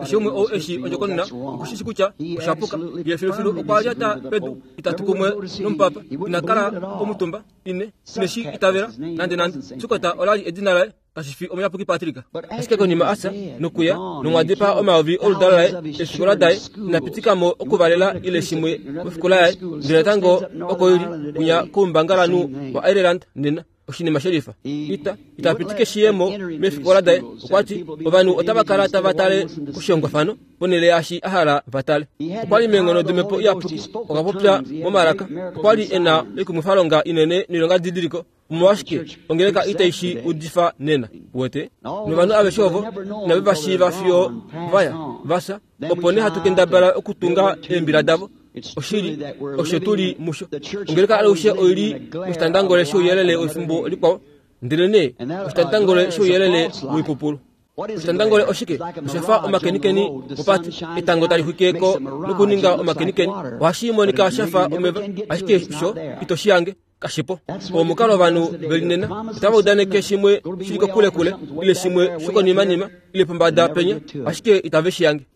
Keshe umwe ou eshi ondjokonona oku shi shi kutya osha puka. Ye filufilu okwa lyata pedu, itatu kumwe nomupapa. Ina kala omutumba. Ine, ine shi itavela nandenande. Sukota ola li edina laye. Kashi fi Omuyapuki Patrick. Ashike konima a fya, nokuya, nomwa dipaa omayovi oludalo laye, eefikola daye, ina pitika mo okuvalela ile shimwe mofikola yaye, ndele natango oko i li, kwinya koumbangalanhu waIreland nena. Oshinima shelifa. Ita, ita pitike shi ye mo meefikola daye. Okwa ti, Ovanhu otava kala tava tale koshihongwafano ponhele yaashi a hala va tale. Okwa li meenghono dOmhepo Iyapuki, okwa popya momalaka. Okwa li e na oikumwifalonga inene noilongadidiliko. Omolwashike ongeleka itai shi udifa nena? Uwete? Novanhu aveshe ovo inave va shiiva fiyo va ya, va fya, opo nee hatu kendabala okutunga eembila davo. Oshili, osho tu li musho. Ongeleka alushe oi li moshitandangole shouyelele wefimbo likwao, ndelenee oshitandangole shouyelele woipupulu. Oshitandangole oshike? Osha fa omakenikeni mopati. Etango tali xwike ko nokuninga omakenikeni. Ohashi monika sha fa omeva, ashike sho ito shi hange. Kashipo. Omukalo ovanhu ve li nena, otava udaneke shimwe shi li kokulekule, ile shimwe shokonimanima, ile pombada penya, ashike itave shi yange.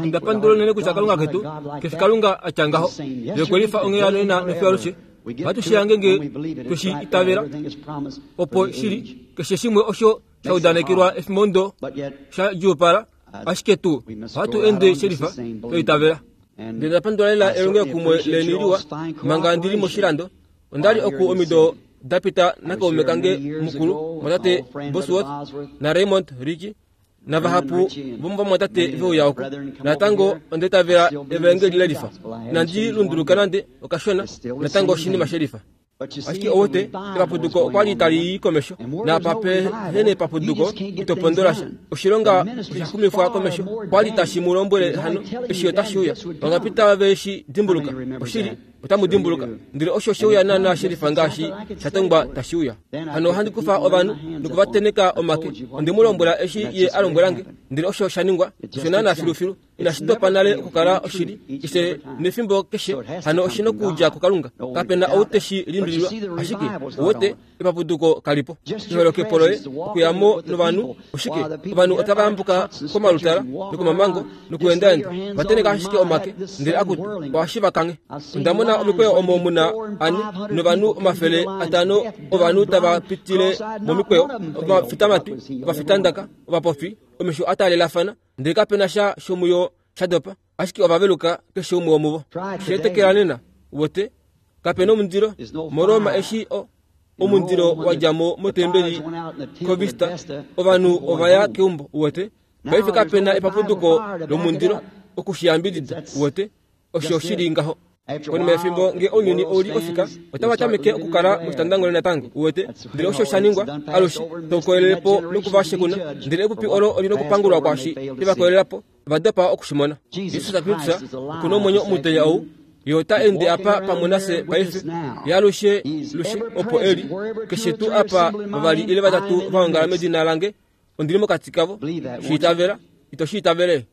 Onda pandula unene kutya Kalunga ketu ke fi Kalunga a tya ngaho. Ye okwe lifa onghee hano nena nofiyo alushe. Ohatu shi yange nge twe shi itavela, opo shi li keshe shimwe osho sha udanekelwa efimbo sha djuupala, ashike tu ohatu ende shelifa twe itavela. Ndele nda pandula lela elongelokumwe leni liwa manga ndi li moshilando. Onda li oku omido da pita nakaume kange mukulu, mwatate Bosworth naRaymond Richey, navahapu vomovamwatate ve uya oku. Natango onda itavela evaengeli lelifa. Inandi lunduluka nande okashona, natango oshinima shelifa. Ashike ouwete, epapuduko okwa li tali i komesho, naapa pe he nepapuduko, ito pondola sha. Oshilonga osha xumifwa komesho. Okwa li tashi mu lombwele hano, eshi otashi uya. Vangapi tave shi dimbuluka? Oshili, otamu dimbuluka. Ndele osho she uya naanaa shelifa ngaashi sha tongwa tashi uya. Hano ohandi kufa ovanhu noku va tenheka omake. Onde mu lombwela eshi Ye a lombwela nge, ndele osho sha ningwa. Osho naanaa filufilu. Inashi dopa nale okukala oshili, keshe nefimbo keshe, hano oshi nokudja kuKalunga. Kape na ou te shi limbililwa, ashike, uwete, epapuduko kali po. Eholokepo loye, okuya mo novanhu, oshike, ovanhu otava yambuka komalutala nokomamango nokuendaenda, va tenheka ashike omake, ndele akutu, ohashi va kanghe. Onda mona omikweyo omo mu na ane novanhu 500 ovanhu tava pitile momikweyo, ovafitamatwi, ovafitandaka, ovapofi, omesho a taalelafana, Ndele kape na sha shomuyo sha dopa, ashike ova veluka keshe umwe womuvo. Sheetekela nena, wote, kape nomundilo moRoma eshi o, omundilo wa dja mo motembeli koVista, ovanhu ova ya keumbo, wote. Paife kape na epapuduko lomundilo oku shi yambidida, wote. Osho shi li ngaho. Konima yefimbo nge ounyuni ou li ofika, otava tameke okukala moshitandangole natango, uwete. Ndele osho sha ningwa, alushe, tau koyelele po noku va shekuna. Ndele epupi olo oli nokupangulwa kwaashi she va koyelela po, va dopa oku shi mona. Jesus Kristus oku nomwenyo omutenya ou, Ye ota ende apa pamwe nafye paife. Ye alushe, lushe, opo e li. Keshe tuu apa vavali ile vatatu va ongala medina lange, ondi li mokati kavo. Shi itavela, ito shi itavele?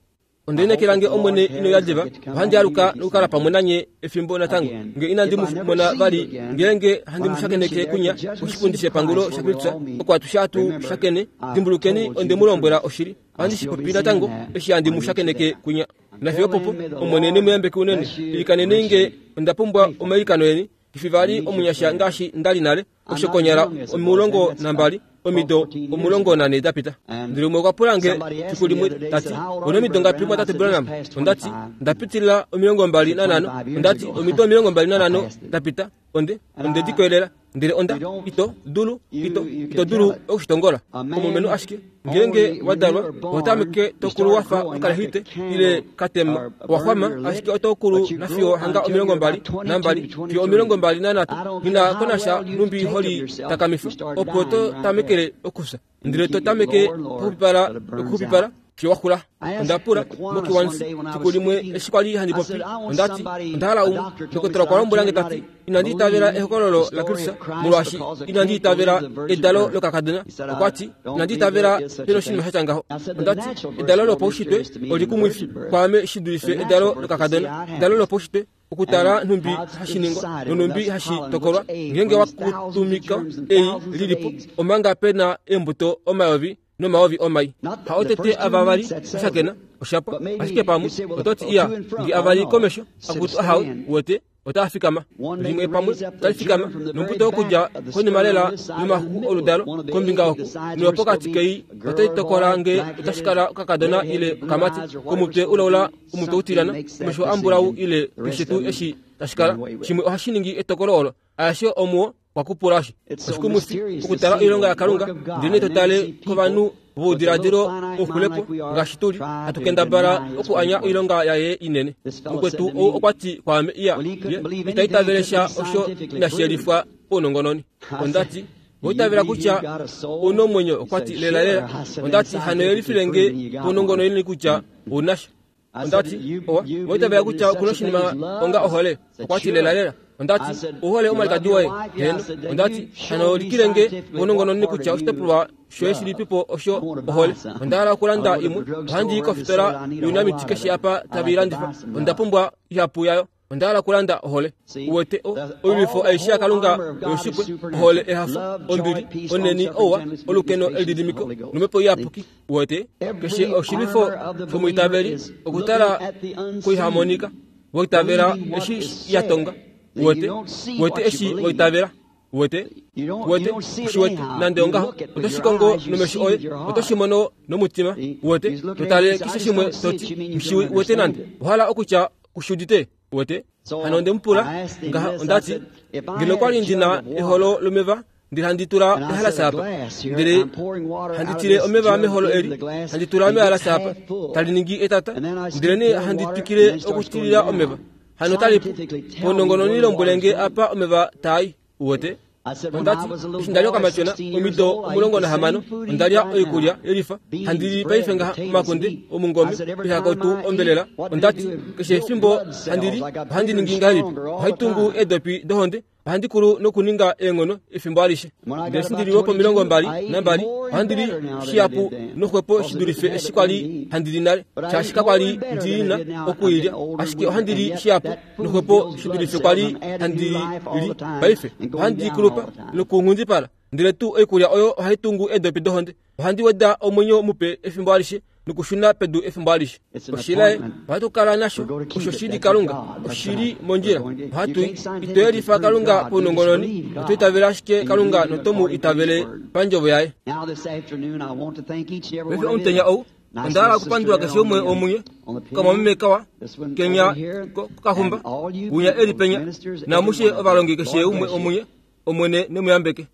Onde lineekela nge Omwene ino ya diva, ohandi aluka nokukala pamwe nanye efimbo natango, nge inandi mu mona vali, ngeenge handi mu shakeneke kunya koshipundi shepangulo shaKristus, oko atushe hatu shakene. Dimbulukeni, onde mu lombwela oshili, ohandi shi popi natango, eshi handi mu shakeneke kunya. Nafiyo opopo, Omwene ne mu yambeke unene. Ilikanenei nge, onda pumbwa omailikano eni. Ndifi vali omunyasha ngaashi nda li nale, osho konyala 12 omido 14 da pita. Ndele umwe okwa pula nge fiku limwe, ta ti, Ou na omido ngapi, Mumwatate Branham? Onda ti, Nda pitilila 25. Onda ti, Omido 25 da pita, onde, onde di koyelela. Ndele onda, ito dulu, ito, ito dulu oku shi tongola. Omulumenhu ashike, ngeenge wa dalwa, oho tameke to kulu wa fa okalehite, ile katema, owa xwama, ashike oto kulu nafiyo hanga 22 fiyo 23. Nghi na ko nasha nhumbi ho li takamifa, opo to tamekele okufya. Ndele to tameke okuxupipala nokuxupipala fiyo wa xula. Onda pula moKiwanis fiku limwe eshi kwa li handi popi, onda ti, Onda hala umwe. Ndokotola okwa lombwela nge ta ti, Inandi itavela ehokololo laKristus molwaashi inandi itavela edalo lokakadona. Okwa ti, Inandi itavela pena oshinima sha tya ngaho. Onda ti, Edalo lopaushitwe olikumwifi kwaame shi dulife edalo lokakadona. Edalo lopaushitwe okutala nhumbi hashi ningwa nonhumbi hashi tokolwa ngeenge wa kutumika ei li li po, omanga pe na eembuto omayovi nomayovi omai. Haotete ava va li oshakena, osha pwa. Ashike pamwe oto ti, Iya, nge ava li komesho, akutu ahawe, uwete. Otaa fikama. Limwe pamwe otali fikama nombuto okudja konima lela yomaxuku oludalo kombinga oku nopokati kei otai tokola nge otashi kala okakadona ile okamati komutwe ulaula omutwe utilyana omesho ambulau ile keshe tuu eshi tashi kala. Shimwe ohashi ningi etokolo olo. Aeshe omuo kwa kupulashi. Oshikumwifi okutala oilonga yaKalunga, ndele nee to tale kovanhu voudiladilo ouxulepo ngaashi tu li, hatu kendabala okuanya oilonga yaye inene. Mukwetu ou okwa ti kwaame, Iya, ye ita itavele sha osho inashi yelifwa paunongononi. Onda ti, Owa itavela kutya ou na omwenyo? Okwa ti, Lelalela. Onda ti, Hano yelifile nge paunongononi kutya ou na sha. Onda ti, Owa, owa itavela kutya oku na oshinima onga ohole? Okwa ti, Lelalela. Onda ti, Ou hole omwalikadi woye? Heeno. Onda ti, Hano likile nge paunongononi kutya oshitopolwa shoye shilipipo osho ohole. Onda hala okulanda imwe. Ohandi i kofitola younamiti keshe apa tave i landifa. Onda pumbwa ihapu yayo. Onda hala okulanda ohole. Uwete, o, oilwifo aishe yaKalunga oyoshipwe, ohole, ehafo, ombili, onheni, ouwa, olukeno, elididimiko, nomhepo iyapuki. Uwete, keshe oshilwifo shomwiitaveli okutala koihamonika, waitavela eshi ya tonga. Uwete, uwete eshi waitavela. Uwete, uwete, ushi wete, nande ongaho, oto shi kongo nomesho oye, oto shi mono nomutima. Uwete, to tale keshe shimwe to ti, Nghi wete nande. Owa hala okutya ku shi udite? Uwete? Hano onde mu pula ngaha, onda ti, Ngeno okwa li ndi na eholo lomeva, ndele handi tula ehalasa apa, ndele handi tile omeva meholo eli, handi tula mehalasa apa, tali ningi etata, ndele nee handi twikile okutilila omeva. Hano tali pu. Paunongononi lombwele nge apa omeva taa i. Uwete? Onda ti, eshi nda li okamatyona, omido 16, onda lya oikulya yelifa, handi li paife ngaha omakunde, omungome, oihakotu, ombelela. Onda ti, keshe efimbo handi li, ohandi ningi ngahelipi? Ohai tungu eedopi dohonde. Ohandi kulu nokuninga eenghono efimbo alishe. Ndele eshi ndi li lwopo22, ohandi li shihapu noxwepo shi dulife eshi kwa li handi li nale, shaashi kakwa li ndi na oku i lya. Ashike ohandi li shihapu noxwepo shi dulife kwa li handi li paife. Ohandi kulupa nokunghundipala, ndele tuu oikulya oyo ohai tungu eedopi dohonde. Ohandi weda omwenyo mupe efimbo alishe nokushuna pedu efimbo alishe. Oshilaye ohatu kala nasho osho shi li Kalunga, oshi li mondjila. Ohatu ito yelifa Kalunga paunongononi, oto itavele ashike Kalunga noto mu itavele pandjovo yaye. Paife omutenya ou, onda hala okupandula keshe umwe womunye, okamwameme kawa, kenya kokahumba, winya e li penya, naamushe ovalongi keshe umwe womunye, Omwene ne mu yambeke.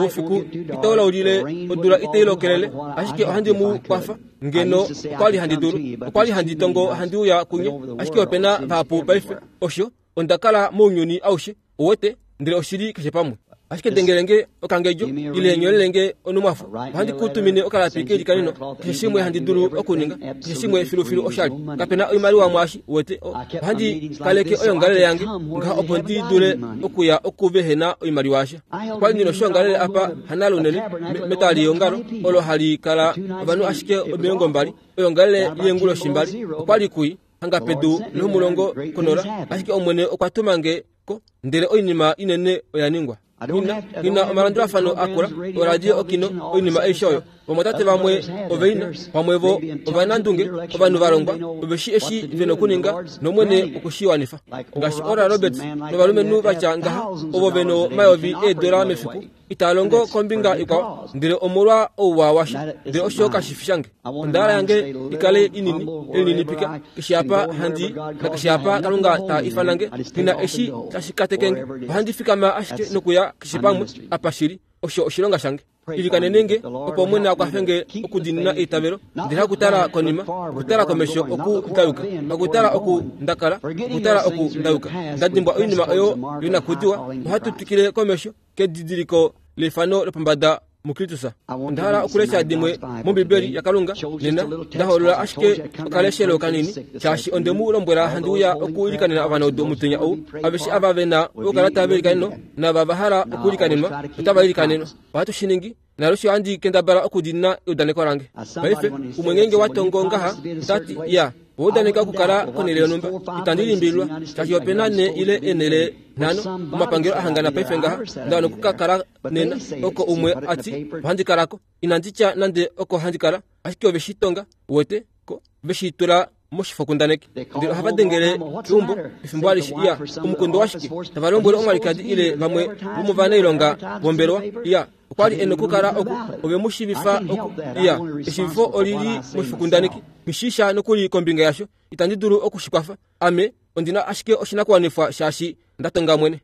Oufiku itau laulile, odula itai lokelele, ashike ohandi mu kwafa ngeno okwa li handi dulu. Okwa li handi tongo handi uya kunye, ashike ope na vahapu paife. Osho, onda kala mounyuni aushe, uwete, ndele oshi li keshe pamwe. Ashike dengele nge okangedjo, ile nyolele nge onumwafo. Ohandi ku tumine okalapi keilikaneno, keshe shimwe handi dulu okuninga, keshe shimwe filufilu oshali. Kape na oimaliwa mwaashi, uwete. Ohandi kaleke oyongalele yange ngaha opo ndi dule okuya oku vehe na oimaliwa yasha. Okwa li ndi noshoongalele apa hanale unene, metwali leongalo, olo hali kala ovanhu ashike 20, oyongalele yeenguloshi mbali. Okwa li kui hanga pedu lomulongo konola, ashike Omwene okwa tuma nge ko, ndele oinima inene oya ningwa. Nghi na omalandulafano a kula, oradio, okino, oinima aishe oyo. Ovamwatate vamwe ove i na, pamwe vo ovanandunge, ovanhu va longwa, ove shi eshi ve nokuninga, nOmwene okwe shi wanifa. Ngaashi Oral Roberts novalumenhu va tya ngaha, ovo ve nomayovi eedola mefiku, itaa longo kombinga ikwao, ndele omolwa ouwa washa. Ndele osho kashi fi shange. Onda hala yange i kale inini, elininipika, keshe apa handi nakeshe apa Kalunga ta ifana nge, nghi na eshi tashi kateke nge. Ohandi fikama ashike nokuya keshe pamwe apa shi li. Osho oshilonga shange. Ilikanene nge, opo Omwene a kwafe nge okudiinina eitavelo, ndele hakutala konima, okutala komesho oku nda yuka, hakutala oku nda kala, okutala oku nda yuka. Nda dimbwa oinima oyo yonakudiwa, ohatu twikile komesho kedidiliko leifano lopombada muKristus. Onda hala okulesha dimwe mOmbibeli yaKalunga nena. Nda hoolola ashike okaleshelo kanini, shaashi onde mu lombwela handi uya okuilikanena ovanaudu omutenya ou. Aveshe ava ve na oukalata veilikaneno naava va hala okuilikanenwa otava ilikanenwa. Ohatu shi ningi, naalushe ohandi kendabala okudiinina eudaneko lange. Paife, umwe ngeenge wa tongo ngaha, ota ti, Ya, owa udaneka okukala konhele yonhumba. Itandi limbililwa, shaashi ope na ne ile eenhele nhano omapangelo a hangana paife ngaha, nda wana oku ka kala nena, oko umwe a ti, Ohandi kala ko. Inandi tya nande oko handi kala, ashike ove shi tonga, uwete ko, ve shi tula. moshifokundaneki. Ndele ohava dengele keumbo efimbo alishe iya omukundu washike tava lombwele omwalikadi ile vamwe vomovanailonga vombelewa iya okwa li e nokukala oku ove mu shiivifa oku iya eshiivifo oli li moshifokundaneki. Nghishiisha nokuli kombinga yasho, itandi dulu oku shi kwafa. Ame ondi na ashike oshinakuwanifwa shaashi nda tonga mwene.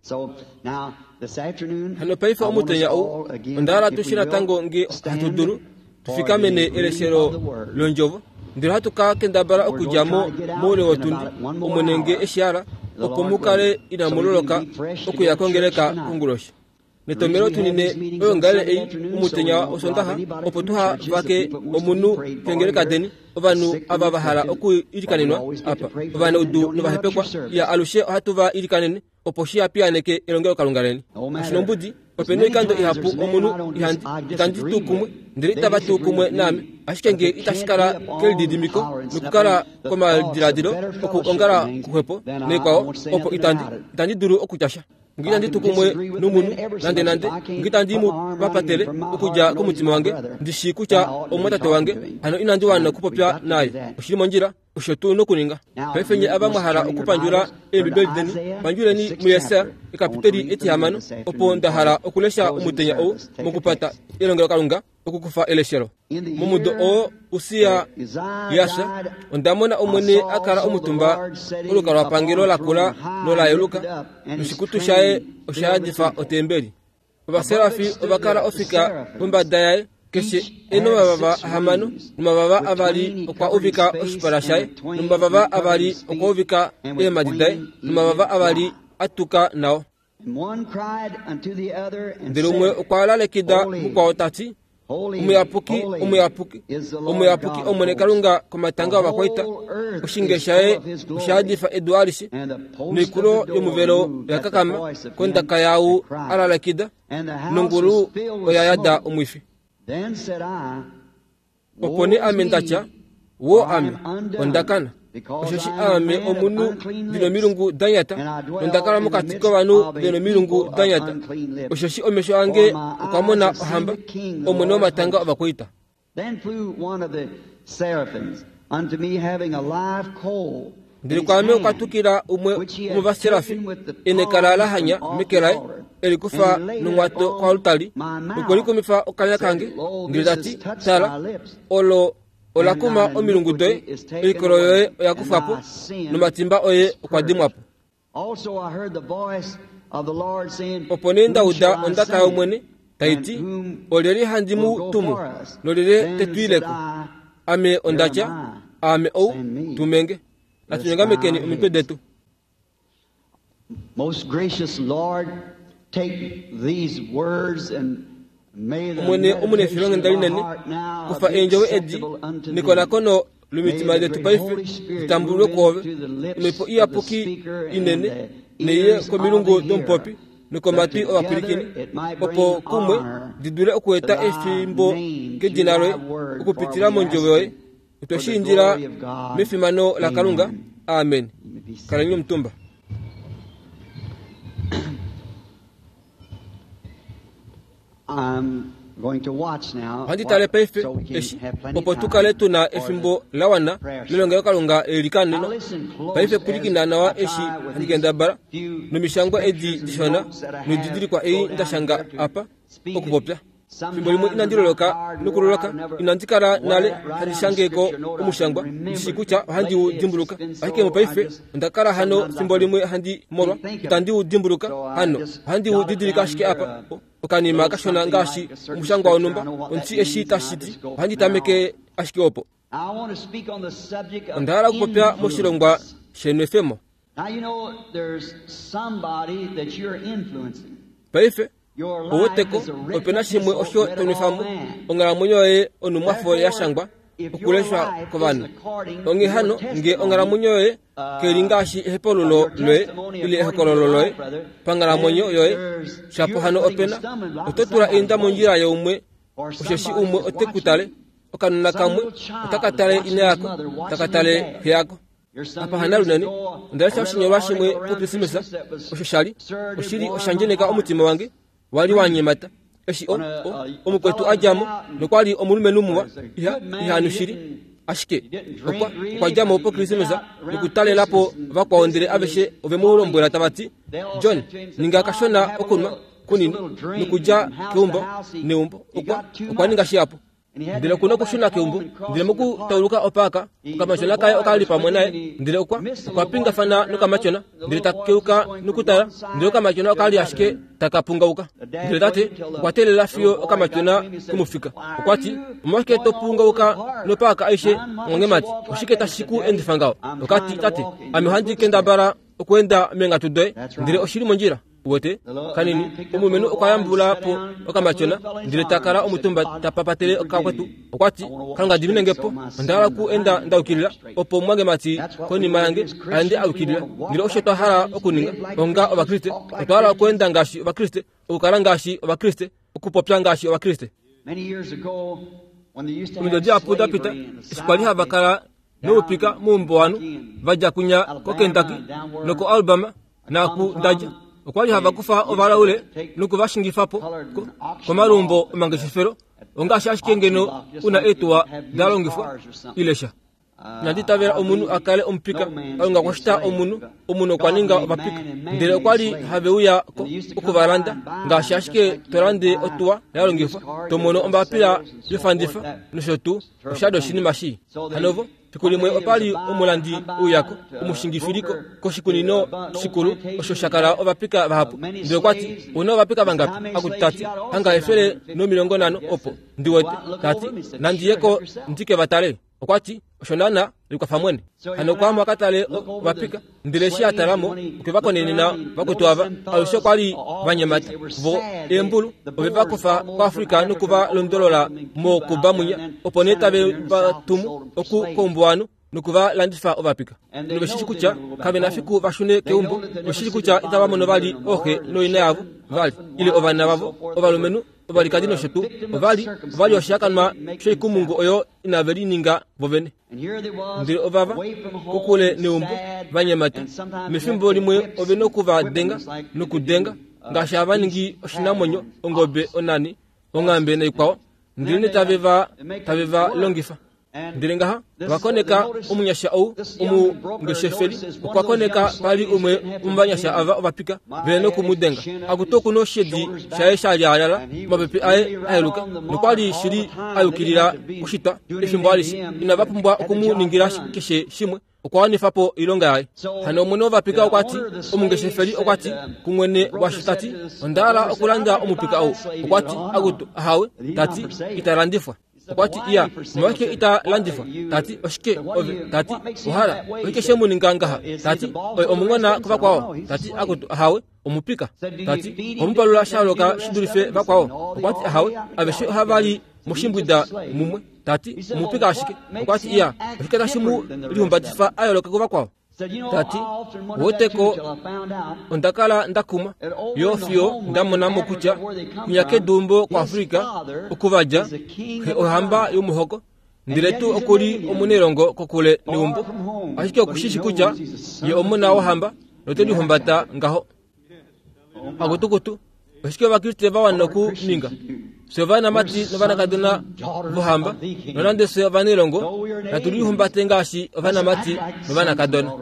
Hano paife omutenya ou, onda hala tu shi natango nge hatu dulu, tu fikamene eleshelo londjovo, ndele ohatu ka kendabala okudja mo moule wotundi, Omwene nge e shi hala, opo mu kale inamu loloka okuya kongeleka konguloshi. Netomhelo tunine oyoongalele ei omutenya wOsoondaxa opo tuha vake omunhu keengeleka deni, ovanhu ava va hala okwiilikanenwa apa, ovanaudu novahepekwa, iya alushe ohatu va ilikanene opo shi ha piyaaneke elongelokalunga leni. Kashi nombudi, ope noikando ihapu omunhu ihandi itandi tu kumwe, ndele itava tu kumwe naame. Ashike nge itashi kala kelididimiko nokukala komadiladilo okuongala kuxwepo naikwao, opo itandi itandi dulu okutya sha. Nge itandi tu kumwe nomunhu nandenande, nge itandi mu papatele okudja komutima wange, ndi shii kutya omumwatate wange, hano inandi wana okupopya naye. Oshi li mondjila, osho tu nokuninga. Paife nye ava mwa hala okupandjula Eembibeli deni, pandjuleni muJesaja, ekapiteli etihamano, opo nda hala okulesha omutenya ou mokupata elongelokalunga okukufa eleshelo. Momudo oo Ussia ya fya, onda mona Omwene a kala omutumba kolukalwapangelo la kula nola yeluka, noshikutu shaye osha yadifa otembeli. Ovaserafi ova kala ofika pombada yaye, keshe e nomavava ahamano, nomavava avali okwa uvika oshipala shaye, nomavava avali okwa uvika eemhadi daye, nomavava avali a tuka nao. Ndele umwe okwa lalekida mukwao ta ti, Omuyapuki, omuyapuki, omuyapuki Omwene Kalunga komatanga ovakwaita, oshinge shaye osha yadifa edu alishe, noikulo yomuvelo oya kakama kondaka yaau a lalekida, nongulu oya yada omwifi. Opo nee ame nda tya, Woo ame, onda kana, osheshi aame omunhu ndi nomilungu da nyata, nonda kala mokati kovanhu ve nomilungu da nyata, osheshi omesho ange okwa mona ohamba, Omwene womatanga ovakwaita. Ndele kwaame okwa tukila umwe womovaserafi e nekala la hanya meke laye, e li kufa nongwato koaltari, nokwe li kumifa okanya kange, ndele ta ti, Tala, olo ola kuma omilungu doye, oikolo yoye oya kufwa po, nomatimba oye okwa dimwa po. Opo nee nda uda ondaka yOmwene tai ti, Olyelye handi mu tumu, nolyelye te tu ile ko? Ame onda tya, Aame ou, tume nge. Natu nyongamekeni omitwe detu. Omwene omunefilonghenda linene, kufa eendjovo edi nekonakono lomitima detu paife li tambulwe kwoove. Omhepo Iyapuki inene neiye komilungu domupopi nokomatwi ovapwilikini, opo kumwe di dule okueta efimbo kedina loye okupitila mondjovo yoye. Otwe shi indila mefimano laKalunga. Amen. Kaleni omutumba. Ohandi tale paife eshi opo tu kale tu na efimbo la wana lelongelokalunga leilikano. Paife pwilikina nawa eshi handi kendabala nomishangwa edi dishona noididilikwa ei nda shanga apa okupopya. Fimbo limwe inandi loloka nokuloloka, inandi kala nale handi shange ko omushangwa, ndi shii kutya ohandi u dimbuluka. Ashike mopaife onda kala hano fimbo limwe handi molwa, itandi u dimbuluka hano, ohandi u didilika ashike apa, okanima kashona ngaashi omushangwa wonhumba, ondi eshi tashi ti, ohandi tameke ashike opo. Onda hala okupopya moshilongwa shenwefemo. Paife, Ou weteko, ope na shimwe osho to nwefa mo onghalamwenyo yoye onhumwafo ya shangwa okuleshwa kovanhu. Onghee hano, nge onghalamwenyo yoye kai li ngaashi ehepaululo loye ile ehokololo loye panghalamwenyo yoye, shapo hano ope na, oto tula einda mondjila yaumwe, osheshi umwe ote ku tale, okanona kamwe otaka tale ina yako, taka tale xe yako. Apa hana lunene, onda lesha oshinyolwa shimwe puKrismesa osho sha li oshili osha ndjeneka omutima wange wa li wa nyemata eshi o, o, omukwetu a dja mo nokwa li omulumenhu muwa iha, iha nu shili. Ashike okwa okwa dja mo pOkrismesa nokutalela po vakwao ndele aveshe ove mu lombwela tava ti, John, ninga kashona okunwa kunini nokudja keumbo neumbo. Okwa okwa ninga shihapu. Ndele oku na okushuna keumbo. Ndele mokutauluka opaaka, okamatyona kaye oka li pamwe naye. Ndele okwa okwa pingafana nokamatyona, ndele ta keuka nokutala, ndele okamatyona oka li ashike taka pungauka. Ndele tate okwa teelela fiyo okamatyona ke mu fika. Okwa ti, Omolwashike to pungauka nopaaka aishe, mwangemati? Oshike tashi ku endifa ngaho? Oka ti, Tate, ame ohandi kendabala okweenda meenghatu doye, ndele oshi li mondjila. Uwete? Kanini, omulumenhu okwa yambula po okamatyona, ndele ta kala omutumba ta papatele okakwetu. Okwa ti, Kalunga dimine nge po, onda hala oku enda nda yukilila, opo omumwangemati konima yange a ende a yukilila. Ndele osho twa hala okuninga onga Ovakriste, otwa hala okweenda ngaashi Ovakriste, okukala ngaashi Ovakriste, okupopya ngaashi Ovakriste. Omido dihapu da pita, eshi kwa li hava kala noupika moumbuwanhu va dja kunya koKentucky nokoAlabama naaku nda dja, okwa li hava kufa ovalaule noku va shingifa po komalumbo omangeshefelo, ongaashi ashike ngeno u na eetuwa da longifwa ile sha. Inandi itavela omunhu a kale omupika. Kalunga okwa shita omunhu, omunhu okwa ninga ovapika. Ndele okwa li have uya ko oku va landa, ngaashi ashike to lande otuwa ya longifwa, to mono ombapila yofandifa nosho tuu. Osha li oshinima shii. Hano vo, fiku limwe opa li omulandi uyako, omushingifiliko koshikunino shikulu osho sha kala ovapika vahapu. Ndele okwa ti, Ou na ovapika vangapi? Akutu ta ti, Hanga 150 opo, ndi wete. Ta ti, Nandi ye ko ndi ke va tale. Okwa ti, Osho naana, likwafa mwene. Hano okwa ya mo a ka tale ovapika, ndele eshi a tala mo, okwe va konenena vakwetu ava, alushe okwa li va nyemata. Vo eembulu ove va kufa koAfrika noku va londolola moKuba mwinya, opo nee tave va tumu oku koumbuwanhu noku va landifa ovapika. Nove shi shii kutya kave na fiku va shune keumbo, ove shi shii kutya itava mono vali ooxe nooina yavo vali, ile ovana vavo ovalumenhu, ovalikadi nosho tuu. Ova li ova li oshihakanwa shoikumungu oyo inave lininga vo vene. Ndele ovava kokule neumbo va nyemata. Mefimbo limwe ove noku va denga nokudenga ngaashi hava ningi oshinamwenyo, ongobe, onani, onghambe naikwao, ndele nee tave va tave va longifa. Ndele ngaha va koneka omunyasha ou omungeshefeli okwa koneka pa li umwe womovanyasha ava ovapika ve noku mu denga. Akutu oku noshedi shaye sha lyaalala, omapepe aye a yeluka, nokwa li shili a yukilila oshitwa efimbo alishe. Inava pumbwa oku mu ningila keshe shimwe, okwa wanifa po oilonga yaye. Hano omwene wovapika okwa ti, omungeshefeli okwa ti kumwene washo ta ti, Onda hala okulanda omupika ou. Okwa ti, Akutu, ahawe, ta ti, ita landifwa. Okwa ti, Iya, omolwashike ita landifwa? Ta ti, Oshike ove? Ta ti, Ohala, oshike she mu ninga ngaha? Ta ti, Oye omunghona kuvakwao. Ta ti, Akutu, ahawe, omupika. Ta ti, Oho mu palula sha yooloka shi dulife vakwao? Okwa ti, Ahawe, aveshe ohava li moshimbwida mumwe. Ta ti, Omupika ashike. Okwa ti, Iya, oshike tashi mu lihumbatifa a yooloka kuvakwao? Ta ti, Woteko, onda kala nda kumwa yo fiyo nda mona mo kutya kwinya keduumbo kuAfrika oku va dja, xe ohamba yomuhoko, ndele tuu oku li omunailongo kokule neumbo, ashike oku shi shi kutya ye omona wohamba note lihumbata ngaho. Akutukutu, oshike Ovakriste va wana okuninga? Fye ovanamati novanakadona vohamba, nonande fye ovanailongo, natu lihumbate ngaashi ovanamati novanakadona.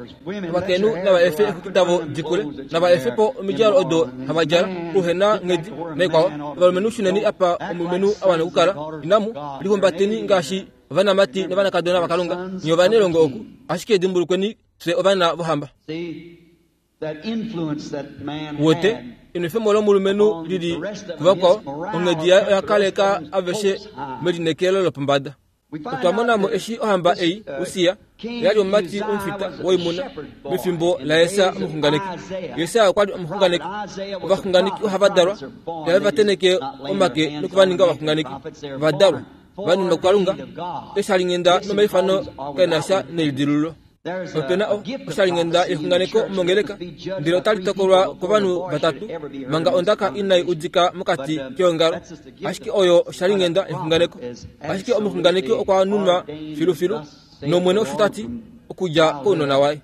Ovakainhu nava efe eexwiki davo di kule, nava efe po omidjalo odo hava djala, uhe na nghedi naikwao. Ovalumenhu shuneni apa omulumenhu a wana okukala. Inamu lihumbateni ngaashi ovanamati novanakadona vaKalunga, nye ovanailongo oku. Ashike dimbulukweni, fye ovana vohamba. Wete, enwefemo lomulumenhu li li kuvakwao, onghedi yaye oya kaleka aveshe melineekelo lopombada. Otwa mona mo eshi ohamba ei, Ussia, ya li omumati omufita woimuna mefimbo laJesaja omuxunganeki. Jesaja okwa li omuxunganeki. Ovaxunganeki ohava dalwa, ihave va tenheke omake noku va ninga ovaxunganeki. Va dalwa, va nunwa kuKalunga, eeshalinghenda nomaifano kae na sha nelidilululo. Ope na oshalinghenda yexunganeko mongeleka, ndele otali tokolwa kovanhu vatatu manga ondaka inai udika mokati keongalo. Ashike oyo oshalinghenda yexunganeko. Ashike omuxunganeki okwa nunwa filufilu, nOmwene osho ta ti, okudja kounona waye.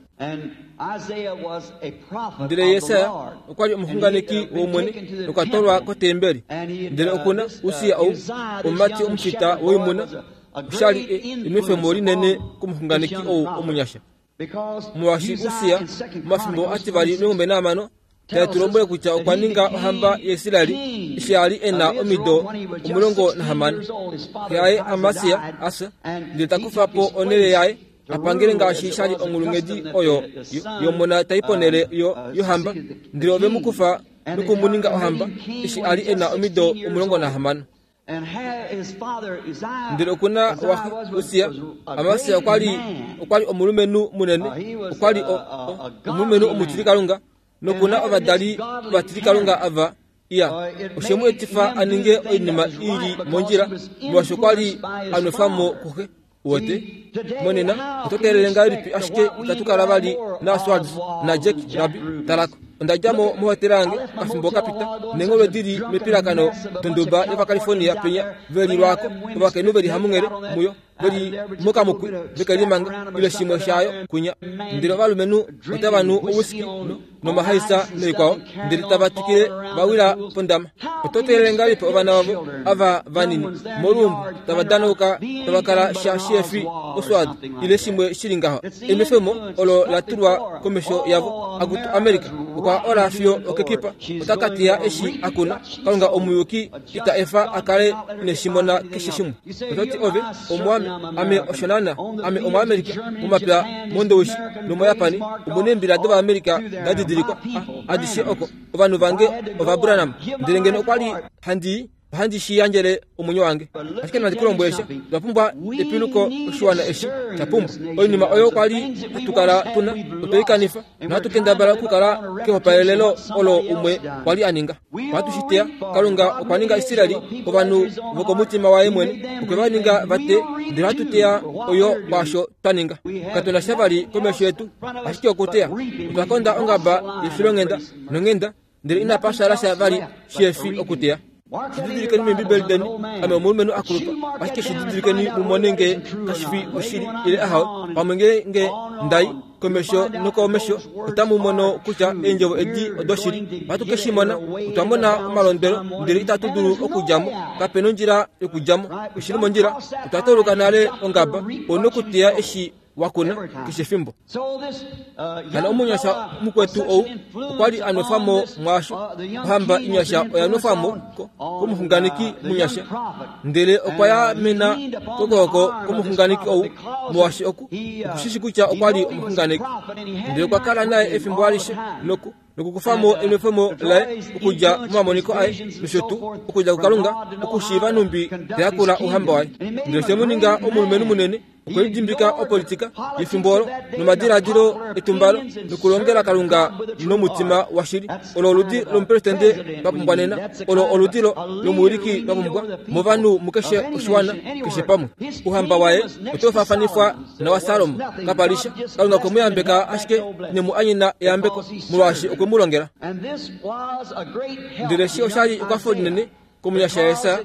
Ndele Jesaja okwa li omuxunganeki wOmwene nokwa twalwa kotembeli. Ndele oku na Ussia ou, omumati omufita woimuna. Osha li enwefemo linene komuxunganeki ou omunyasha. Molwaashi Ussia, momafimbo ativali 16, tae tu lombwele kutya okwa ninga ohamba yaIsrael eshi a li e na omido 16. Xe yaye Amasia, Asa, ndele ta kufa po onhele yaye a pangele ngaashi sha li onghulunghedi oyo yomona tai ponhele yohamba, ndele ove mu kufa noku mu ninga ohamba eshi a li e na omido 16. Ndele oku na waxe Ussia, Amasia okwa li okwa li omulumenhu munene, okwa li omulumenhu omutilikalunga, noku na ovadali ovatilikalunga ava iya oshe mu etifa a ninge oinima i li mondjila molwaashi okwa li a nwefwa mo kuxe. Uwete? Monena, oto teelele ngahelipi ashike itatu kala vali naOswald naJack Rabi? Talako. Onda dja mo mohotela yange okafimbo ka pita, neengholwe di li mepilakano donduba yOvacalifornia penya, ve li lwaako, ovakainhu ve li hamunghele muyo, ve li mokamukwi, veke limanga, ile shimwe shaayo kwinya. Ndele ovalumenhu otava nu owhiskey no, nomahaisa noikwao, ndele tava twikile va wila pondama. Oto teelele ngahelipi ovana vavo ava vanini moluumbo tava danauka tava kala sha shihefi oswad ile shimwe shi li ngaho? Enwefemo olo la tulwa komesho yavo. Akutu America okwa ola fiyo okekipa, ota ka teya eshi a kuna. Kalunga omuyuki ita efa a kale ine shi mona keshe shimwe. Oto ti ove, Omuame, ame osho naana, ame Omuamerika, momapya mOndowishi nomoYapani omu neembila dOvaamerika da didilikwa adishe oko. Ovanhu vange Ovabranham. Ndele ngeno okwa li handi i, ohandi shi yandjele omwenyo wange. Ashike nandi ku lombwele sha, otwa pumbwa epiluko oshiwana eshi sha pumbwa. Oinima oyo kwa li hatu kala tu na, otwe i kanifa, nohatu kendabala okukala kehopaelelo olo umwe kwa li a ninga. Ohatu shi teya. Kalunga okwa ninga Israel ovanhu vokomutima waye mwene, okwe va ninga va teye, ndele ohatu teya oyo kwaasho twa ninga. Katu na sha vali komesho yetu, ashike okuteya. Otwa konda ongaba yefilonghenda nonghenda, ndele inapa shala sha vali shihefi okuteya. Shi didilikeni mEembibeli deni, ame omulumenhu a kulupa, ashike shi didilikeni mu mone nge kashi fi oshili ile ahawe. Pamwe ngeenge nda i komesho nokomesho, otamu mono kutya eendjovo edi odoshili. Ohatu ke shi mona. Otwa mona omalondwelo, ndele itatu dulu okudja mo. Kape nondjila yokudja mo. Oshi li mondjila. Otwa tauluka nale ongaba. Ou nokuteya eshi wa kuna keshe efimbo. Hano omunyasha mukwetu ou okwa li a nwefwa mo mwaasho. Ohamba inyasha oya nwefwa mo komuxunganeki munyasha, ndele okwa ya mena kokwooko komuxunganeki ou, molwaashi oku okushishi kutya okwa li omuxunganeki. Ndele okwa kala naye efimbo alishe noku nokukufa mo enwefemo laye okudja momamoniko aye nosho tuu okudja kuKalunga okushiiva nhumbi ta yakula ouhamba waye. Ndele oshe mu ninga omulumenhu munene Okwe lidimbika opolitika yefimbo olo nomadiladilo etumbalo nokulongela Kalunga nomutima washili. Olo oludi lomupresidente twa pumbwa nena. Olo oludi lomuwiliki twa pumbwa movanhu mukeshe oshiwana, keshe pamwe. Ouhamba waye otau faafanifwa nawaSalomo. Kapa li sha. Kalunga okwe mu yambeka ashike ine mu anyena eyambeko molwaashi okwe mu longela. Ndele eshi osha li ekwafo linene komunyasha Jesaja,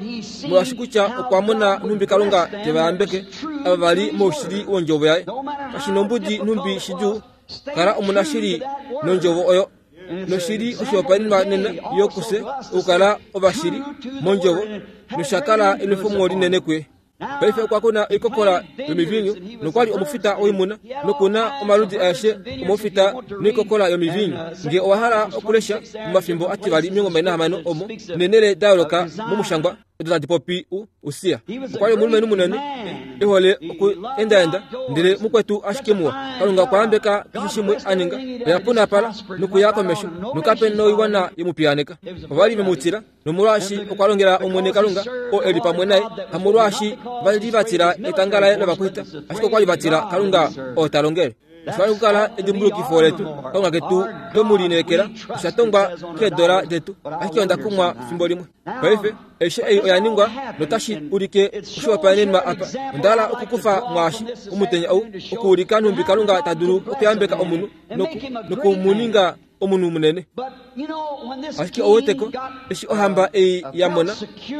molwaashi kutya okwa mona nhumbi Kalunga te va yambeke ava va li moushili wondjovo yaye. Kashi nombudi nhumbi shidjuu, kala omunashili nondjovo oyo. Noshili oshihopaenenwa nena yo kufye okukala ovashili mondjovo, nosha kala enwefemo linene kuye. Paife okwa kuna oikokola yomiviinyu nokwa li omufita woimuna noku na omaludi aeshe omaufita noikokola yomiviinyu. Nge owa hala okulesha momafimbo ativali 26 omo neenhele da yooloka momushangwa odo tadi popi u Usia. Okwa li omulumenhu munene e hole oku endaenda, ndele mukwetu ashike muwa. Kalunga okwa yambeka keshe shimwe a ninga. Oya punapala nokuya komesho nokape noiwana ye mu piyaaneka. Ova li ve mu tila. Nomolwaashi okwa longela Omwene Kalunga, oo e li pamwe naye, hamolwaashi va li va tila etanga laye lovakwaita, ashike okwa li va tila Kalunga oo ta longele. Osha li okukala edimbulukifo letu, Kalunga ketu twe mu lineekela, osha tongwa keedola detu, ashike onda kumwa fimbo limwe. Paife, aishe ei oya ningwa notashi ulike oshihopaenenwa apa. Onda hala okukufa mwaashi omutenya ou, okuulika nhumbi Kalunga ta dulu okuyambeka omunhu noku, noku mu ninga omunhu munene. Ashike ou weteko, eshi ohamba ei ya mona,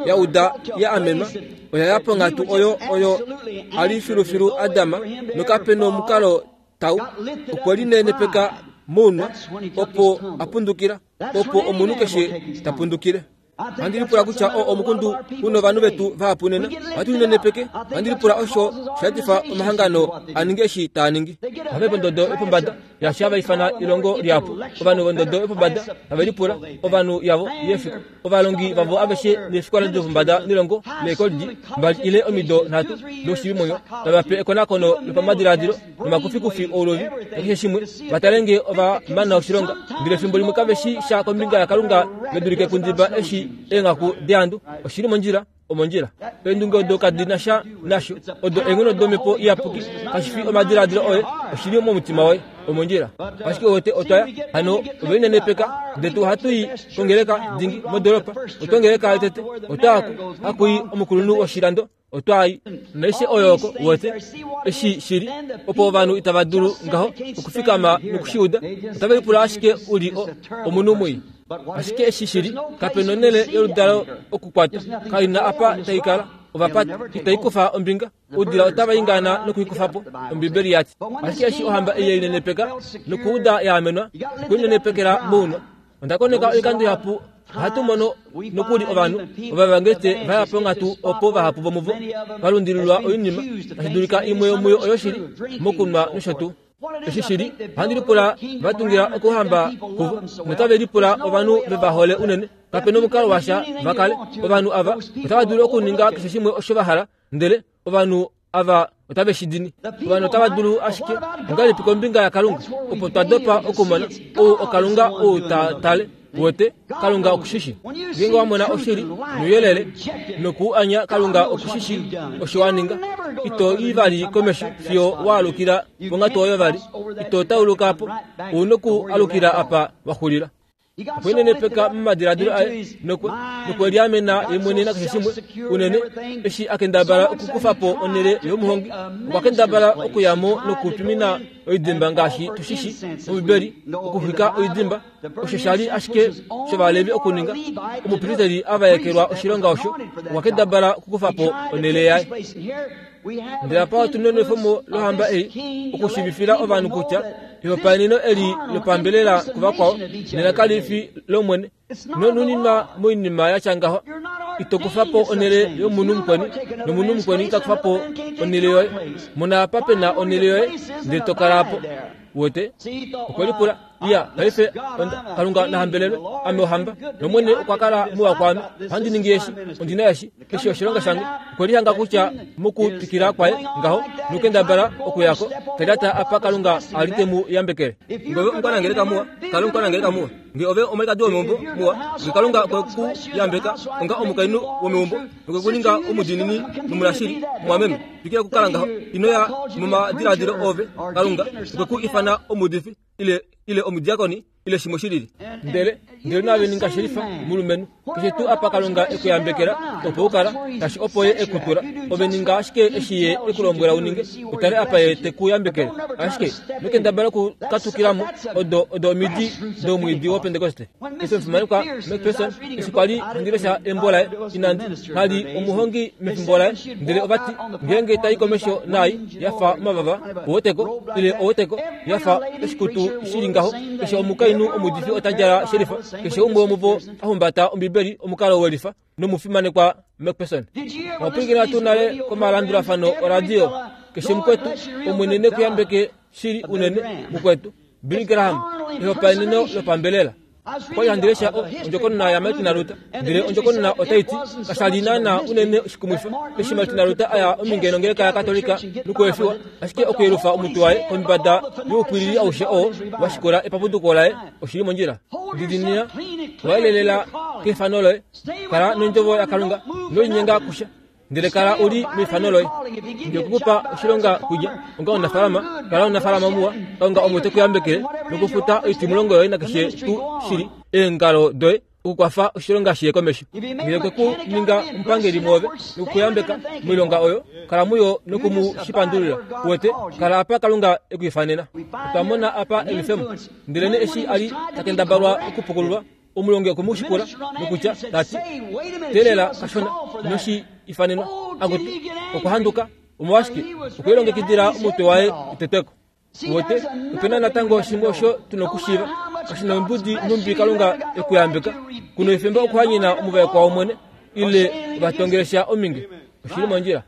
ya uda ya amenwa, oya ya ponghatu oyo oyo a li filufilu Adam, nokape nomukalo tau. Okwe linenepeka mounwa, opo a pundukila, opo omunhu keshe ta pundukile. Ohandi lipula kutya oo omukundu u novanhu vetu vahapu nena. Ohatu linenepeke. Ohandi lipula osho sha etifa omahangano a ninge eshi taa ningi. Ohava i pondodo yopombada yaashi hava ifana elongo lihapu. Ovanhu vondodo yopombada have lipula, ovanhu yavo yefiku, ovalongi vavo aveshe neefikola dopombada nelongo leekolidji mbali ile omido nhatu doushiivimwenyo, tava pe ekonakono lopamadilaadilo nomakufikufi ouluvi nakeshe shimwe, va tale nge ova mana oshilonga. Ndele efimbo limwe kave shi sha kombinga yaKalunga ve dulike kundiba eshi eenghaku deandu. Oshi li mondjila. Omondjila. Eendunge odo kadi na sha nasho. Odo eenghono domhepo iyapuki. Kashi fi omadiladilo oye, oshi li momutima woye. Omondjila. Ashike wete otwa ya hano ove linenepeka ndele tu ohatu i kongeleka dingi modoolopa. Otwa yotete. Otwa ya ko. Haku i omukulunhu woshilando. Otwa i naishe oyo oko wete eshi shi li opo ovanhu itava dulu ngaho okufikama noku shi uda. Otave lipula ashike u li o, omunhu mwii. Ashike eshi shi li, kape nonhele yoludalo okukwata, kai na apa tai kala. Ovapati itai kufa ombinga, oudila otava ingana noku i kufa po, Ombibeli ya ti. Ashike eshi ohamba ei ye linenepeka nokuuda ya amenwa, okulinenepekela mounwa. Onda koneka oikando ihapu ohatu mono nokuli ovanhu ovavangete va ya ponghatu opo vahapu vomuvo va lundililwa oinima, tashi dulika imwe yomuyo oyoshili, mokunwa nosho tuu. Eshi shi li, ohandi lipula va tungila okuhamba kuvo, notave lipula ovanhu ve va hole unene. Kape nomukalo washa va kale. Ovanhu ava otava dulu okuninga keshe shimwe osho va hala, ndele ovanhu ava otave shi dini. Ovanhu otava dulu ashike ongahelipi kombinga yaKalunga opo twa dopa okumona ou oKalunga ou ta tale wete Kalunga oku shi shi. Ngeenge wa mona oshili nouyelele noku u anya, Kalunga oku shi shi osho wa ninga. Ito i vali komesho fiyo wa alukila ponghatu oyo vali. Ito tauluka po. U noku alukila apa wa xulila. Okwe linenepeka momadiladilo aye nokwe, nokwe liamena ye mwene nakeshe shimwe unene eshi a kendabala okukufa po onhele yomuhongi. Okwa kendabala okuya mo nokutwimina oidimba ngaashi tu shi shi mOmbibeli, okuxwika oidimba. Osho sha li ashike shovalevi okuninga. Omupristeli a vaekelwa oshilonga osho, okwa kendabala okukufa po onhele yaye. Ndele apa otu nenwefomo lohamba ei okushiivifila ovanhu kutya ehopaeneno eli lopambelela kuvakwao nena kali fi lOmwene. Nonuninwa moinima ya tya ngaho, ito kufa po onhele yomunhu mukweni, nomunhu mukweni ita kufa po onhele yoye. Mona apa pe na onhele yoye, ndele to kala po. Uwete? Okwe lipula, Iya, paife, onda, Kalunga na hambelelwe, ame ohamba, nOmwene okwa kala muwa kwaame. Ohandi ningi eshi, ondi na eshi, eshi oshilonga shange. Okwe lihanga kutya mokutwikila kwaye ngaho nokukendabala okuya ko, ta lyata apa Kalunga a li te mu yambekele. Nge ove omukwanangeleka muwa, kala omukwanangeleka muwa. Nge ove omwalikadi womeumbo muwa, nge Kalunga okwe ku yambeka onga omukainhu womeumbo nokwe ku ninga omudiinini nomunashili, mumwameme, twikila okukala ngaho. Ino ya momadiladilo ove, Kalunga okwe ku ifana omuudifi ile ile omudiakoni ile shimwe shi lili. Ndele ndele naave ninga shelifa, mulumenhu. Keshe tuu apa Kalunga e ku yambekela, opo u kala, kashi opo Ye e ku tula. Ove ninga ashike eshi Ye e ku lombwela u ninge, u tale apa Ye te ku yambekele. Ashike ino kendabala okukatukila mo odo, odo omidi domwiidi wOpentekoste. Eshi omufimanekwa McPherson, eshi kwa li handi lesha embo laye, inandi, ka li omuhongi mefimbo laye, ndele ova ti, ngeenge tai komesho naai ya fa omavava, oweteko, ile oweteko, ya fa oshikutu shi li ngaho, keshe omukainhu omuudifi ota djala shelifa, keshe umwe womuvo a humbata Ombibeli omukalo welifa, nomufimanekwa McPherson. Owa pwilikina tuu nale komalandulafano oradio? Keshe mukwetu, Omwene ne ku yambeke shili unene, mukwetu. Billy Graham, ehopaeneno lopambelela. Okwa li handi lesha ondjokonona yaMartin Luther, ndele ondjokonona otai ti, Kasha li naanaa unene oshikumwifa eshi Martin Luther a ya omhinge nongeleka yaKatolika nokuefiwa, ashike okuyelufa omutwe waye kombada youpwilili aushe oo wa shikula epapuduko laye oshi li mondjila. Didinina, wayelelela keifano loye, kala nondjovo yaKalunga, ino linyenga kusha. Ndele kala u li meifano loye. Nge okwe ku pa oshilonga kulya onga omunafaalama, kala omunafaalama muwa. Kalunga omo te ku yambekele nokufuta oitimulongo yoye nakeshe tuu shi li eengalo doye okukwafa oshilonga shi ye komesho. Ngele okwe ku ninga omupangeli mwoove noku ku yambeka moilonga oyo, kala muyo noku mu shi pandulila. Uwete, kala apa Kalunga e ku ifanena. Otwa mona apa enwefemo. Ndelenee eshi a li ta kendabalwa okupukululwa, Omulongi okwe mu shikula nokutya, ta ti, Teelela kashona, ino shi ifanenwa. Akutu, okwa handuka. Omolwashike? Okwe lilongekidila omutwe waye u tetwe ko. Uwete, ope na natango shimwe osho tu na okushiiva. Kashi na ombudi nhumbi Kalunga e ku yambeka, ku na efimbo okuhanyena omuvaekwa wOmwene ile ovatongelesha ominge. Oshi li mondjila.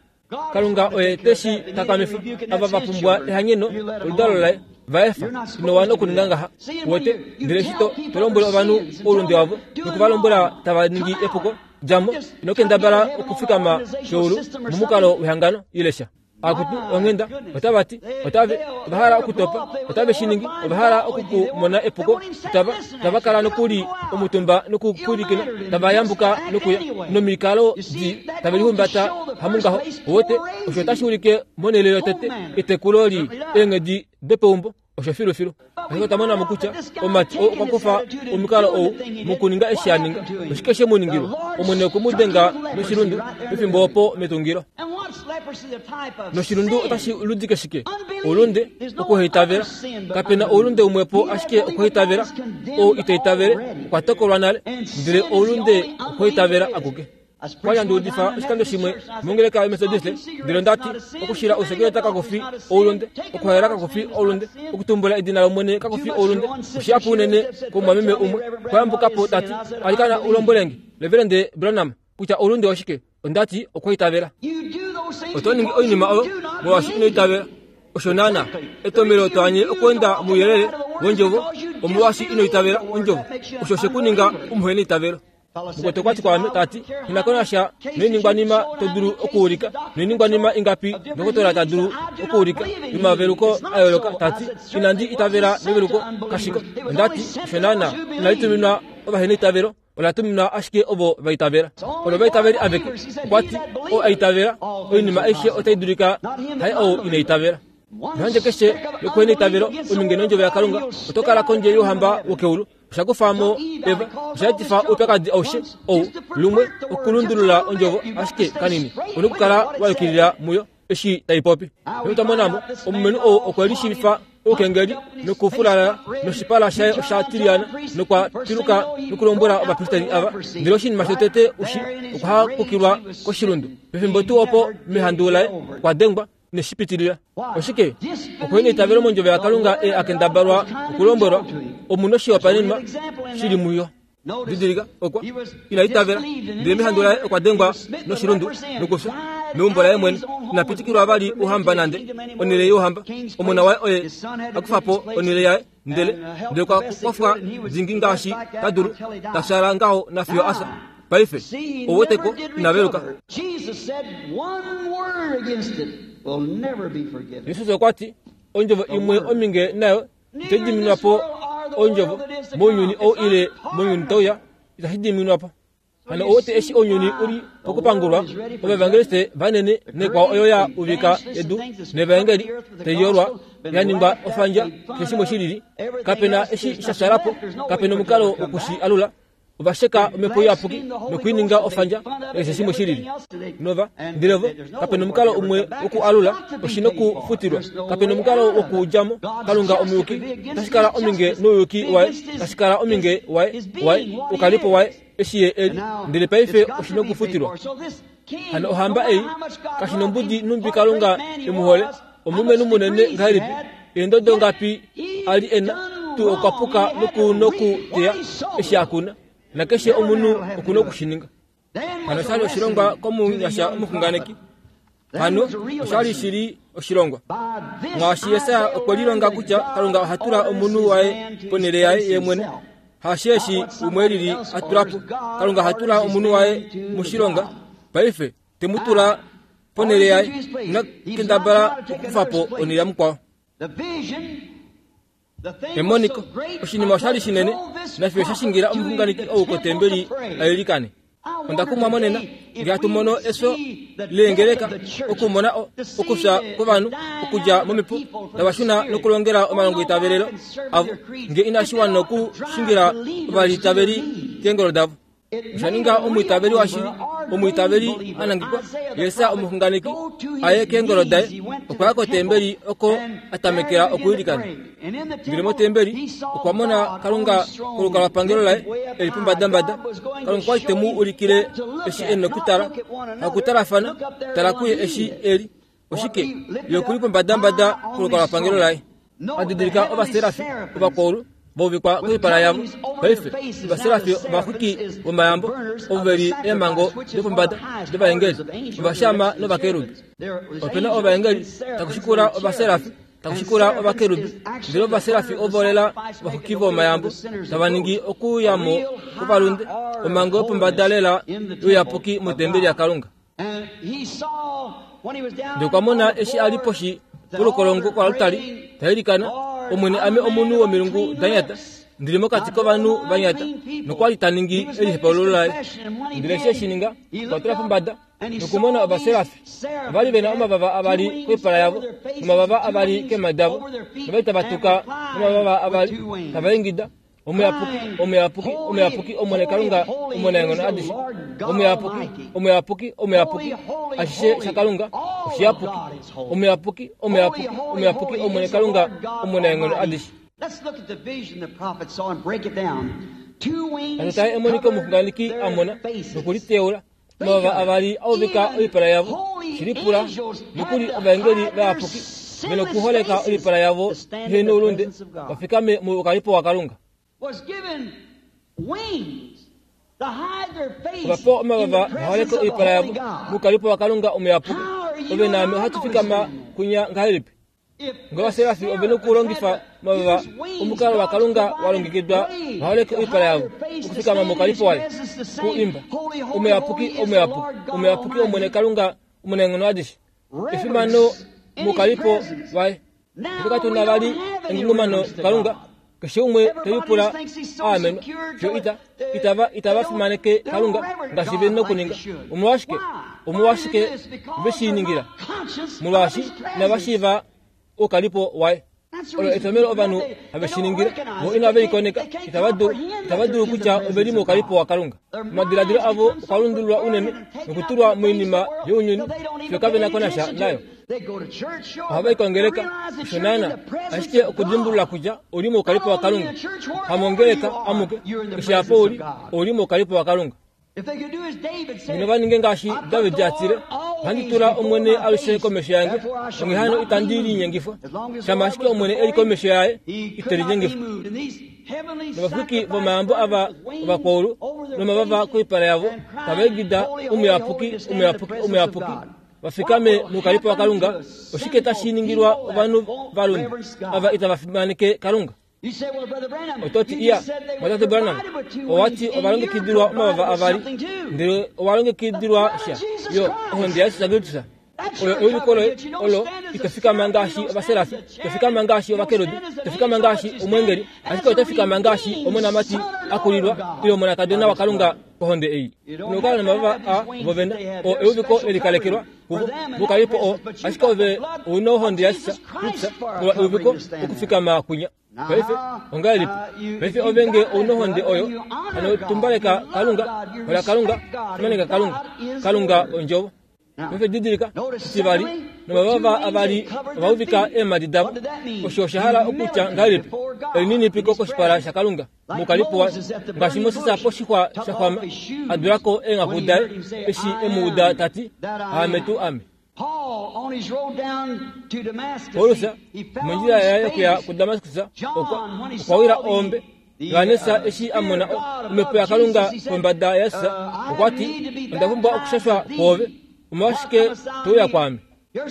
Kalunga oye te shi takamifa. Ava va pumbwa ehanyeno, oludalo laye, va efa. Ino wana okuninga ngaha. Uwete? Ndele eshi to, to lombwele ovanhu oulunde wavo, noku va lombwela tava ningi epuko, dja mo, ino kendabala okufikama keulu momukalo wehangano ile sha. Akutu, onghenda, otava ti, otave, ova hala okutopa, otave shi ningi, ova hala oku ku mona epuko, otava, tava kala nokuli omutumba nokupwilikina, tava yambuka nokuya, nomikalo di tave lihumbata hamungaho. Uwete, osho otashi ulike monhele yotete etekulo li eenghedi dopeumbo. Osho filufilu. Ashike otwa mona mo kutya omumati oo okwa kufa omukalo ou mokuninga eshi a ninga. Oshike she mu ningilwa? Omwene okwe mu denga noshilundu pefimbo opo metungilo. Noshilundu otashi ludike shike? Oulunde, okuhaitavela. Kape na oulunde umwepo ashike okuhaitavela. Ou ito itavele okwa tokolwa nale, ndele oulunde okuhaitavela akuke. Okwa li handi udifa oshikando shimwe mongeleka yoMethodiste, ndele onda ti, Okushila ousekeleta kaku fi oulunde, okuhaela kaku fi oulunde, okutumbula edina lOmwene kaku fi oulunde. Oshihapu unene komumwameme umwe okwa yambuka po ta ti, Alikana u lombwele nge, Reverende Branham, kutya oulunde oshike. Onda ti, Okwaitavela. Oto ningi oinima oyo molwaashi ino itavela. Osho naanaa. Etomhelo to anye okweenda mouyelele wOndjovo omolwaashi ino itavela Ondjovo. Osho oshe ku ninga omuheneitavelo. Mukwetu okwa ti kwaame, ta ti, Ina ko nasha noiningwanima to dulu okuulika, noiningwanima ingapi ndokotola ta dulu okuulika yomaveluko a yooloka, ta ti, Inandi itavela meveluko, kashiko. Onda ti, Osho naanaa. Inali tuminwa ovaheneitavelo, ola tuminwa ashike ovo va itavela. Olo ovaitaveli aveke. Okwa ti, Oo a itavela, oinima aishe otai dulika, haye ou ina itavela. Nohandje keshe yokuheneitavelo, ominge nondjovo yaKalunga, oto kala kondje youhamba wokeulu. Osha kufa mo Eva, osha etifa oupyakadi aushe ou lumwe okulundulula ondjovo ashike kanini. Une okukala wa yukilila muyo eshi tai popi. Notu mona mo omulumenhu ou okwe lishiivifa oukengeli nokufulalala noshipala shaye osha tiliyana nokwa piluka nokulombwela ovapristeri ava. Ndele oshinima shotete ushi okwa hakukilwa koshilundu. Pefimbo tuu opo mehandu laye okwa dengwa neshi pitilila. Oshike? Okuhena eitavelo mondjovo yaKalunga e a kendabalwa okulombwelwa, omu noshihopaenenwa shi li muyo. Didilika, okwa ina itavela, ndele mehandu laye okwa dengwa noshilundu nokufya meumbo laye mwene. Ina pitikilwa vali ouhamba nande onhele youhamba. Omona waye oye a kufa po onhele yaye, ndele ndele okwa kwafwa dingi ngaashi ta dulu, ta fyaala ngaho nafiyo a fya. Paife, ou weteko, ina veluka. Jesus okwa ti, Ondjovo imwe ominge nayo itai diminwa po ondjovo mounyuni ou ile mounyuni tau ya, itashi diminwa po. Hano ou wete eshi ounyuni u li pokupangulwa, ovaevangeliste vanene naikwao oyo ya uvika edu nevaengeli tai yolwa ya ningwa ofandja keshe shimwe shi lili, kape na eshi sha shala po, kape na omukalo woku shi alula. Ova sheka Omhepo Iyapuki noku i ninga ofandja nakeshe shimwe shi lili. Nova, ndele vo, kape nomukalo umwe woku alula, oshi nokufutilwa. Kape nomukalo wokudja mo. Kalunga omuyuki, otashi kala ominge nouyuki waye, tashi kala ominge waye, waye, oukalipo waye, eshi ye e li. Ndele paife oshi nokufutilwa. Hano ohamba ei, kashi nombudi nhumbi Kalunga e mu hole, omulumenhu munene ngahelipi, eendodo ngapi a li e na, tuu okwa puka noku nokuteya eshi a kuna, nakeshe omunhu oku noku shi ninga. Hano osha li oshilongwa komunyasha omuxunganeki. Hano osha li shi li oshilongwa. Ngaashi Jesaja okwe lilonga kutya Kalunga oha tula omunhu waye ponhele yaye ye mwene, hasheeshi umwe lili a tula po. Kalunga oha tula omunhu waye moshilonga. Paife te mu tula ponhele yaye, ina kendabala okukufa po onhele yamukwao. Emoniko, oshinima osha li shinene, nafiyo sha shingila omuxunganeki ou kotembeli a ilikane. Onda kumwa monena, nge hatu mono efyo leengeleka, okumona okufya kwovanhu okudja momipu, tava shuna nokulongela omalongoitavelelo avo, nge inashi wana okushingila ovalitaveli keengolo davo. Osha ninga omwiitaveli washili, omwiitaveli a nangekwa, Jesaja omuxunganeki, a ye keengolo daye. Okwa ya kotembeli oko a tamekela okwiilikana. Ndele motembeli okwa mona Kalunga kolukalwapangelo laye e li pombadambada. Kalunga okwa li te mu ulikile eshi e nokutala, hakutalafana, tala kuye eshi e li. Oshike? Ye oku li pombadambada kolukalwapangelo laye. A didilika ovaserafi ovakwaulu. Vauvikwa koipala yavo. Paife, ovaserafi ovaxwiki vomayambo, ovo ve li eemhango dopombada dovaengeli, ovashaama novakerubi. Ope na ovaengeli, taku shikula ovaserafi, taku shikula ovakerubi, ndele ovaserafi ovo lela ovaxwiki vomayambo, tava ningi okuuya mo kwovalunde, omhango yopombada lela youyapuki motembeli yaKalunga. Ndele okwa mona eshi a li poshi polukolongo koaltari ta ilikana, Omwene, ame omunhu womilungu da nyata, ndi li mokati kovanhu va nyata. Nokwa li ta ningi elihepaululo laye. Ndele eshi e shi ninga, okwa tula pombada nokumona ovaserafi. Ova li ve na omavava avali koipala yavo, nomavava avali keemhadi davo, nova li tava tuka nomavava avali, tava ingida, Omuyapuki, omuyapuki, omuyapuki, Omwene Kalunga omunaenghono adishe. Omuyapuki, omuyapuki, omuyapuki, ashishe shaKalunga oshiyapuki. Omuyapuki, omuyapuki, omuyapuki, Omwene Kalunga omunaenghono adishe. Natu tale emoniko omuxunganeki a mona nokuliteula. Omavava avali a uvika oipala yavo, shi lipula nokuli ovaengeli vayapuki ve nokuholeka oipala yavo ihe noulunde, va fikame moukalipo waKalunga. Ova pewa omavava va holeke oipala yavo moukalipo waKalunga omuyapuki. Ove naame ohatu fikama kunya ngahelipi? Ngovaserafi ove nokulongifa omavava omukalo waKalunga wa longekidwa va holeke oipala yavo okufikama mokalipo waye ku imba omuyapuki omuyapuki omuyapuki Omwene Kalunga omunaenghono adishe efimano mokalipo waye. Fye katu na vali engungumano kuKalunga Keshe umwe te lipula a amenwa, fiyo ita, itava, itava fimaneke Kalunga ngaashi ve nokuninga. Omolwashike? Omolwashike ve shi ningila? Molwaashi inava shiiva oukalipo waye. Olo etomhelo ovanhu have shi ningile. Vo inave likoneka, itava dulu, itava dulu kutya ove li moukalipo waKalunga. Omadiladilo avo okwa lundululwa unene nokutulwa moinima younyuni fiyo kave na ko nasha nayo. Ohava i kongeleka, osho naana, ashike okudimbulula kutya ou li moukalipo waKalunga. Hamongeleka amuke, keshe apa u li, ou li moukalipo waKalunga. Ngeno va ninge ngaashi David a tile, Ohandi tula Omwene alushe komesho yange, onghee hano itandi linyengifwa. Shama ashike Omwene e li komesho yaye, ite linyengifwa. Novaxwiki vomayambo ava ovakwaulu nomavava koipala yavo tava ingida, Omuyapuki, omuyapuki, omuyapuki, va fikame moukalipo waKalunga, oshike tashi ningilwa ovanhu valunde ava itava fimaneke Kalunga? Oto ti, Iya, Mwatate Branham, owa ti ova longekidilwa omavava avali, ndele owa longekidilwa sha, yo ohonde yaJesus Kristus. Oyo euliko loye olo ito fikama ngaashi ovaserafi, ito fikama ngaashi ovakerubi, ito fikama ngaashi omweengeli, ashike oto fikama ngaashi omonamati a kulilwa ile omonakadona waKalunga kohonde ei. Nokukala nomavava a vo vene, oo euviko le likalekelwa kuvo, mukalipo oo, ashike ove ou na ohonde yaJesus Kristus molwa euviko okufikama kwinya. Paife, ongahelipi? Paife ove nge ou nohonde oyo, hano tumbaleka Kalunga, hola Kalunga, fimaneka Kalunga. Kalunga Ondjovo. Paife didilika, etivali, nomavava avali ova uvika eemhadi davo. Osho osha hala okutya ngahelipi? Elininipiko koshipala shaKalunga, mukalipo waye. Ngaashi Moses poshixwa sha xwama, a dula ko eenghaku daye, eshi e mu uda ta ti, Aame tuu ame. Paulus mondjila yaye yokuya kuDamaskus okwa okwa wila oombe. Johannes eshi a mona omhepo yaKalunga kombada yaJesus okwa ti, Onda pumbwa okushashwa kwoove, omolwashike to uya kwaame?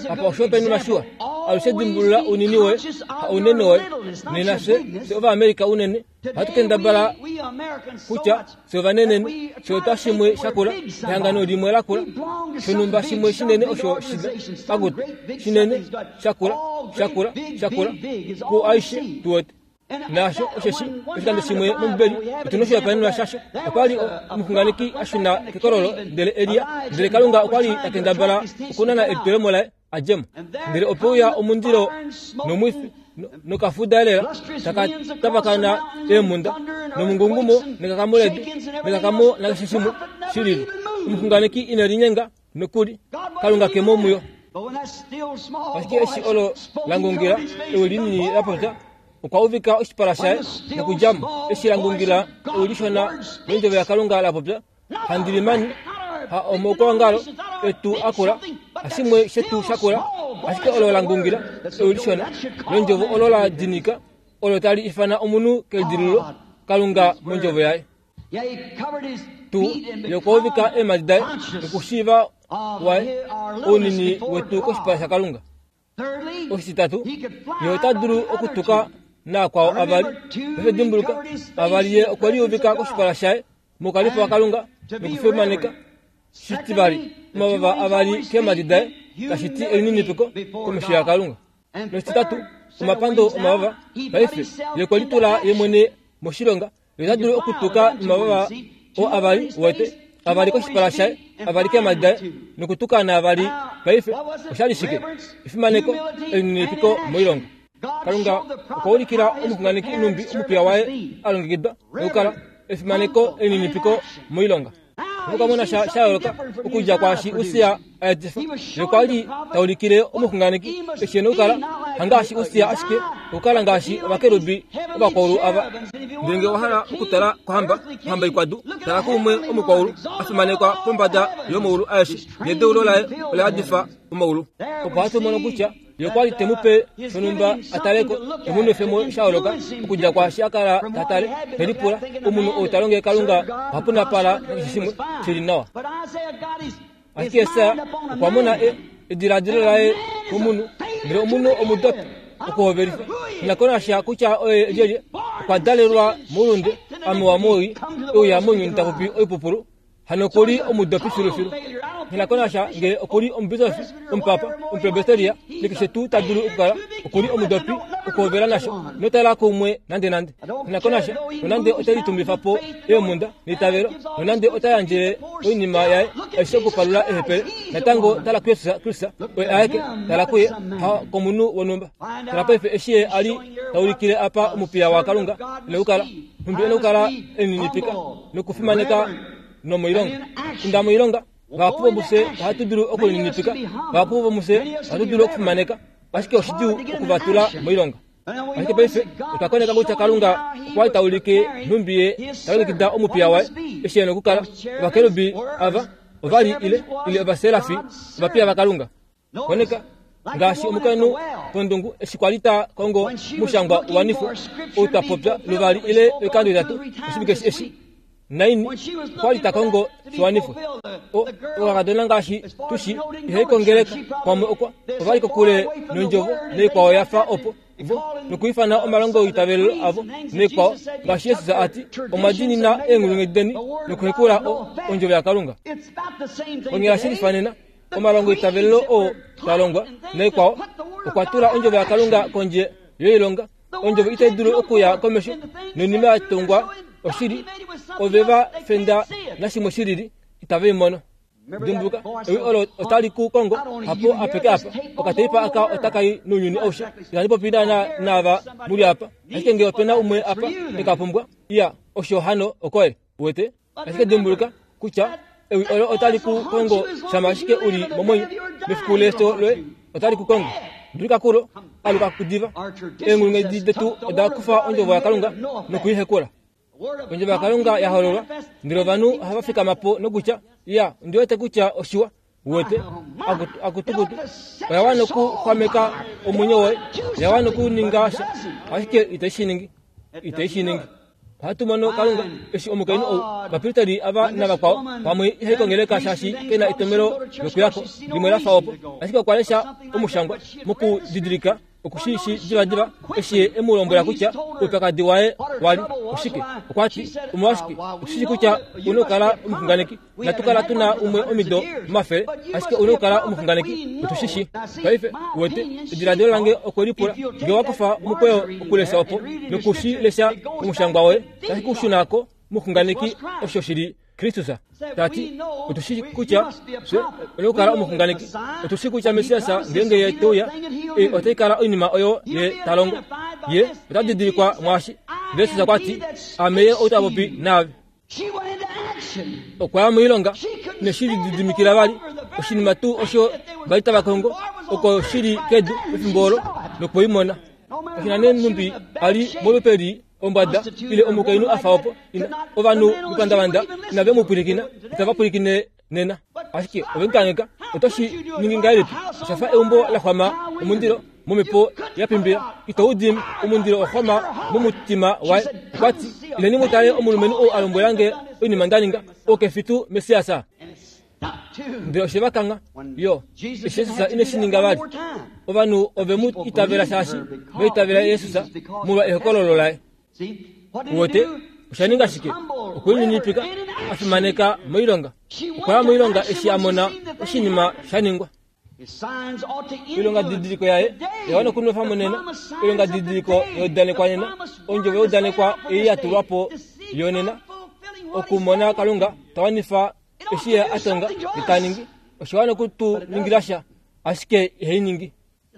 Apa oshihopaenenwa shiwa. Alushe dimbulula ounini woye, ha ounene woye. Nena fye, fye Ovaamerica unene, Ohatu kendabala kutya fye ovanenenhu, fye otwa shimwe shakula, ehangano limwe lakula, shonhumba shimwe shinene osho shina pakutu, shinene, shakula, shakula, shakula, ku aishe tu wete. Naasho osheshi oshikando shimwe mOmbibeli otu na oshihopaenenwa shasho. Okwa li omuxunganeki a shuna kekololo, ndele Elia, ndele Kalunga okwa li ta kendabala okunana elitulemo laye a dje mo. Ndele ope uya omundilo nomwifi nokafuda elela taka tavakana eemhunda nomungungumo nekakamo ledu nekakamo nakeshe shimwe shi lili. Omuxunganeki ine linyenga nokuli, Kalunga ke mo muyo. Ashike eshi olo la ngungila, ewi linini la popya, okwa uvika oshipala shaye nokudja mo. Eshi la ngungila, ewi lishona londjovo yaKalunga la popya, Handilimani, ha omaukwaongalo etu akula, hashimwe shetu shakula, ashike olo la ngungila, ewi lishona londjovo olo la dinika, olo tali ifana omunhu kelidilululo, Kalunga mondjovo yaye. Tu yokuuvika eemhadi daye nokushiiva waye ounini wetu koshipala shaKalunga. Oshititatu, ye ota dulu okutuka naakwao avali. Paife dimbuluka, avali ye okwe liuvika koshipala shaye moukalipo waKalunga nokufimaneka. Shitivali, omavava avali keemhadi daye tashi ti elininipiko komesho yaKalunga. Noshititatu, omapando omavava. Paife ye okwe litula ye mwene moshilonga. Ye ota dulu okutuka nomavava oo avali, uwete, avali koshipala shaye, avali keemhadi daye, nokutuka naavali. Paife, osha li shike? Efimaneko, elininipiko moilonga. Kalunga okwa ulikila omuxunganeki nhumbi omupiya waye a longekidwa nokukala efimaneko, elininipiko moilonga. Oto ka mona sha sha yooloka okudja kwaashi Ussia a etifa. Ye okwa li ta ulikile omuxunganeki eshi e na okukala, hangaashi Ussia ashike okukala ngaashi ovakerubi ovakwaulu ava. Ndele ngee owa hala okutala kohamba, ohamba ikwadu, tala kuumwe omukwaulu a fimanekwa pombada yomaulu aeshe, nedeulo laye ola yadifa omaulu. Opo hatu mono kutya Ye okwa li te mu pe shonhumba a tale ko, te mu nwefe mo sha yooloka okudja kwaashi a kala ta tale, te lipula, Omunhu ou ta longele Kalunga oha punapala nakeshe shimwe shi li nawa. Ashike Jesaja okwa mona e, ediladilo laye komunhu, ndele omunhu omudopi okuhovelifa. Ina konasha kutya oye lyelye, okwa dalelwa moulunde, a mewa mowii, e uya mounyuni ta popi oipupulu. Hano oku li omudopi filufilu. Nghi ko nasha ngee oku li omubisofi, omupapa, omupresbiteria, nakeshe tuu ta dulu okukala, oku li omudopi okuhovela nasho. Ino tala kuumwe nandenande. Nghi ko nasha nonande ote litumbifa po eemhunda neitavelo, nonande ota yandjele oinima yaye aishe okupalula eehepele, natango tala kuJesus Kristus oye aeke. Tala kuye, ha komunhu wonhumba. Tala paife eshi ye a li ta ulikile apa omupiya waKalunga e na okukala. Nhumbi e na okukala e lininipika nokufimaneka nomoilonga. Inda moilonga. Vahapu vomufye ohatu dulu okulininipika, vahapu vomufye ohatu dulu okufimaneka, ashike oshidjuu oku va tula moilonga. Ashike paife otwa koneka kutya Kalunga okwa li ta ulike nhumbi ye ta longekida omupiya waye eshi e na okukala. Ovakerubi ava ova li ile, ile ovaserafi, ovapiya vaKalunga. Koneka, ngaashi omukainhu pondungu eshi kwa li ta kongo omushangwa u wanifwe, ou twa popya luvali ile oikando itatu oshivike eshi, naini, okwa li ta kongo shi wanifwe. O, okakadona ngaashi tu shi, ihai kongeleka, pamwe okwa, ova li kokule nondjovo naikwao ya fa opo, vo, nokuifana omalongo oitavelelo avo naikwao, ngaashi Jesus a ti, Omwa diinina eenghulunghedi deni nokuhekula o, ondjovo yaKalunga. Konyala shi lifanena. Omalongo eitavelelo oo twa longwa naikwao okwa tula ondjovo yaKalunga kondje yoilonga. Ondjovo itai dulu okuya komesho noinima ya tungwa oshili. Ove va fenda nashimwe shi lili, itave i mono. Dimbuluka, ewi olo otali ku kongo hapo apeke apa. Okateipa aka otaka i nounyuni aushe. Ihandi popi naana naava mu li apa, ashike ngee ope na umwe apa e ka pumbwa, iya, osho hano okoye. Uwete? Ashike dimbuluka kutya ewi olo otali ku kongo shama ashike u li momwenyo. Mefiku lefyo loye otali ku kongo. Dulika kulo, aluka kudiva. Eenghulunghedi detu oda kufa ondjovo yaKalunga noku i hekula. Ondjovo yaKalunga ya hololwa, ndele ovanhu ohava fikama po nokutya, Iya, ondi wete kutya oshiwa. Uwete? Akutukutu. Oya wana okuxwameka omwenyo woye. Oya wana okuninga sha, ashike itai shi ningi. Itai shi ningi. Ohatu mono Kalunga eshi omukainhu ou, ovapristeri ava navakwao, pamwe ihai kongeleka shaashi ke na etomhelo lokuya ko, limwe la fa opo. Ashike okwa lesha omushangwa mokudidilika oku shi shi divadiva eshi ye e mu lombwela kutya oupyakadi waye wa li oshike. Okwa ti, Omolwashike, otu shi shii kutya ou na okukala omuxunganeki. Inatu kala tu na umwe omido omafele, ashike ou na okukala omuxunganeki. Otu shi shii. Paife, uwete, ediladilo lange okwe lipula, nge owa kufa omukweyo okulesha opo, noku shi lesha momushangwa woye, tashi ku shuna ko momuxunganeki osho shi li Kristus. Ta ti, otu shi kutya fye oye okukala omuxunganeki. Otu shi kutya Messias ngeenge ye te uya, ei otai kala oinima oyo ye ta longo. Ye ota didilikwa mwaashi. Jesus okwa ti, Ame ye ou ta popi naave. Okwa ya moilonga neshi lididimikila vali oshinima tuu osho va li tava kongo oko shi li kedu pefimbo olo nokwei mona. Kashi na nee nhumbi a li molupe li ombwada ile omukainhu a fa opo, ovanhu mepandavanda inave mu pwilikina, itava pwilikine nena. Ashike ove mu kangheka. Oto shi ningi ngahelipi? Osha fa eumbo la xwama omundilo. Momhepo ya pimbila, ito u dimi. Omundilo wa xwama momutima waye. Okwa ti, Ileni mu tale omulumenhu ou a lombwela nge oinima nda ninga. Ou ke fi tuu Messias? Ndele oshe va kangha yo, eshi Jesus ine shi ninga vali. Ovanhu ove mu itavela shaashi va itavela Jesus molwa ehokololo laye. Uwete, osha ninga shike? Okwe lininipika, a fimaneka moilonga. Okwa ya moilonga eshi a mona oshinima sha ningwa. Oilongadidiliko yaye oya wana okunwefa mo nena, oilongadidiliko ya udanekwa nena, ondjovo ya udanekwa ei ya tulwa po yonena, okumona Kalunga ta wanifa eshi ye a tonga ye ta ningi. Osha wana oku tu ningila sha, ashike ihai ningi.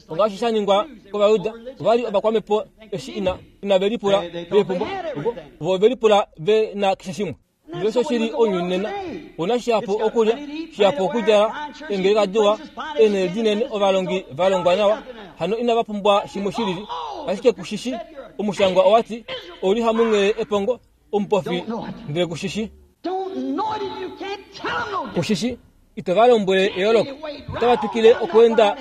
Ongaashi sha ningwa kOvayuda, ova li ovakwamhepo eshi ina, inave lipula ve pumbwa. Ovo, ovo ove lipula ve na keshe shimwe. Ndele osho shi li ounyuni nena. Ou na shihapu okulya, shihapu okudjala, eengeleka diwa, eenhele dinene, ovalongi va longwa nawa. Hano inava pumbwa shimwe shi lili. Ashike ku shi shi, Omushangwa owa ti, Ou li hamunghele epongo, omupofi, ndele ku shi shi. Ku shi shi, ito va lombwele eyooloko. Otava twikile okweenda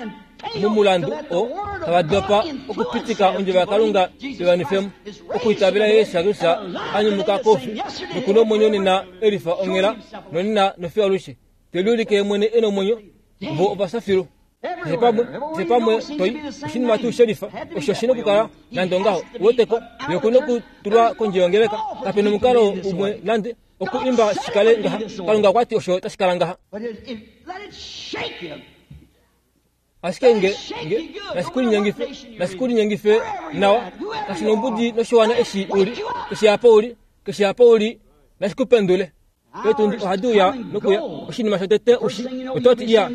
momulandu oo tava dopa okupitika ondjovo yaKalunga i wanifwe mo, okwiitavela Jesus Kristus a nyumuka koufi noku na omwenyo nena e lifa onghela nonena nofiyo alushe, te liulike ye mwene e na omwenyo. Vo ova fya filu. Keshe pamwe, keshe pamwe to i, oshinima tuu shelifa osho shi nokukala nande ongaho. Uweteko, ye oku nokutulwa kondje yongeleka. Kape nomukalo umwe nande oku imba shi kale ngaha. Kalunga okwa ti osho tashi kala ngaha. Ashike nge, nge, nashi ku linyengife, nashi ku linyengife nawa, kashi nombudi noshiwana eshi u li, keshe apa u li, keshe apa u li, nashi ku pendule. Eetundi ohadi uya nokuya. Oshinima shotete ushi, oto ti, Iya,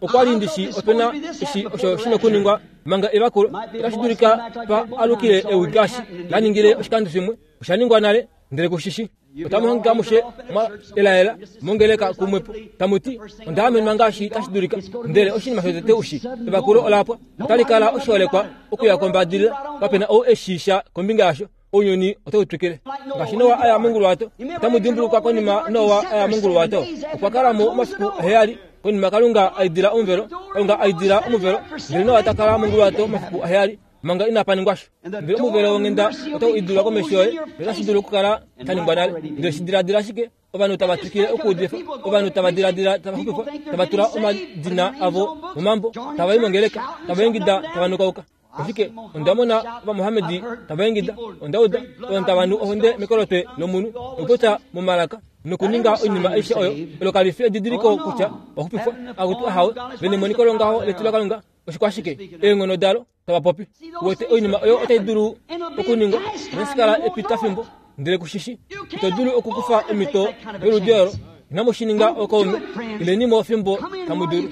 okwa li ndi shi ope na eshi osho shi nokuningwa manga evakulo. Otashi dulika pa alukile ewi ngaashi la ningile oshikando shimwe. Osha ningwa nale, ndele ku shi shi. Otamu hangika amushe mwa elaela mongeleka kumwepo, tamu ti, Onda amenwa ngaashi tashi dulika. Ndele oshinima shotete ushi, evakulo ola pwa. Otali kala oshiholekwa okuya kombadilila. Kape na ou e shii sha kombinga yasho. Ounyuni otau twikile. Ngaashi Noa a ya monguluwato, otamu dimbulukwa konima Noa a ya monguluwato, okwa kala mo omafiku aheyali. Konima Kalunga a idila omuvelo, Kalunga a idila omuvelo, ndele Noa ta kala monguluwato omafiku aheyali manga inapa ningwa sha. Ndele omuvelo wonghenda otau idilwa komesho yoye, notashi dulu okukala sha ningwa nale. Ndele shi diladila ashike, ovanhu tava twikile okuudifa, ovanhu tava diladila tava xupifwa, tava tula omadina avo momambo, tava i mongeleka, tava ingida, tava nukauka. Ashike onda mona Ovamohamedi tava ingida, onda uda ovanhu tava nu ohonde mekolotwe lomunhu nokupopya momalaka nokuninga oinima aishe oyo. Olo kali fi edidiliko kutya owa xupifwa. Akutu ahawe, ve nemoniko longaho letu laKalunga, oshikwashike eenghono dalo tava popi. Uwete oinima oyo otai dulu okuningwa, notashi kala epitafimbo, ndele ku shi shi. Ito dulu okukufa omhito yoludi olo. Inamu shi ninga ookaume, ileni mo fimbo tamu dulu.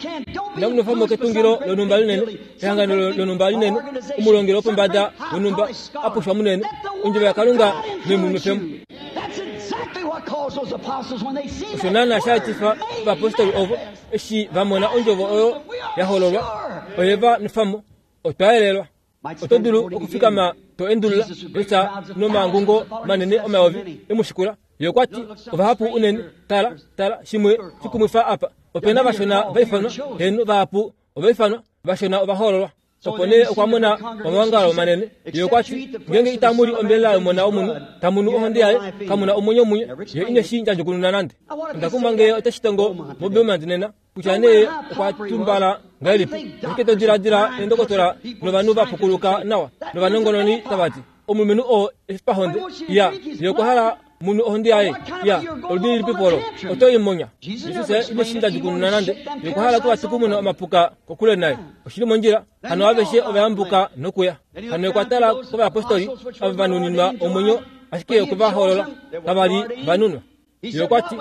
Inamu nwefa mo ketungilo lonhumba linene, ehangano lonhumba linene, omulongeli wopombada wonhumba a pushwa munene. Ondjovo yaKalunga ne mu nwefe mo. Osho naanaa sha etifa ovapostoli ovo eshi va mona ondjovo oyo ya hololwa, oye va nwefa mo. Otwa yelelwa. Oto dulu okufikama to endulula Jesus nomangungo manene omayovi e mu shikula. Ye okwa ti, Ovahapu unene. Tala, tala, shimwe shikumwifa apa. Ope na vashona va ifanwa, heeno, vahapu ova ifanwa, vashona ova hoololwa. Opo nee okwa mona omaongalo manene. Ye okwa ti, Ngeenge itamu li ombelela yOmona wOmunhu, tamu nu ohonde yaye, kamu na omwenyo munye. Ye ine shi ndjadjukununa nande. Onda kumwa ngee ote shi tongo moBeaumont nena. Kutya nee okwa tumbala ngahelipi, ashike to diladila eendokotola novanhu va pukuluka nawa novanongononi tava ti, Omulumenhu oo e fi pahonde, ya, ye okwa hala mu nwe ohonde yaye. Ya, oludi lilipi po olo? Oto i monya. Jesus ine shi ndjadjukununa nande. Ye okwa hala okuvatukumuna omapuka kokule naye. Oshi li mondjila. Hano aveshe ova yambuka nokuya. Hano ye okwa tala kovayapostoli ava va nuninwa omwenyo, ashike ye okwe va hoolola. Kava li va nunwa. Ye okwa ti,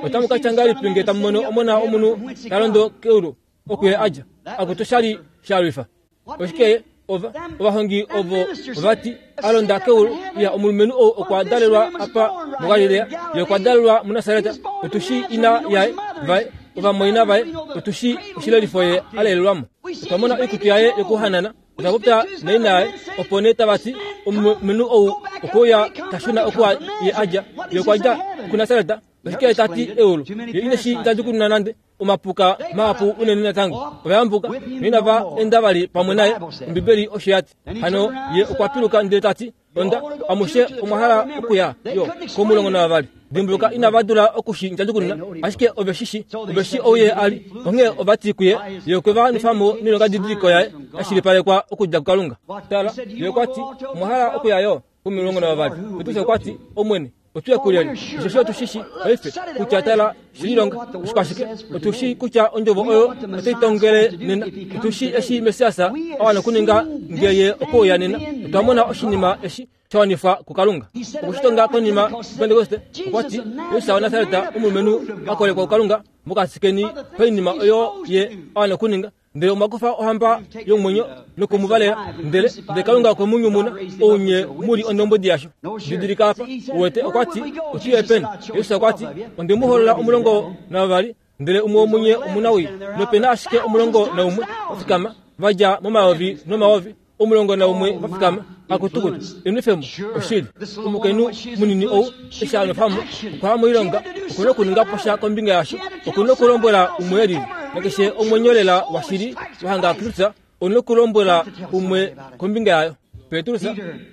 Otamu ka tya ngahelipi nge tamu mono Omona wOmunhu ta londo keulu oku ye a dja? Akutu sha li sha lwifa. Oshike ova ovahongi ovo ova ti, A londa keulu, iya omulumenhu ou okwa dalelwa apa muGalilea, ye okwa dalelwa muNasareta, otu shii ina yaye, vaye, ovamwaina vaye, otu shii oshilelifo ye a lelelwa mo. Otwa mona oikutu yaye yokuhanana. Ova popya naina yaye, opo nee tava ti, Omulumenhu ou okwe uya ta shuna oku ye a dja. Ye okwa dja kuNasaret, oshike ye ta ti eulu? Ye ine shi ndjadjukununa nande. Omapuka mahapu unene natango ova yambuka noinava enda vali pamwe naye, Ombibeli osho ya ti. Hano ye okwa piluka ndele ta ti, Onda, amushe omwa hala okuya yo komulongo navavali. Dimbuluka, inava dula oku shi ndjadjukununa, ashike ove shi shi, ove shi ou ye a li. Onghee ova ti kuye, Ye okwe va nwefa mo noilongadidiliko yaye ya shilipalekwa okudja kuKalunga. Tala, ye okwa ti, Omwa hala okuya yo komulongo navavali? Petrus okwa ti, Omwene, otu ye kulyelye? Osheshi otu shi shi paife kutya tala shililonga oshikwashike. Otu shi kutya ondjovo oyo otai tongele nena. Otu shi eshi Messias a wana okuninga nge ye okwe uya nena. Otwa mona oshinima eshi sha wanifwa kuKalunga. Okwe shi tonga konima Pentekoste, okwa ti, Jesus waNasaret, omulumenhu a kolekwa kuKalunga mokati keni painima oyo ye a wana okuninga. Ndele omwa kufa ohamba yomwenyo noku mu valela, ndele ndele Kalunga okwe mu nyumuna, ou nye mu li ondombwedi yasho. Didilika apa, uwete, okwa ti, Otu ye peni? Jesus okwa ti, Onde mu holola 12, ndele umwe womunye omunawii. Nope na ashike 11 va fikama, va dja momayovi nomayovi. 11 va fikama, akutukutu, enwefemo, oshili. Omukainhu munini ou, eshi a nwefa mo, okwa ya moilonga, oku na okuninga po sha kombinga yasho, oku na okulombwela umwe e lili. Nakeshe omwenyo lela washili wa hanga Kristus, ou na okulombwela umwe kombinga yayo. Petrus,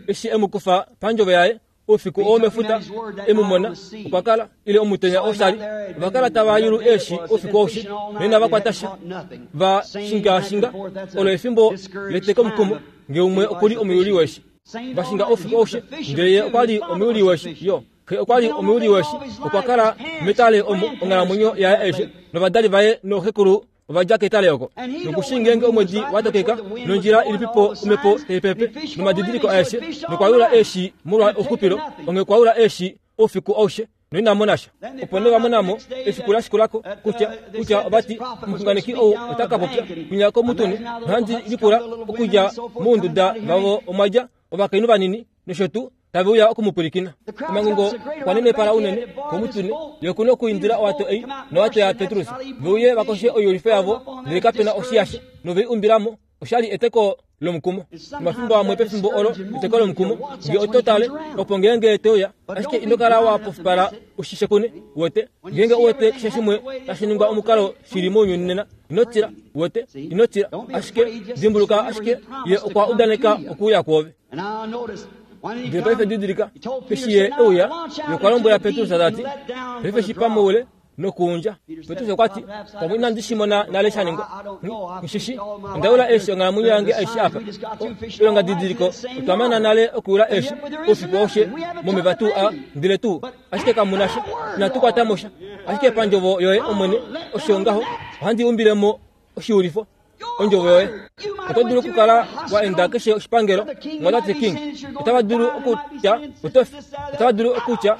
eshi e mu kufa pandjovo yaye, Oufiku oo mefuta e mu mona, okwa kala, ile omutenya oo sha li, ova kala tava yulu eeshi oufiku aushe, noinava kwata sha. Va shingaashinga, olo efimbo letekomukumo, nge umwe oku li omuyuli weeshi. Va shinga oufiku aushe, ndele ye okwa li omuyuli weeshi, yo. Xe okwa li omuyuli weeshi, okwa kala metale omo onghalamwenyo yaye aishe, novadali vaye nooxekulu Ova dja ketale oko noku shii ngeenge omwedi wa tokeka nondjila ilipipo omhepo tai pepe nomadidiliko aeshe nokwa yula eeshi molwa ouxupilo. Onghee okwa yula eeshi oufiku aushe noina mona sha. Opo nee va mona mo efiku la shikula ko kutya, kutya ova ti, Omuxunganeki ou ota ka popya kwinya komutune. Nohandi lipula okudja mounduda vavo omwa dja ovakainhu vanini nosho tuu, tave uya oku mu pwilikina. Omangungo okwa nenepala unene komutune, ye oku na okuindila owato ei nowato yaPetrus ve uye va koshe oiyulifo yavo, ndele kape na oshiyasha, nove i umbila mo. Osha li eteko lomukumo. Nomafimbo amwe pefimbo olo eteko lomukumo, nge oto tale, opo ngeenge te uya, ashike ino kala wa pofipala u shi shekune, uwete. Ngeenge u wete keshe shimwe tashi ningwa omukalo shi li mounyuni nena, ino tila, uwete, ino tila. Ashike dimbuluka ashike, Ye okwa udaneka okuuya kwoove. Ndele paife didilika, eshi ye e uya, ye okwa lombwela Petrus ta ti, Paife shipa moule nokuundja. Petrus okwa ti, Pamwe inandi shi mona nale sha ningwa. Nghi shi shii. Onda yula eeshi onghalamwenyo yange aishe apa. Oilonga didiliko, otwa mana nale okuyula eeshi oufiku aushe momeva tuu aa, ndele tuu, ashike kamu na sha. Inatu kwata mo sha. Ashike pandjovo yoye, Omwene, osho ngaho, ohandi umbile mo oshiulifo. Ondjovo yoye. Oto dulu okukala wa enda keshe oshipangelo, Mwatate King. Otava dulu okutya oto fi. Otava dulu okutya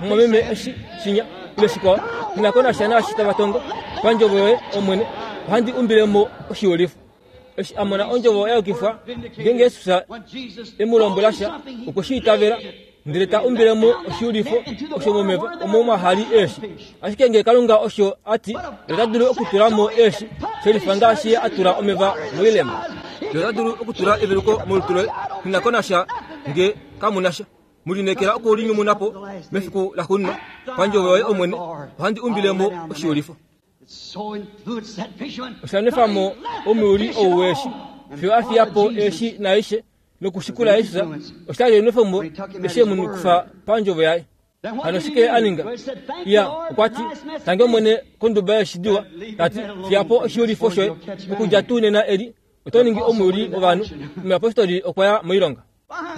mumwameme eshi, shinya, ile shikwao. Nghi ko nasha naashi tava tongo. Pandjovo yoye, Omwene, ohandi umbile mo oshiulifo. Eshi a mona ondjovo ya yukifwa, ngeenge Jesus e mu lombwela sha, okwe shi itavela. Ndele ta umbile mo oshiulifo osho momeva omo mwa hali eeshi. Ashike ngee Kalunga osho a ti, ye ota dulu okutula mo eeshi, shelifa ngaashi ye a tula omeva moilemo. Ye ota dulu okutula eveluko molutu loye, nghi na ko nasha nge kamu na sha. Mu lineekela oku li nyumuna po mefiku laxuuninwa. Pandjovo yoye, Omwene, ohandi umbile mo oshiulifo. Osha nwefa mo omuyuli ou weeshi fiyo a fiya po eeshi naaishe nokushikula Jesus. Osha li enwefemo eshi e mu nukifa pandjovo yaye. Hano oshike a ninga? Iya, okwa ti, Tangi Omwene konduba yeeshi diwa, ta ti, Fiya po oshiyulifo shoye, okudja tuu nena eli oto ningi omuyuli wovanhu. Omuyapostoli okwa ya moilonga.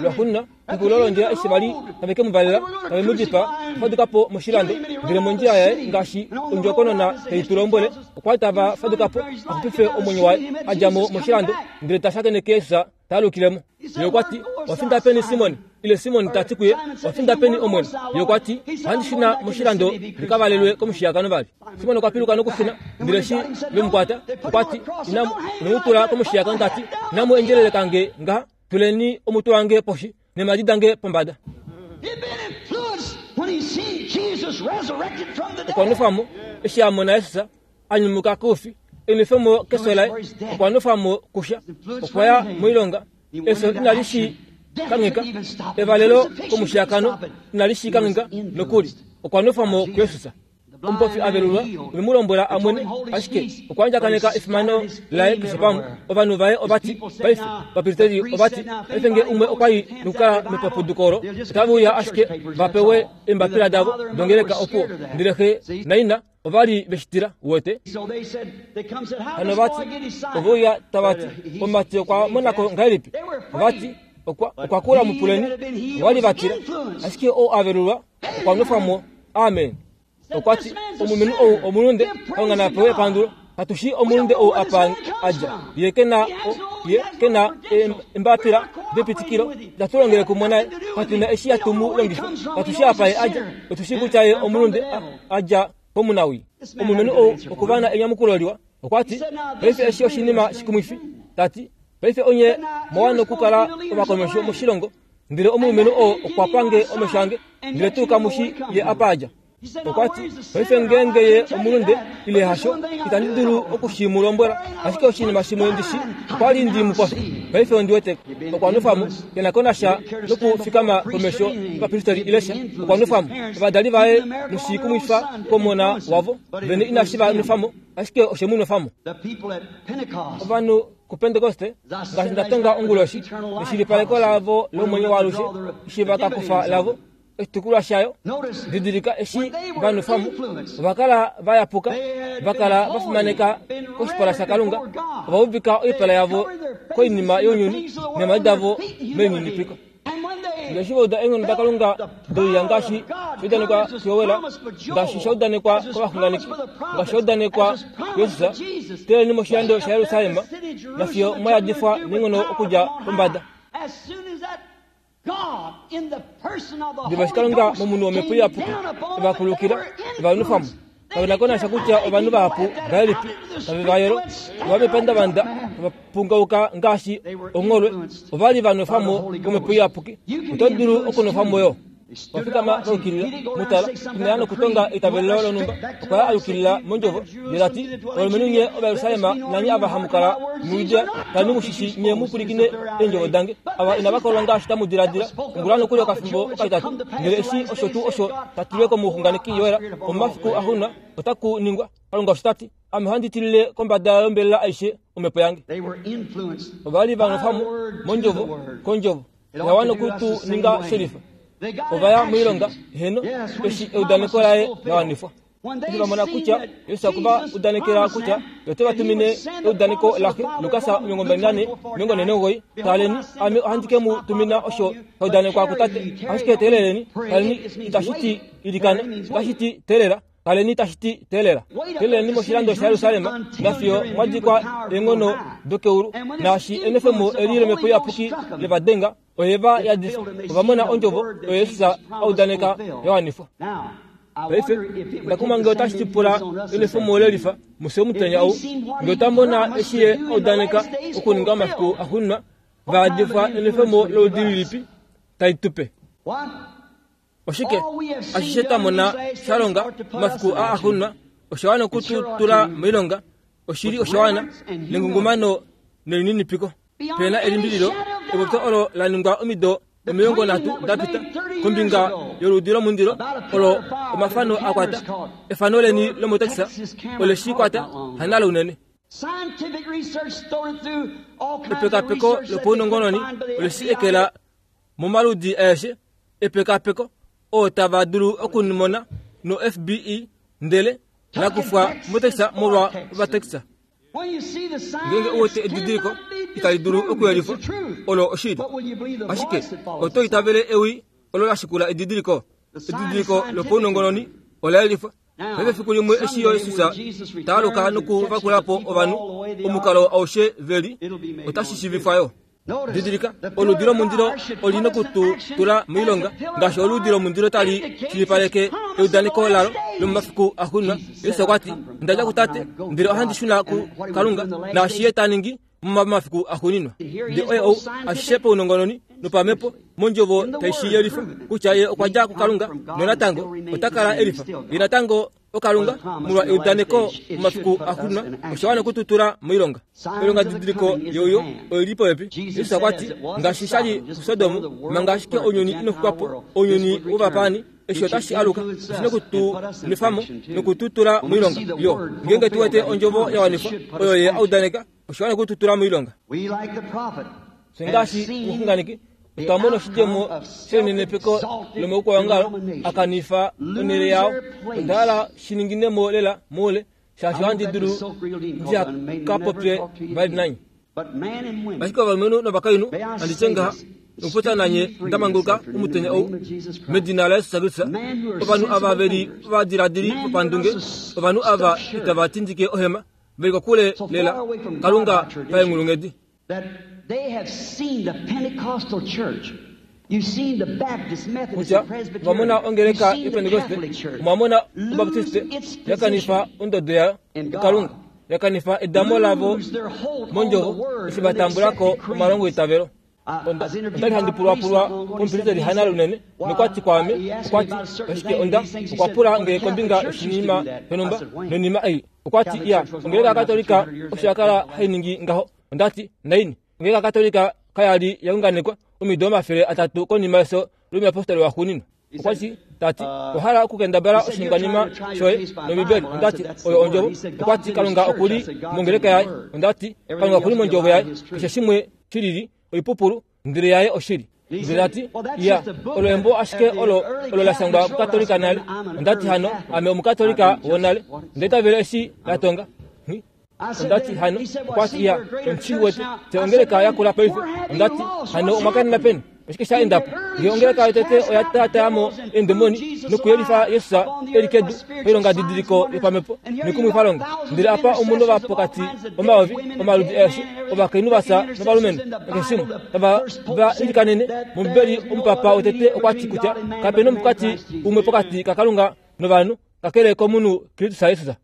Lwaxuuninwa, pexulilo londjila eshi va li tave ke mu valela, tave mu dipaa, okwa faduka po moshilando. Ndele mondjila yaye, ngaashi ondjokonona tai tu lombwele, okwa li tava faduka po a xupife omwenyo waye, a dja mo moshilando, ndele ta shakeneke Jesus ta alukile mo. Ye okwa ti, Owa finda peni Simon? Ile Simon ta ti kuye, Owa finda peni Omwene? Ye okwa ti, Ohandi shuna moshilando ndi ka valelwe komushiyakano vali. Simon okwa piluka nokushuna, ndele eshi ve mu kwata, okwa ti, Inamu mu tula komushiyakano, ta ti, Inamu endjeleleka nge ngaha. Tuleni omutwe wange poshi neemhadi dange pombada. Okwa nwefa mo eshi a mona Jesus a nyumuka koufi, enwefo mo kefyo laye. Okwa nwefa mo kusha, okwa ya moilonga. Efyo inali shi kangheka, evalelo komushiyakano inali shi kangheka nokuli. Okwa nwefa mo kuJesus. omupofi a velulwa, ove mu lombwela a mwene, ashike okwa andjakaneka efimano laye keshe pamwe. Ovanhu vaye ova ti, Paife, ovapristeli ova ti, paife nge umwe okwa i nokukala mepapuduko olo, otave uya ashike va pewe eembapila davo dongeleka opo. Ndele xe naina ova li ve shi tila, uwete. Hano va ti, ove uya tava ti, Omumati okwa mona ko ngahelipi? Ova ti, Okwa, okwa kula mupuleni. Ova li va tila. Ashike ou a velulwa okwa nwefwa mo. Amen. Okwa ti, Omulumenhu ou omulunde, Kalunga na pewe epandulo. Katu shii omulunde ou apa a dja. Ye ke na, ye ke na embapila depitikilo. Itatu longele kumwe naye. Katu na eshi hatu mu longifa. Katu shii apa ye a dja. Otu shii kutya ye omulunde, a dja komunawii. Omulumenhu ou okwa na enyamukulo liwa. Okwa ti, Paife eshi oshinima shikumwifi. Ta ti, Paife onye mwa wana okukala ovakomesho moshilongo. Ndele omulumenhu oo okwa pa nge omesho ange, ndele tuu kamu shi ye apa a dja. Okwa ti, Paife ngeenge ye omulunde ile hasho, itandi dulu oku shi mu lombwela. Ashike oshinima shimwe ndi shi, okwa li ndi mu pofi. Paife ondi wete okwa nwefwa mo, ke na ko nasha nokufikama komesho yovapristeri ile sha. Okwa nwefwa mo. Ovadali vaye noshikumwifa komona wavo vene inashi va nwefa mo, ashike oshe mu nwefa mo. Ovanhu kuPentekoste, ngaashi nda tonga onguloshi, eshilipaleko lavo lomwenyo waalushe, eshi va ka kufa lavo oshitukulwa shayo. Didilika eshi va nwefa mo, ova kala va yapuka, va kala va fimaneka koshipala shaKalunga, ova uvika oipala yavo koinima younyuni neemhadi davo melininipiko. Ndele eshi va uda eenghono daKalunga doiya ngaashi sha udanekwa kuJoel, ngaashi sha udanekwa kovaxunganeki, ngaashi sha udanekwa kuJesus, teeleni moshilando shaJerusalem, nafiyo mwa yadifwa neenghono okudja pombada. Diva eshi Kalunga momunhu wOmhepo Iyapuki e va kulukila, e va nwefa mo. Kave na ko nasha kutya ovanhu vahapu ngahelipi tave va yolo, ova mepandavanda tava pungauka ngaashi ongholwe. Ova li va nwefwa mo komhepo iyapuki. Oto dulu okunwefwa mo yo. Okwa fikama va yukilila. Mu tala, ina ya nokutonga eitavelo lonhumba. Okwa ya a yukilila mondjovo, ndele ta ti, Ovalumenhu nye Ovajerusalem nanye ava hamu kala muJudea, kaleni mu shi shii nye mu pwilikine eendjovo dange. Ava inava kolwa ngaashi tamu diladila. Ongula nokuli okafimbo okatitatu, ndele eshi osho tuu osho ta tilwe komuxunganeki Joel, omomafiku axuuninwa otaku ningwa, Kalunga osho ta ti, Ame ohandi tilile kombada yombelela aishe omhepo yange. Ova li va nwefwa mo mondjovo kondjovo ya wana oku tu ninga shelifa. Ova ya moilonga, heeno, eshi eudaneko laye la wanifwa. Eshi va mona kutya Jesus okwe va udanekela kutya ye ote va tumine eudaneko laXe, Lukas 24:49, Taleni, ame ohandi ke mu tumina osho sha udanekwa kuTate. Ashike teeleleni, kaleni itashi ti ilikana, itashi ti teelela, kaleni tashi ti teelela. Teeleleni moshilando shaJerusalem nafiyo mwa dikwa eenghono dokeulu, naashi enwefemo eli lOmhepo Iyapuki le va denga, oye va yadifa. Ova mona ondjovo oyo Jesus a udaneka ya wanifwa. Paife, onda kumwa nge otashi ti pula enwefemo lelifa mufye omutenya ou, nge otwa mona eshi ye a udaneka okuninga omafiku axuuninwa, va yadifwa enwefemo loludi lilipi tali tu pe. Oshike ashishe twa mona sha longa omafiku aa axuuninwa osha wana oku tu tula moilonga. Oshili osha wana nengungumano nelininipiko. Pe na elimbililo, epopyo olo la ningwa omido 30 da pita kombinga yoludi lomundilo olo omafano a kwata efano leni lomotaxi ole shi kwata hanalo unene. Epekapeko lopaunongononi ole shi ekela momaludi aeshe epekapeko oo tava dulu okumona no-FBI ndele la kufwa motaxi molwa ovataxi. Ngeenge u wete edidiliko itali dulu okuyelifwa, olo oshili. Ashike oto itavele ewi olo la shikula edidiliko. Edidiliko lopaunongononi ola yelifwa. Paife efiku limwe eshi Jesus ta aluka nokuvakula po ovanhu omukalo aushe ve li, otashi shiivifwa yo. Didilika, oludi lomundilo oli noku tu tula moilonga ngaashi oludi lomundilo tali shilipaleke eudaneko lalo lomomafiku axuuninwa. Jesus okwa ti, Onda dja kuTate, ndele ohandi shuna kuKalunga, naashi Ye ta ningi momafiku axuuninwa. Ndele oye ou ashishe paunongononi nopamhepo mondjovo tai shi yelifa kutya Ye okwa dja kuKalunga nonatango ota kala e lifa. Ye natango oKalunga molwa eudaneko momafiku axuuninwa osha wana oku tu tula moilonga. Oilongadidiliko youyo oi li popepi. Jesus okwa ti, Ngaashi sha li kuSodom, manga ashike ounyuni ino xukwa po, ounyuni wovapaani, Eshi otashi aluka, oshi na oku tu nwefa mo noku tu tula moilonga yo. Ngeenge tu wete ondjovo ya wanifwa oyo Ye a udaneka, osha wana oku tu tula moilonga. Fye ngaashi omuxunganeki, otwa mona oshidjemo shelinenepeko lomaukwaongalo a kanifa onhele yao. Onda hala shi ningine mo lela moule, shaashi ohandi dulu ndiha ka popye vali nanye. Ashike ovalumenhu novakainhu, handi tye ngaha, nokupopya nanye nda manguluka omutenya ou, medina laJesus Kristus, ovanhu ava ve li ovadiladili vopandunge, ovanhu ava itava tindike ohema, ve li kokule lela Kalunga paenghulunghedi. Kutya, ova mona ongeleka yOpentekoste, omwa mona Obaptiste ya kanifa ondodo yayo kuKalunga, ya kanifa edamo lavo mondjovo eshi va tambula ko omalongoitavelo. Onda li handi pulwapulwa komupristeli Hanna Lunene, nokwa ti kwaame, okwa ti, Ashike onda, okwa pula nge kombinga yoshinima shonhumba, noinima ei. Okwa ti, Iya, ongeleka yaKatolika osho ya kala hai ningi ngaho. Onda ti, Naini? Ongeleka yaKatolika kaya li ya unganekwa omido 300 konima yefyo lomuyapostoli waxuuninwa. Okwa ti, ta ti, Owa hala okukendabala oshiningwanima shoye nOmbibeli? Onda ti, Oyo Ondjovo. Okwa ti, Kalunga oku li mongeleka yaye. Onda ti, Kalunga oku li mOndjovo yaye. Keshe shimwe shi lili, oipupulu, ndele yaye oshili. Ndele ta ti, Ya, olo embo ashike olo, olo la shangwa kukatolika nale. Onda ti, Hano, ame omukatolika wonale. Onda itavela eshi la tonga. Nghi. Onda ti, Hano, okwa ti, Ya, omushi wete, fye ongeleka ya kula paife. Onda ti, Hano omwa kanena peni? Oshike sha enda po? Nge ongeleka yotete oya taataa mo eendemoni nokuyelifa Jesus e li kedu pailongadidiliko yopamhepo noikumwifalonga, ndele apa omu novapokati omayovi omaludi aeshe ovakainhu va fya novalumenhu nakeshe shimwe tava va ilikanene mOmbibeli, omupapa wotete okwa ti kutya kape nomukati umwe pokati kaKalunga novanhu kakele komunhu Kristus Jesus.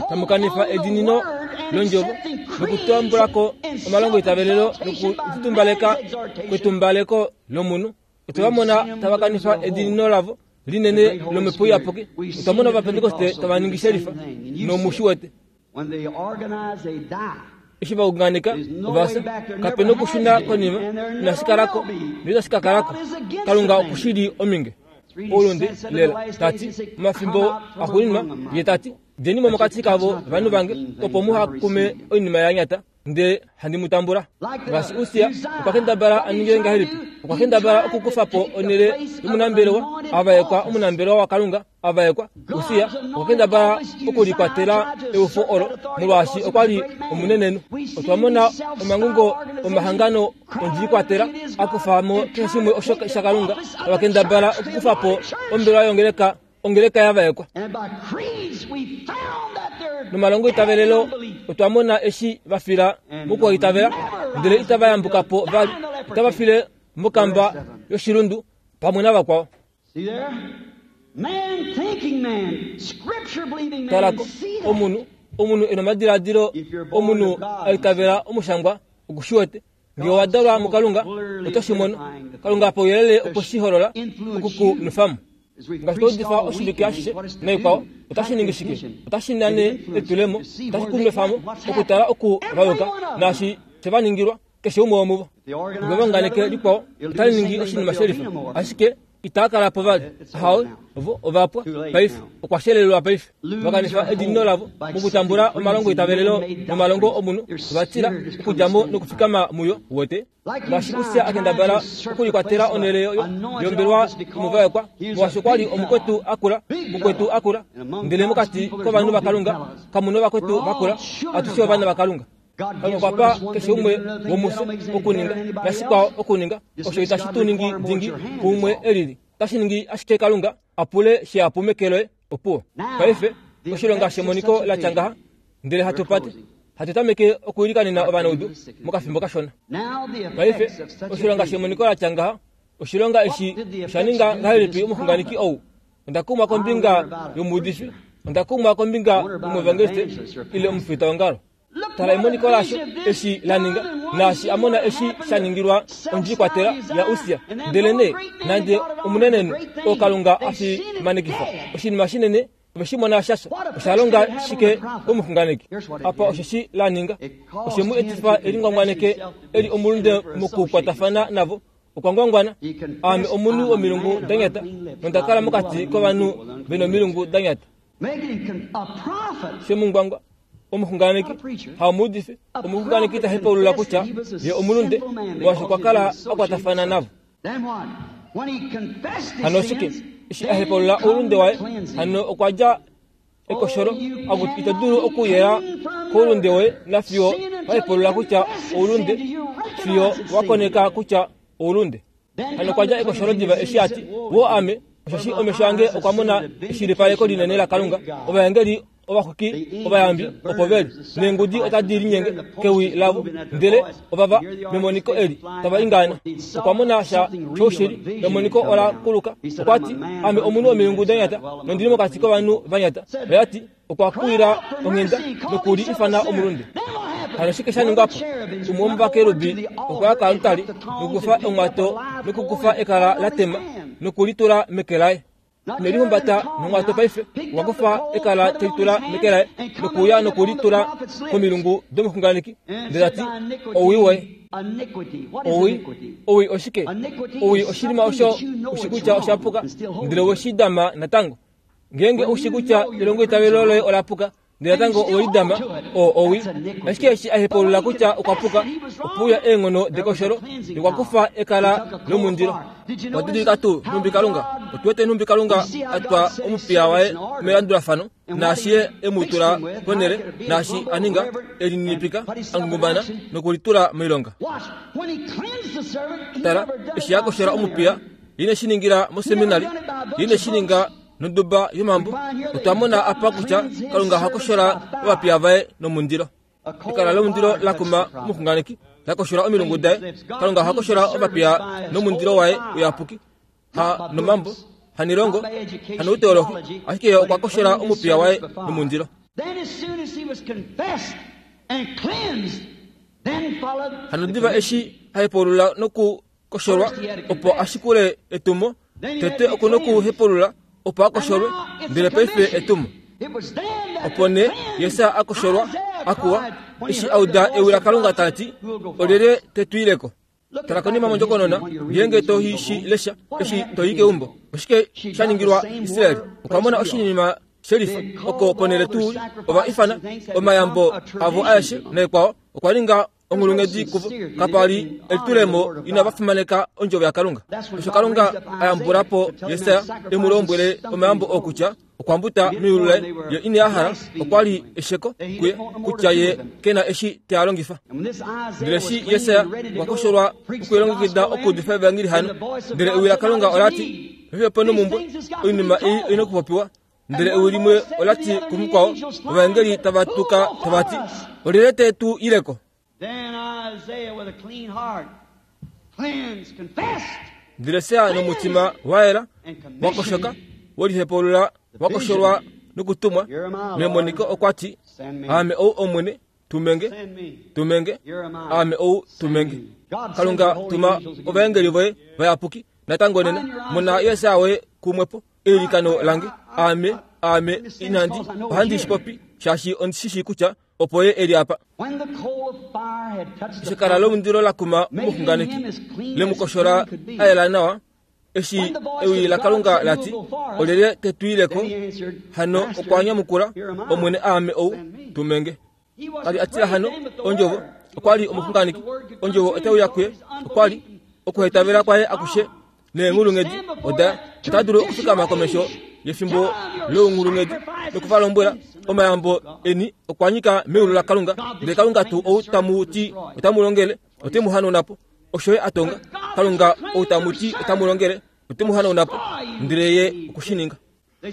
Tamu kanifa edinino londjovo nokutambula ko omalongoitavelelo nokulitumbaleka kwetumbaleko lomunhu. Otwe va mona tava kanifa edinino lavo linene lOmhepo Iyapuki. Otwa mona Ovapentekoste tava ningi shelifa nomu shi wete. Eshi va unganeka, ova fya. Kape nokushuna konima, inashi kala ko, noitashi ka kala ko. Kalunga oku shi li ominge. Oulunde lela, ta ti, omafimbo axuuninwa, ye ta ti, Djeni mo mokati kavo, vanhu vange, opo muha kume oinima ya nyata, ndele handi mu tambula. Ngaashi Usia okwa kendabala a ninge ngahelipi? Okwa kendabala okukufa po onhele yomunambelewa a vaekwa, omunambelewa waKalunga a vaekwa. Usia okwa kendabala okulikwatela eufo olo molwaashi okwa li omunenenhu. Otwa mona omangungo omahangano ondjiikwatela a kufa mo keshe shimwe osho shaKalunga, tava kendabala okukufa po ombelewa yongeleka ongeleka ya vaekwa. Nomalongoitavelelo otwa mona eshi va fila mokuhaitavela, ndele itava yambuka po vali, otava file mokamba yoshilundu pamwe navakwao. Talako, omunhu, omunhu e nomadiladilo, omunhu a itavela omushangwa, oku shi wete. Nge owa dalwa muKalunga, oto shi mono. Kalunga pauyelele okwe shi holola oku ku nwefa mo. Ngaashi twa udifa oshivike ashishe naikwao, otashi ningi shike? Otashi nane elitulemo, otashi ku nwefa mo okutala oku va yuka naashi she va ningilwa, keshe umwe womuvo. Nge va unganeke likwao, otali ningi oshinima shelifa, ashike itaa kala po vali. Ahawe, ovo ova pwa paife. Okwa shelelelwa paife. Va kanifa edinino lavo mokutambula omalongoitavelelo nomalongo omunhu, ova tila okudja mo nokufikama muyo. Uwete? Ngaashi Ussia a kendabala okulikwatela onhele yombelewa yomuvaekwa, molwaashi okwa li omukwetu a kula, mukwetu a kula. Ndele mokati kovanhu vaKalunga kamu novakwetu va kula, atushe ovana vaKalunga. Kalunga okwa pa keshe umwe womufye okuninga nashikwao okuninga osho itashi tu ningi dingi kuumwe e lili. Otashi ningi ashike Kalunga a pule shihapu meke loye. Opuwo. Paife, oshilonga shemoniko la tya ngaha, ndele hatu pate, hatu tameke okuilikanena ovanaudu mokafimbo kashona. Paife, oshilonga shemoniko la tya ngaha, oshilonga eshi osha ninga ngahelipi omuxunganeki ou? Onda kumwa kombinga yomuudifi, onda kumwa kombinga yomuevangeliste ile omufitaongalo. Tala emoniko lasho eshi la ninga, naashi a mona eshi sha ningilwa ondjiikwatela yaUssia. Ndelenee nande omunenenhu oo Kalunga a fimanekifa oshinima shinene, ove shi mona sha fya. Osha longa shike komuxunganeki? Apa osho shi la ninga. Oshe mu etifa e lingwangwaneke e li omulunde mokukwatafana navo. Okwa ngwangwana, Aame omunhu womilungu da nyata, nonda kala mokati kovanhu ve nomilungu da nyata. Shemungwangwa, omuxunganeki, haomuudifi, omuxunganeki ta hepaulula kutya ye omulunde, molwaashi okwa kala a kwatafana navo. Hano oshike? Eshi a hepaulula oulunde waye, hano okwa dja ekosholo akuti ito dulu okuyela koulunde woye nafiyo wa hepaulula kutya oulunde, fiyo wa koneka kutya oulunde. Hano okwa dja ekosholo diva eshi a ti, Woo ame, osheshi omesho ange okwa mona eshilipaleko linene laKalunga, ovaengeli ovaxwiki ovayambi opo ve li, neengudi otadi linyenge kewi lavo, ndele ovava memoniko eli tava ingaana. Okwa mona sha shoushili, emoniko ola kuluka. Okwa ti, Ame omunhu womilungu da nyata, nondi li mokati kovanhu va nyata. Oya ti, Okwa kuwila onghenda noku li ifana omulunde. Hano oshike sha ningwa po? Umwe womovakerubi okwa ya koaltari nokukufa omwato nokukufa ekala la tema noku li tula meke laye. Ine lihumbata nomwato paife, okwa kufa ekala te li tula meke laye nokuuya noku li tula komilungu domuxunganeki, ndele ta ti, Owii woye. Owii, owii oshike? Owii oshinima osho u shi kutya osha puka, ndele we shi dama natango. Ngeenge u shi kutya elongoitavelo loye ola puka, ndele natango owe li dama, oo owii. Ashike eshi a hepaulula kutya okwa puka, ope uya eenghono dekosholo, nokwa kufa ekala lomundilo. Owa didilika tuu nhumbi Kalunga, otu wete nhumbi Kalunga a twa omupiya waye melandulafano, naashi ye e mu tula ponhele, naashi a ninga, e lininipika, a ngungumana nokulitula moilonga. Tala, eshi a koshola omupiya, Ye ine shi ningila moseminari, ye ine shi ninga nonduba yomambo. Otwa mona apa kutya Kalunga oha koshola ovapiya vaye nomundilo. Ekala lomundilo la kuma omuxunganeki, la koshola omilungu daye. Kalunga oha koshola ovapiya nomundilo waye uyapuki, ha nomambo, hanilongo, hanouteolohi, ashike ye okwa koshola omupiya waye nomundilo. Hano diva eshi a hepaulula noku kosholwa opo a shikule etumo. Tete oku nokuhepulula opo a kosholwe, ndele paife etumo. Opo nee Jesaja a kosholwa a kuwa eshi a uda ewi laKalunga tali ti, Olyelye te tu ile ko? Tala konima mondjokonona ngeenge to shi lesha eshi to i keumbo. Oshike sha ningilwa Israel? Okwa mona oshinima shelifa oko ponhele tuu ova ifana omayambo avo aeshe naikwao okwa ninga onghulunghedi kuvo kapa li elitulemo inava fimaneka ondjovo yaKalunga. Osho Kalunga a yambula po Jesaja e mu lombwele omayambo oo kutya okwa mbuta meyulu laye, ye ine a hala, okwa li esheko kuye kutya ye ke na eshi te a longifa. Ndele eshi Jesaja okwa kosholwa okulilongekida okuudifa evangeli hano, ndele ewi laKalunga ola ti, Paife ope nomumbwe, oinima ei oi na okupopiwa Ndele ewi limwe ola ti kumukwao, ovaengeli tava tuka tava ti, Olyelye te tu ile ko? Ndele Sea nomutima wa yela, wa koshoka, we lihepaulula, wa kosholwa nokutumwa memoniko okwa ti, Aame ou Omwene, tumenge, tumenge, aame ou, tumenge. Kalunga, tuma ovaengeli voye vayapuki natango nena, mona Jesaja woye kumwe po. Eilikano lange, aame, aame, inandi, ohandi shi popi, shaashi ondi shi shii kutya opo ye e li apa. Eshi ekala lomundilo la kuma omuxunganeki, le mu koshola a yela nawa, eshi ewi laKalunga la ti, Olyelye te tu ile ko? Hano okwa nyamukula, Omwene, aame ou, tume nge. Ka li a tila hano ondjovo, okwa li omuxunganeki. Ondjovo otai uya kuye, okwa li okuhetavela kwaye akushe neenghulunghedi oda ota dulu okufikama komesho yefimbo lounghulunghedi noku va lombwela omayambo eni okwa nyika meulu laKalunga, ndele Kalunga tuu ou tamu ti otamu longele ote mu hanauna po. Osho ye a tonga. Kalunga ou tamu ti otamu longele ote mu hanauna po, ndele ye oku shi ninga.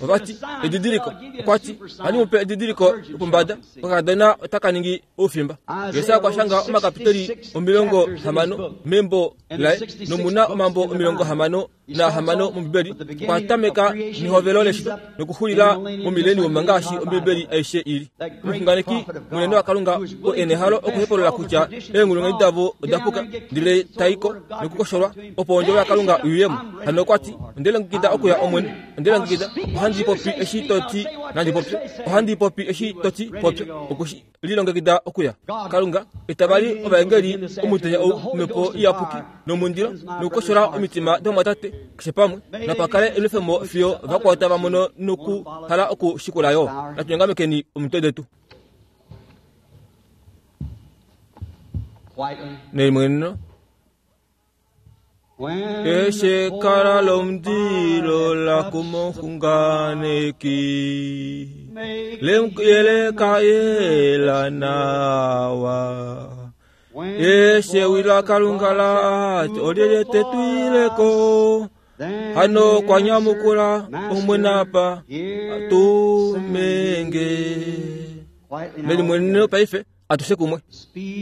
Ova ti, Edidiliko. Okwa ti, Ohandi mu pe edidiliko lopombada, okakadona otaka ningi oufimba. Jesaja okwa shanga omakapiteli 60 membo laye, nomu na omambo 66 mOmbibeli. Okwa tameka nehovelo leshito nokuxulila momileniuma ngaashi Ombibeli aishe i li. Omuxunganeki munene waKalunga oo e nehalo okuhepolola kutya eenghulunghedi davo oda puka, ndele tai ko nokukosholwa opo ondjovo yaKalunga i uye mo. Hano okwa ti. Onde lilongekida okuya, Omwene. Onde lilongekida. Ohandi popi eshi to ti nandi popye. Ohandi popi eshi to ti popya. Okwe shi lilongekida okuya. Kalunga, eta vali ovaengeli omutenya ou, Omhepo Iyapuki nomundilo, nokukoshola omitima dovamwatate keshe pamwe. Napa kale enwefemo fiyo vakwao tava mono nokuhala oku shikula yo. Natu nyongamekeni omitwe detu. Nelimweneno. Eshi ekala lomundilo la kumoxunganeki lemuyeleka yela nawa. Eshi ewi laKalunga la ti, Olyelye te tu ile ko? Hano okwa nyamukula, Omwene apa, tume nge. Melimweneno paife. Atushe kumwe.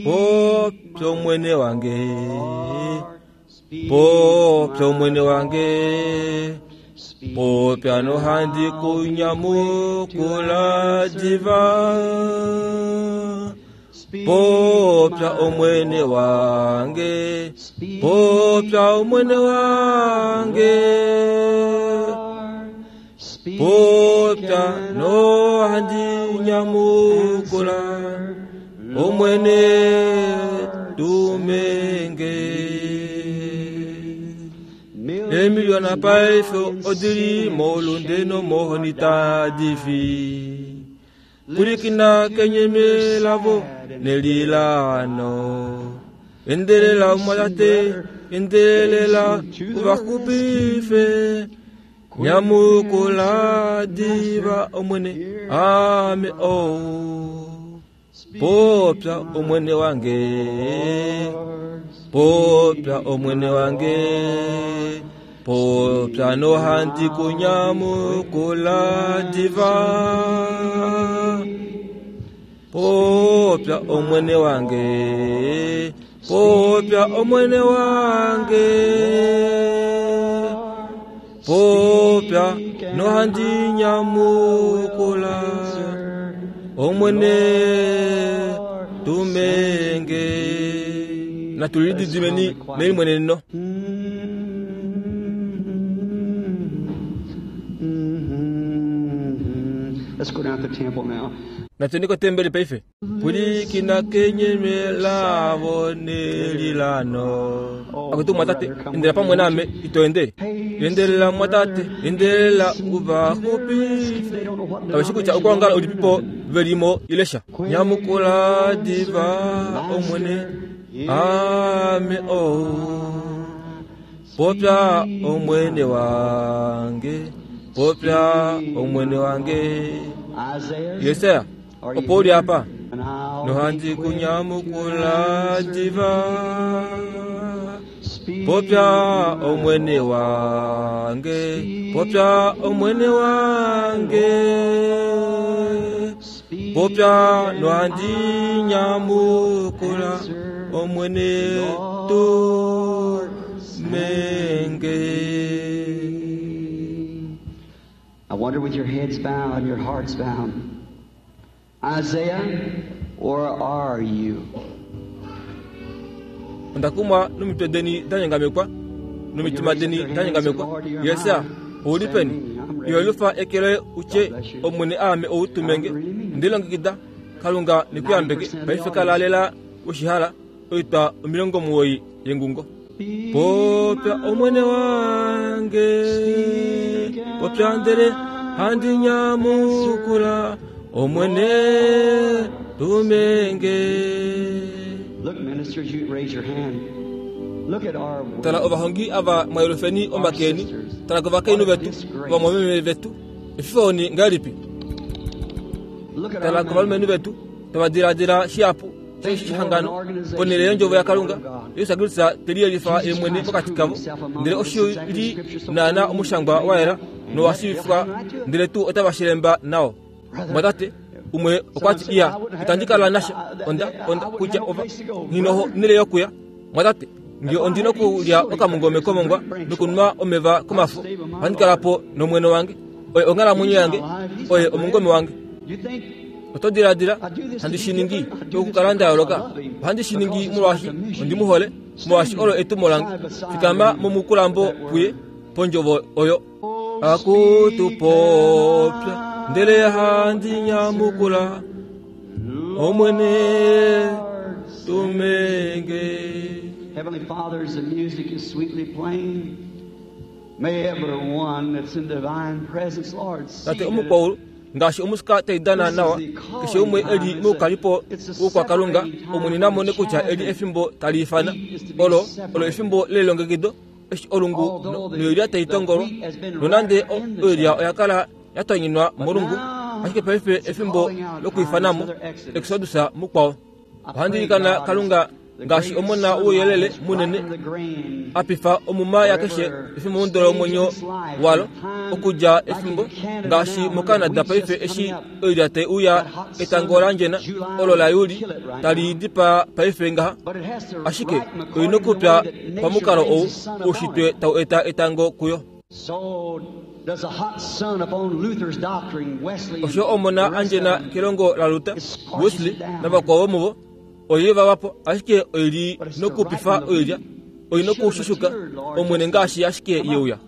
Popya Omwene wange, popya Omwene wange, popya nohandi ku nyamukula diva. Popya Omwene wange, popya Omwene wange, Popya nohandi nyamukula, Omwene tume nge. Eemiliona paife odi li moulunde nomohoni tadi fi. Pwilikina kenyeme lavo nelilaano. Endelela omwatate, endelela u va xupife. Nyamukula diva Omwene, aame ou. Popya Omwene wange, popya Omwene wange, popya nohandi ku nyamukula diva. Popya Omwene wange, popya Omwene wange, popya nohandi nyamukula Omwene tume nge. Natu lididimeni melimweneneno. Let's go down to the temple now. Natuyeni kotembeli paife. Pwilikina kenyeme lavo nelilano. Akutu mwatate, endela pamwe naame, ito ende. Endelela mwatate, endelela u va xupife. Kave shi kutya okwoongala ulipipo ve li mo ile sha. Nyamukula diva, Omwene, aame ou. Popya Omwene wange, popya Omwene wange. Jesaja, opo u li apa, nohandi ku nyamukula diva. Popya Omwene wange, popya Omwene wange. Popya nohandi nyamukula Omwene tu menge. I wonder with your heads bowed and your hearts bowed. Isaiah, where are you? Onda kumwa nomitwe deni da nyangamekwa nomitima deni da nyangamekwa. Jesaja, ou li peni? Iho lufa eke loye u tye, Omwene aame ou tume nge. Onde lilongekida. Kalunga ne ku yambeke. Paife kala lela we shi hala. Oitwa 90 yengungo. Popya Omwene wange, popya ndele handi nyamukula, Omwene tume nge. Look, ministers, you raise your hand. Look at our Tala ovahongi ava mwa yelufeni omake eni, tala kovakainhu vetu, ovamwameme vetu, efifo-oni ngahelipi? Look at Tala our men. kovalumenhu vetu, tava diladila shihapu shehangano ponhele yondjovo yaKalunga. Jesus Kristus te liyelifa ye mwene pokati kavo, ndele oshi li naanaa omushangwa wa yela nowa shiivifwa, ndele tuu otava shilemba nao. Mwatate umwe okwa ti, Iya, itandi kala nasha. Onda, onda, kutya ova, nghi noho nele yokuya. Mwatate, nge ondi nokulya okamungome komongwa nokunwa omeva komafo, ohandi kala po nomwene wange. Oye onghalamwenyo yange, oye omungome wange. Oto diladila handi shi ningi okukala nda yooloka? Ohandi shi ningi molwaashi ondi mu hole, molwaashi olo etumo lange. Fikama momukulambo puye. pondjovo oyo. Akutu popya, ndele handi nyamukula, Omwene, tumenge. Heavenly Father, as the music is sweetly playing, may everyone that's in divine presence, Lord, see Tate that omukwaulu, ngaashi omusika tai dana nawa, keshe umwe e li moukalipo wOukwakalunga, Omwene na mone kutya eli efimbo tali ifana. Olo, olo efimbo lelilongekido, eshi olungu noilya tai tongolwa. Nonande oilya oya kala ya tonyinwa molungu, ashike paife efimbo lokwiifanamo, Exodus mukwao. Ohandi ilikana Kalunga ngaashi omona wouyelele munene a pifa omuma yakeshe efimbo lomwenyo walo okudja efimbo ngaashi moCanada paife eshi oilya tai uya etango landjena olo la Juli tali dipaa paife ngaha. Ashike oi nokupya pamukalo ou oushitwe tau eta etango kuyo. Osho omona andjena kelongo laLuther, Wesley navakwao vomuvo oye va vapo, ashike oi li nokupifa oilya, oi nokushushuka Omwene ngaashi ashike ye uya.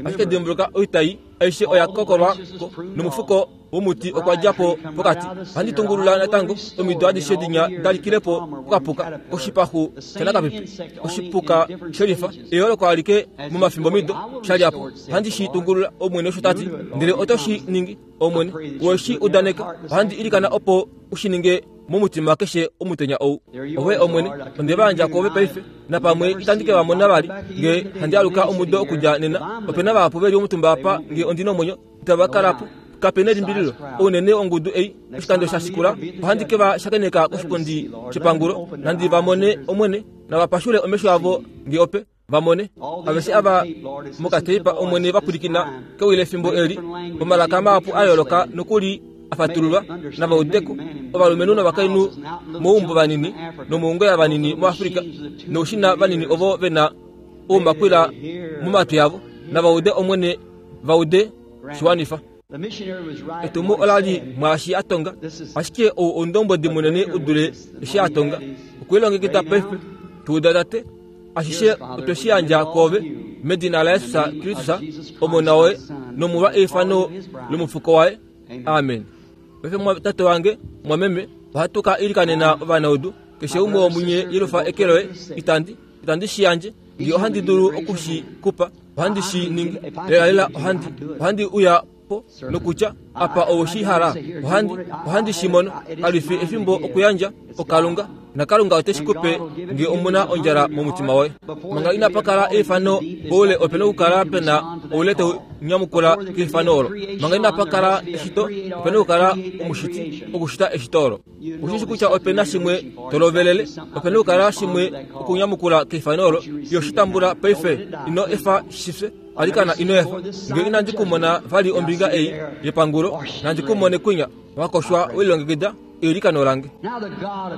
Ashike dimbuluka, oitai aishe oya kokolwa ko, nomufuko womuti okwa dja po pokati. Ohandi tungulula natango omido adishe dinya da likile po kokapuka koshipaxu shanakapipi, oshipuka shelifa, eyooloko alike momafimbomido sha lya po. Ohandi shi tungulula, Omwene osho ta ti, ndele oto shi ningi, Omwene. We shi udaneka. Ohandi ilikana opo u shi ninge momutima keshe omutenya ou. Ove Omwene, onde va yandja kwoove paife, napamwe itandi ke va mona vali nge handi aluka omudo okudja nena. Ope na vahapu ve li omutumba apa nge ondi nomwenyo, itava kala po. Kape nelimbililo, ounene wongudu ei, oshikando sha shikula, ohandi ke va shakeneka koshipundi shepangulo, nandi va mone, Omwene, nava pashule omesho avo nge ope va mone. Aveshe ava mokateipa, Omwene, va pwilikina kewi lefimbo eli, omalaka mahapu a yooloka nokuli a fatululwa, nava ude ko, ovalumenhu novakainhu moumbo vanini nomoungoya vanini moAfrica, noushina vanini ovo ve na oumakwila momatwi avo, nava ude, Omwene, va ude shi wanifa. Etumo ola li mwaashi a tonga, ashike ou oundombwedi munene u dule eshi a tonga. Okwe lilongekida paife. Tu uda, Tate. Ashishe otwe shi yandja kwoove, medina laJesus Kristus, Omona woye, nomolwa eifano lomufuko waye. Amen. Paife, tate wange, mwameme, ohatu ka ilikanena ovanaudu. Keshe umwe womunye yelufa eke loye. Itandi, itandi shi yandje. Nge ohandi dulu oku shi ku pa, ohandi shi ningi. Lelalela ohandi, ohandi uya po nokutya, Apa owe shi hala. Ohandi, ohandi shi mono. Kali fi efimbo okuyandja, oKalunga. NaKalunga ote shi ku pe nge omu na ondjala momutima woye. Manga inapa kala eifano poule ope na okukala pe na oule tau nyamukula keifano olo. Manga inapa kala eshito ope na okukala omushiti okushita eshito olo. Oshi shi kutya ope na shimwe to lovelele, ope na okukala shimwe okunyamukula keifano olo. Yo shi tambula paife, ino efa shi fye. Alikana ino efa. Nge inandi ku mona vali ombinga ei yepangulo, nandi ku mone kwinya, wa koshwa we lilongekida eilikano lange.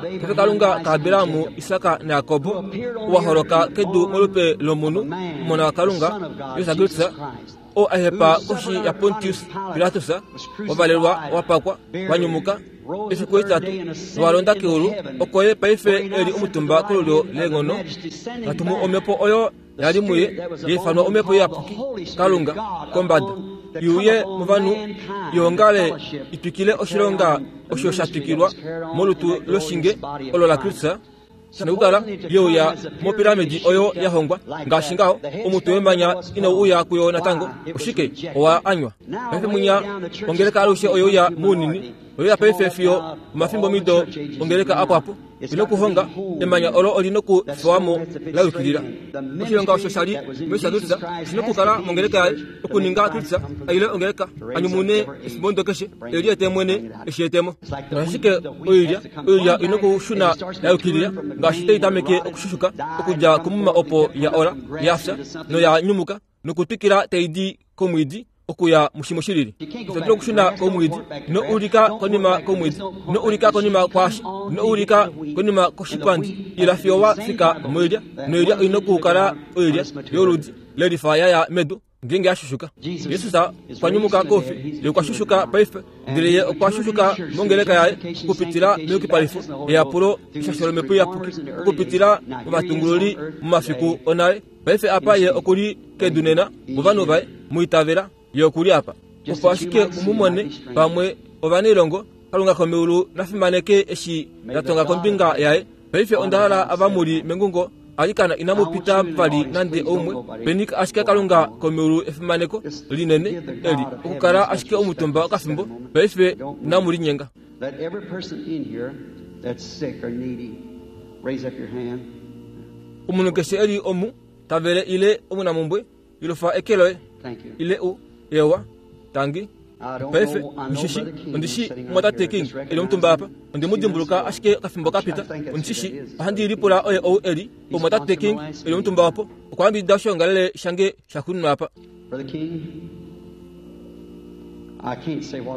Paife Kalunga kaAbraham, Isak naJakob, ou wa holoka kedu molupe lomunhu, Omona waKalunga, Jesus Kristus, oo a hepa koshi yaPontius Pilatus, wa valelwa, wa pakwa, wa nyumuka efiku etitatu nowa londa keulu, oko ye paife e li omutumba kolulyo leenghono, ta tumu omhepo oyo ya li muye, ya ifanwa Omhepo Iyapuki, Kalunga, kombada, i uye movanhu, i ongale i twikile oshilonga osho sha twikilwa molutu loshinge olo laKristus, nokukala ye uya mopiramidi oyo ya hongwa. Ngaashi ngaho, omutwe wemanya inau uya kuyo natango. Oshike? Owa anywa. Paife mwinya, ongeleka alushe oye uya mounini. Oye uya paife fiyo omafimbomido ongeleka a pwa po. Li nokuhonga, emanya olo oli nokufewa mo la yukilila. Oshilonga osho sha li muJesus oshi nokukala mongeleka yaye, okuninga Kristus a ile ongeleka, a nyumune efimbomudo keshe, e liete mwene e shi ete mo. Ashike oilya, oilya oi nokushuna ya yukilila, ngaashi tai tameke okushushuka okudja komuma opo ya ola, ya fya noya nyumuka, nokutwikila tai di komwiidi okuya mushimwe shi lili. Ito dulu okushuna komwiidi, ino ulika konima komwiidi, ino ulika konima kwaashi, ino ulika konima koshipandi, ila fiyo wa fika moilya, noilya oi nokukala oilya yoludi lelifa ya ya medu. ngeenge a shushuka. Jesus okwa nyumuka koufi, ye okwa shushuka paife, ndele ye okwa shushuka mongeleka yaye okupitila meyukipalifo, eyapulo, eshasho lOmhepo Iyapuki, okupitila movatungululi momafiku onale. Paife apa ye oku li kedu nena, movanhu vaye, mu itavela, ye oku li apa. Opo ashike u mu mone, pamwe ovanailongo, Kalunga komeulu na fimaneke eshi nda tonga kombinga yaye. Paife onda hala ava mu li mengungo, alikana inamu pita vali nande oumwe. Peni ashike Kalunga komeulu efimaneko linene eli, okukala ashike omutumba okafimbo. Paife inamu linyenga. Omunhu keshe e li omu, ta vele ile omunamumbwe, Ilufa eke loye ile u ewa. Tangi. Paife, ndishi shi, ondi shi Mumwatate King e li omutumba apa. Onde mu dimbuluka ashike okafimbo ka pita. Ondi shi shi, ohandi lipula oye ou e li, Omumwatate King e li omutumba opo. Okwa yambidida oshoongalele shange shaxuuninwa apa.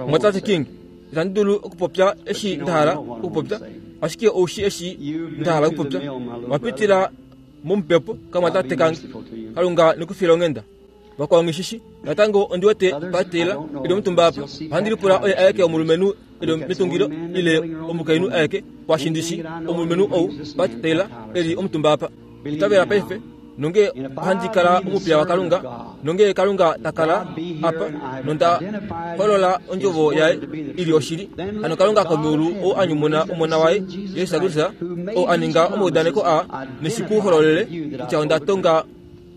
Mumwatate King, itandi dulu okupopya eshi nda hala okupopya, ashike ou shi eshi nda hala okupopya. Owa pitila momupepo kamwatate kange. Kalunga ne ku file onghenda. Vakwao nghi Natango ondi wete Patela e li omutumba apa. Ohandi lipula oye aeke omulumenhu e li metungilo ile omukainhu aeke kwaashi ndi shi omulumenhu ou Pat Taylor e li omutumba apa. Itavela paife nonge ohandi kala omupiya waKalunga nonge Kalunga ta kala apa nonda holola ondjovo yaye i li oshili. Hano Kalunga komeulu ou a nyumuna Omona waye Jesus Kristus, ou a ninga omaudaneko aa neshi ku hololele kutya onda tonga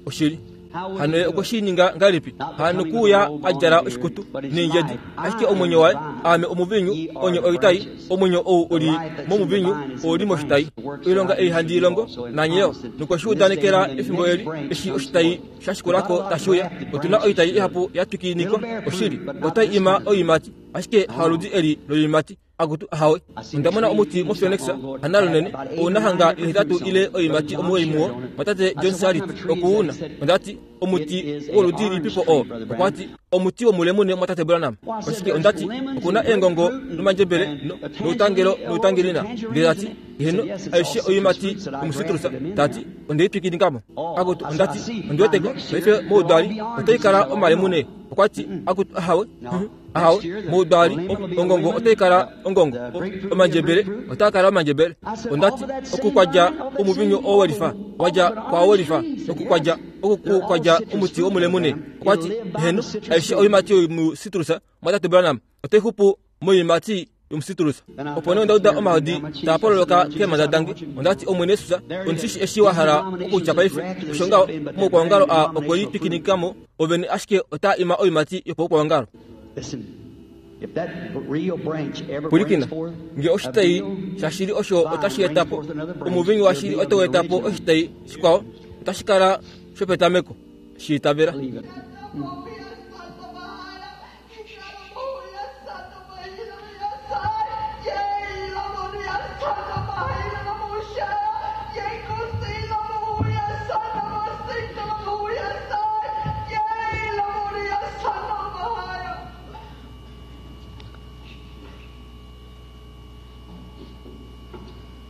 oshili. Hano ye okwe shi ninga ngahelipi? Hano kuuya a djala oshikutu neendjedi, ashike omwenyo waye, aame omuviinyu, onye oitai, omwenyo ou u li momuviinyu ou li moshitai. Oilonga ei handi i longo, nanye yo. Nokwe shi udanekela efimbo eli, eshi oshitai sha shikula ko tashi uya. Otu na oitai ihapu ya twikinikwa, oshili, otai ima oiimati, ashike haludi eli loiimati. Akutu, ahawe. Onda mona omuti moPhoenix, hanalunene, ou na hanga ihetatu ile oiimati omuwoi muwo, mwatate John Sharrit oku u na. Onda ti, Omuti woludi lilipipo oo? Okwa ti, Omuti womulemune, mwatate Branham. Oshike? Onda ti, Oku na eengongo nomandjebele, no, noutangelo noutangelina. Ndele ta ti, Heeno, aishe oiimati yomusitrusa. Ta ti, Onde i twikinika mo. Akutu, onda ti, Ondi weteko, paife moudali otai kala omalemune. Okwa ti, Akutu, ahawe. Ahawe, moudali ongongo otai kala ongongo, omandjebele otaa kala omandjebele. Onda ti, Oku kwa dja omuvinyu oo we lifa, wa dja kwaao we lifa, oku kwa dja, oku kwa dja omuti womulemune. Okwa ti, Heeno, aishe oiimati yomusitrusa, Mwatate Branham, otai xupu moiimati yomusitrusa. Opo nee onda uda omahodi taa pololoka keemhanda dange. Onda ti, Omwene Jesus, ondi shi shii eshi wa hala okutya paife. Osho ngaho, omaukwaongalo aa okwe litwikinika mo ovene ashike otaa ima oiimati yopaukwaongalo. Pwilikina, nge oshitai shashili osho otashi eta po omuvinyu washili otau eta po oshitai shikwao, otashi kala shopetameko. Shi itavela.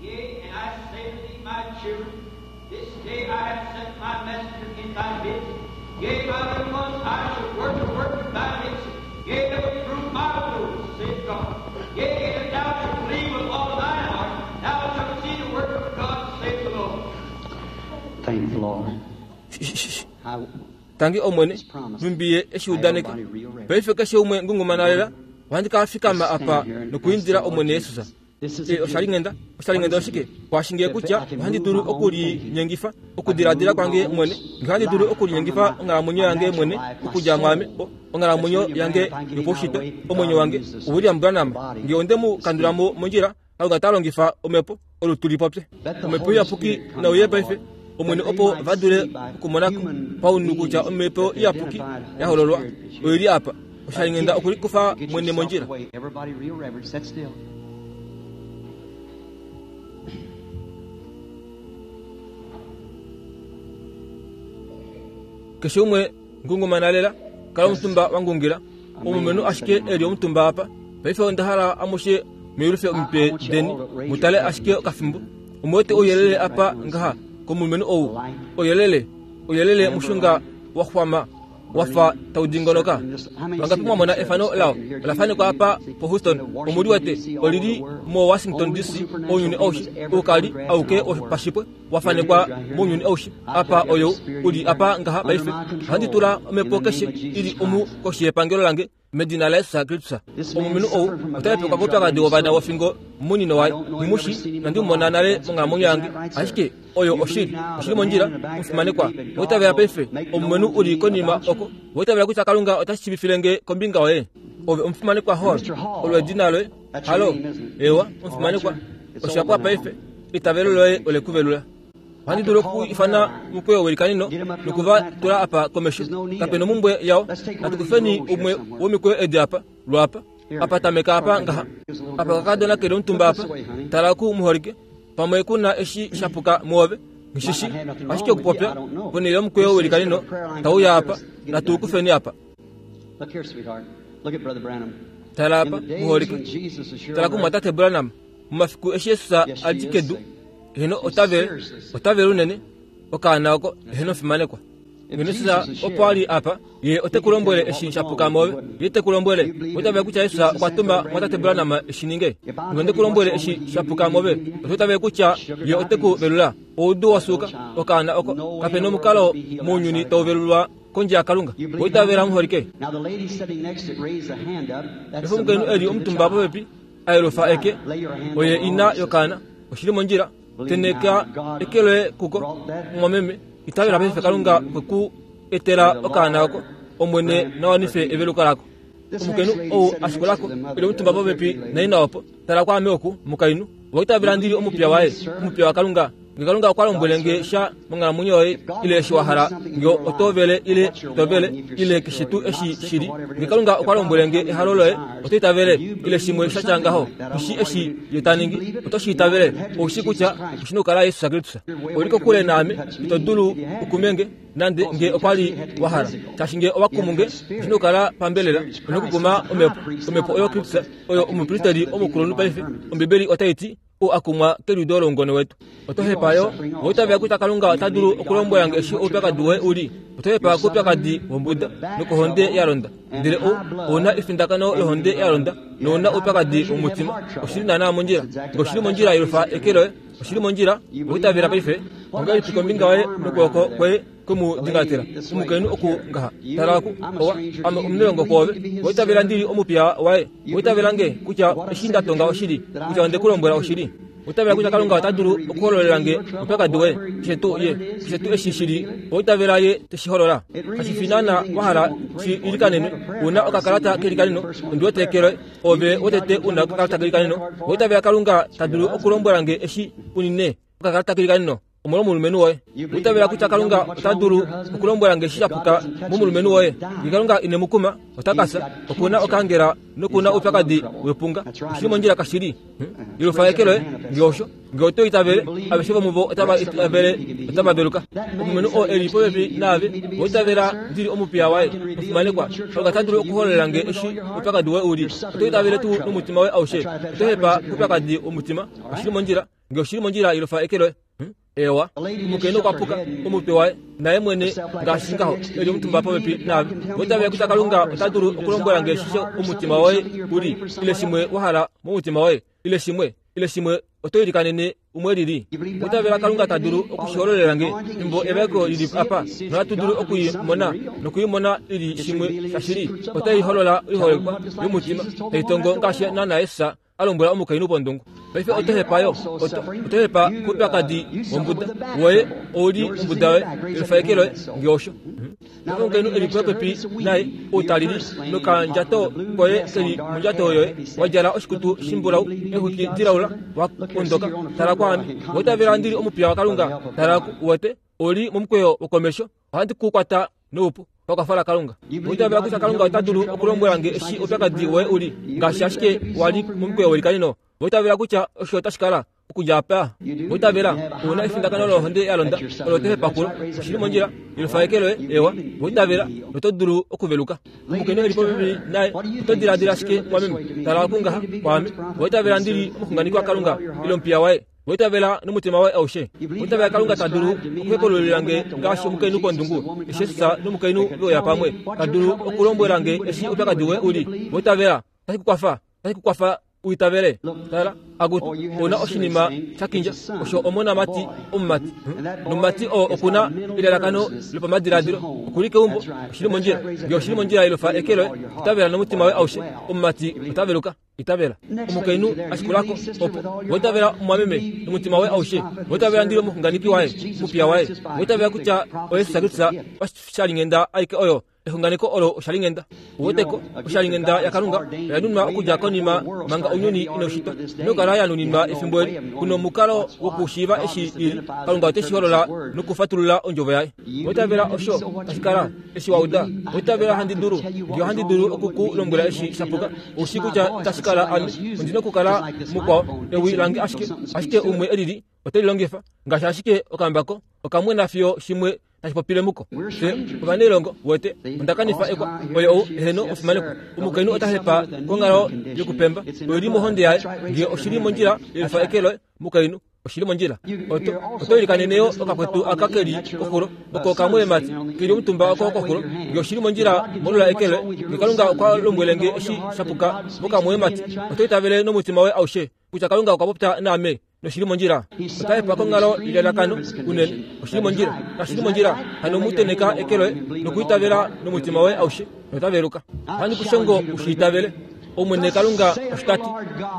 Yea, and I say to thee, my children, this day I have sent my messenger in thy midst. Yea, my little ones, I shall work a work in thy midst. Yea, that will prove my words, saith God. Yea, and if thou shalt believe with all thine heart, thou shalt see the work of God, saith the Lord. Thank the Lord. Tangi Omwene, nhumbi Ye e shi udaneka. Paife keshe umwe ngungumana lela, ohandi ka fikama apa nokuindila Omwene Jesus. E, oshalinghenda, oshalinghenda oshike? Kwaashi nge kutya ohandi dulu okulinyengifa okudiladila kwange mwene, nge ohandi dulu okulinyengifa onghalamwenyo yange mwene okudja mwaame, o, onghalamwenyo yange yopaushitwe, omwenyo wange, uWilliam Branham, nge onde mu kandula mo mondjila, Kalunga ta longifa omhepo, olutu li popye. Omhepo Iyapuki nauye paife, Omwene, opo va dule okumona ko paunhu kutya Omhepo Iyapuki ya hololwa oi li apa. Oshalinghenda okulikufa mwene mondjila. Everybody real reverent, sit still. Keshe umwe ngungumana lela, kala omutumba wa ngungila. Omulumenhu ashike e li omutumba apa. Paife onda hala amushe muyulife omitwe deni mu tale ashike okafimbo. Omu wete ouyelele apa ngaha komulumenhu ou? Ouyelele, ouyelele mushunga wa xwama. Wa fa tau dingonoka. Vangapi mwa mona efano lao? Ola fanekwa apa poHouston, omu li wete. Oli li moWashington DC, ounyuni aushe. Oukali auke wopashipwe wa fanekwa mounyuni aushe. Apa oyou u li apa ngaha paife. Ohandi tula omhepo keshe i li omu koshi yepangelo lange. Medina laJesus Kristus, omulumenhu ou ota hepekwa koupyakadi wovana wofingo munini waye. Nghi mu shii, inandi mu mona nale monghalamwenyo yange. Ashike oyo oshili. Oshi li mondjila, omufimanekwa. Owa itavela paife? Omulumenhu u li konima oko, owa itavela kutya Kalunga ota shiivifile nge kombinga yoye? Ove omufimanekwa Hall, olo edina loye. Halo? Eewa, omufimanekwa. Osha pwa paife. Eitavelo loye ole ku velula. Ohandi dulu oku ifana omukweyo welikanino noku va tula apa komesho. Kape nomumbwe yao. Natu kufeni umwe womikweyo edi apa, lwaapa. Apa tameka apa ngaha. Apa okakadona keli omutumba apa. Tala oku muholike. Pamwe ku na eshi sha puka muove. Nghi shi Ashike okupopya, ponhele yomukweyo welikanino tau ya apa, natu u kufeni apa. Tala apa, muholike. Tala kumwatate Branham. Momafiku eshi Jesus a li kedu, Eheno otavele, otavele unene, okaana oko, eheno fimanekwa. Ngeno Jesus opo a li apa, ye ote ku lombwele eshi sha puka moove. Ye te ku lombwele, oto itavele kutya Jesus okwa tuma mwatate Branham e shi ninge? Ngeno onde ku lombwele eshi sha puka moove, oto itavele kutya ye ote ku velula? Oudu wa suuka, okaana oko, kape nomukalo mounyuni tau velulwa kondje yaKalunga. Owa itavela muholike? Efa omukainhu e li omutumba popepi, a yelufa eke, oye ina yokaana. Oshi li mondjila. Tenheka eke loye kuko, mumwameme. Itavela paife Kalunga okwe ku etela okaana oko. Omwene na wanife eveluko lako. Omukainhu ou a shikula ko, e li omutumba popepi naina opo. Tala kwaame oku, mukainhu. Owa itavela ndi li omupiya waye, omupiya waKalunga? Nge Kalunga okwa lombwele nge sha monghalamwenyo yoye, ile eshi wa hala, nge oto vele ile ito vele, ile keshe tuu eshi shi li, nge Kalunga okwa lombwele nge ehalo loye, oto itavele, ile shimwe sha tya ngaho, ku shii eshi Ye ta ningi, oto shi itavele? Ou shii kutya oshi na okukala Jesus Kristus. Ou li kokule naame, ito dulu okume nge, nande nge okwa li wa hala. Shaashi nge owa kumu nge, oshi na okukala pambelela, ou na okukuma Omhepo, Omhepo oyo Kristus, oyo omupristeli omukulunhu paife. Ombibeli otai ti, ou a kumwa keliudo loungone wetu. Oto hepa yo owa itavela kutya Kalunga ota dulu okulombwela nge eshi oupyakadi woye u li. Oto hepa koupyakadi wombuda nokohonde ya londa. Ndele ou, ou na efindakano lohonde ya londa nou na oupyakadi womutima. Oshi li naanaa mondjila. Nge oshi li mondjila yelufa eke loye. Oshi li mondjila. Owa itavela paife? Ongahelipi kombinga yoye nokwooko kwoye kwe mu dingatela? Omukainhu oku ngaha. Tala oku, owa, ame omunelongo kwoove. Owa itavela ndi li omupiya waye? Owa itavela nge kutya eshi nda tonga oshili, kutya onde ku lombwela oshili? Owa itavela kutya Kalunga ota dulu okuhololela nge oupyakadi woye, keshe tuu ye, keshe tuu eshi shi li? Owa itavela Ye te shi holola? Kashi fi naana wa hala shi ilikanenwe. U na okakalata kelikaneno, ondi wete eke loye. Ove wotete u na okakalata kelikaneno. Owa itavela Kalunga ta dulu okulombwela nge eshi u nine okakalata kelikaneno? Omolwomulumenhu woye. Owa itavela kutya Kalunga ota dulu okulombwela nge eshi sha puka momulumenhu woye? Nge Kalunga ine mu kuma, ota ka fya. Oku na okaangela noku na oupyakadi wepunga. Oshi li mondjila kashili. Yelufa eke loye, nge osho. Nge oto itavele, aveshe vomuvo otava itavele, otava veluka. Omulumenhu oo e li popepi naave, owa itavela ndi li omupiya waye, omufimanekwa. Kalunga ota dulu okuhololela nge eshi oupyakadi woye u li. Oto itavele tuu nomutima woye aushe? Oto hepa koupyakadi womutima. Oshi li mondjila. Nge oshi li mondjila yelufa eke loye. Eewa, omukainhu okwa puka omutwe waye, naye mwene ngaashi ngaho, e li omutumba popepi naave. Owa itavela kutya Kalunga ota dulu okulombwela nge shishe omutima woye u li, ile shimwe wa hala momutima woye, ile shimwe, ile shimwe oto ilikanene umwe lili? Owa itavela Kalunga ta dulu oku shi hololela nge, fimbo evaeko li li apa, nohatu dulu oku i mona, noku i mona i li shimwe shashili? Otai holola oiholekwa yomutima, tai tongo ngaashi naana Jesus a lombwela omukainhu pondungu, Paife oto hepa yo, oto, oto hepa koupyakadi wombuda woye, ou li ombuda yoye, elufa eke loye, nge osho. Paife omukainhu e li popepi naye, ou ta lili, nokandjato koye ke li mondjato yoye, wa djala oshikutu shimbulau, eexwiki dilaula, wa ondoka. Tala kwaame. Owa itavela ndi li omupiya waKalunga? Tala ku, uwete, ou li momukweyo wokomesho. Ohandi ku kwata noupu pakwafo laKalunga. Owa itavela kutya Kalunga ota dulu okulombwela nge eshi oupyakadi woye u li, ngaashi ashike wa li momukweyo welikanino? Owa itavela kutya osho otashi kala okudja apa? Owa itavela u na efindakano lohonde ya londa olo to hepa kulo? Oshi li mondjila. Yelufa eke loye. Eewa. Owa itavela noto dulu okuveluka. Omukainhu e li popepi naye, oto diladila shike mwameme? Tala oku ngaha kwaame. Owa itavela ndi li omuxunganeki waKalunga ile omupiya waye? Owa itavela nomutima woye aushe? Owa itavela Kalunga ta dulu okuhepaululila nge ngaashi omukainhu kondungu, eshi Jesus nomukainhu ve uya pamwe, ta dulu okulombwela nge eshi oupyakadi woye u li? Owa itavela? Otashi ku kwafa? Otashi ku kwafa u itavele? Tala, akutu, ou na oshinima sha kindja, osho omonamati omumati. Nomumati oo oku na elalakano lopamadiladilo. Oku li keumbo, oshi li mondjila. Nge oshi li mondjila yelufa eke loye, itavela nomutima woye aushe, omumati ota veluka. Itavela. Omukainhu a shikula ko, opo. Owa itavela omumwameme nomutima woye aushe. Owa itavela ndi li omuxunganeki waye, omupiya waye. Owa itavela kutya oye Jesus Kristus oshalinghenda aike oyo Exunganeko olo oshalinghenda. Uweteko, oshalinghenda yaKalunga oya nunwa okudja konima manga ounyuni inau shitwa. Inokala ya nuninwa efimbo eli. Ku nomukalo wokushiiva eshi i li. Kalunga ote shi holola nokufatulula Ondjovo Yaye. Owa itavela osho tashi kala, eshi wa uda? Owa itavela handi dulu? Nge ohandi dulu oku ku lombwela eshi sha puka, ou shii kutya itashi kala ame. Ondi nokukala mukwao, ewi lange ashike, ashike umwe e lili ote li longifa. Ngaashi ashike okambako, okamwena fiyo shimwe tashi popile muko. Fye ovanailongo, wete, onda kanifa ekwa. Oye ou, eheno, omufimanekwa. Omukainhu ota hepa konghalo yokupemba. Oi li mohonde yaye. Nge oshi li mondjila, yelifa eke loye, mukainhu. Oshi li mondjila. Oto, oto ilikanene yo okakwetu aka ke li koxulo, oko okamwoyemati ke li omutumba oko koxulo. Nge oshi li mondjila, molula eke loye. Nge Kalunga okwa lombwele nge eshi sha puka mokamwoyemati, oto itavele nomutima woye aushe kutya Kalunga okwa popya naame? Noshi li mondjila. Ota hepa konghalo yelalakano unene. Oshi li mondjila. Kashi li mondjila. Hano mu tenheka eke loye nokuitavela nomutima woye aushe, nota veluka. Ohandi ku shongo u shi itavele. Omwene Kalunga osho ta ti.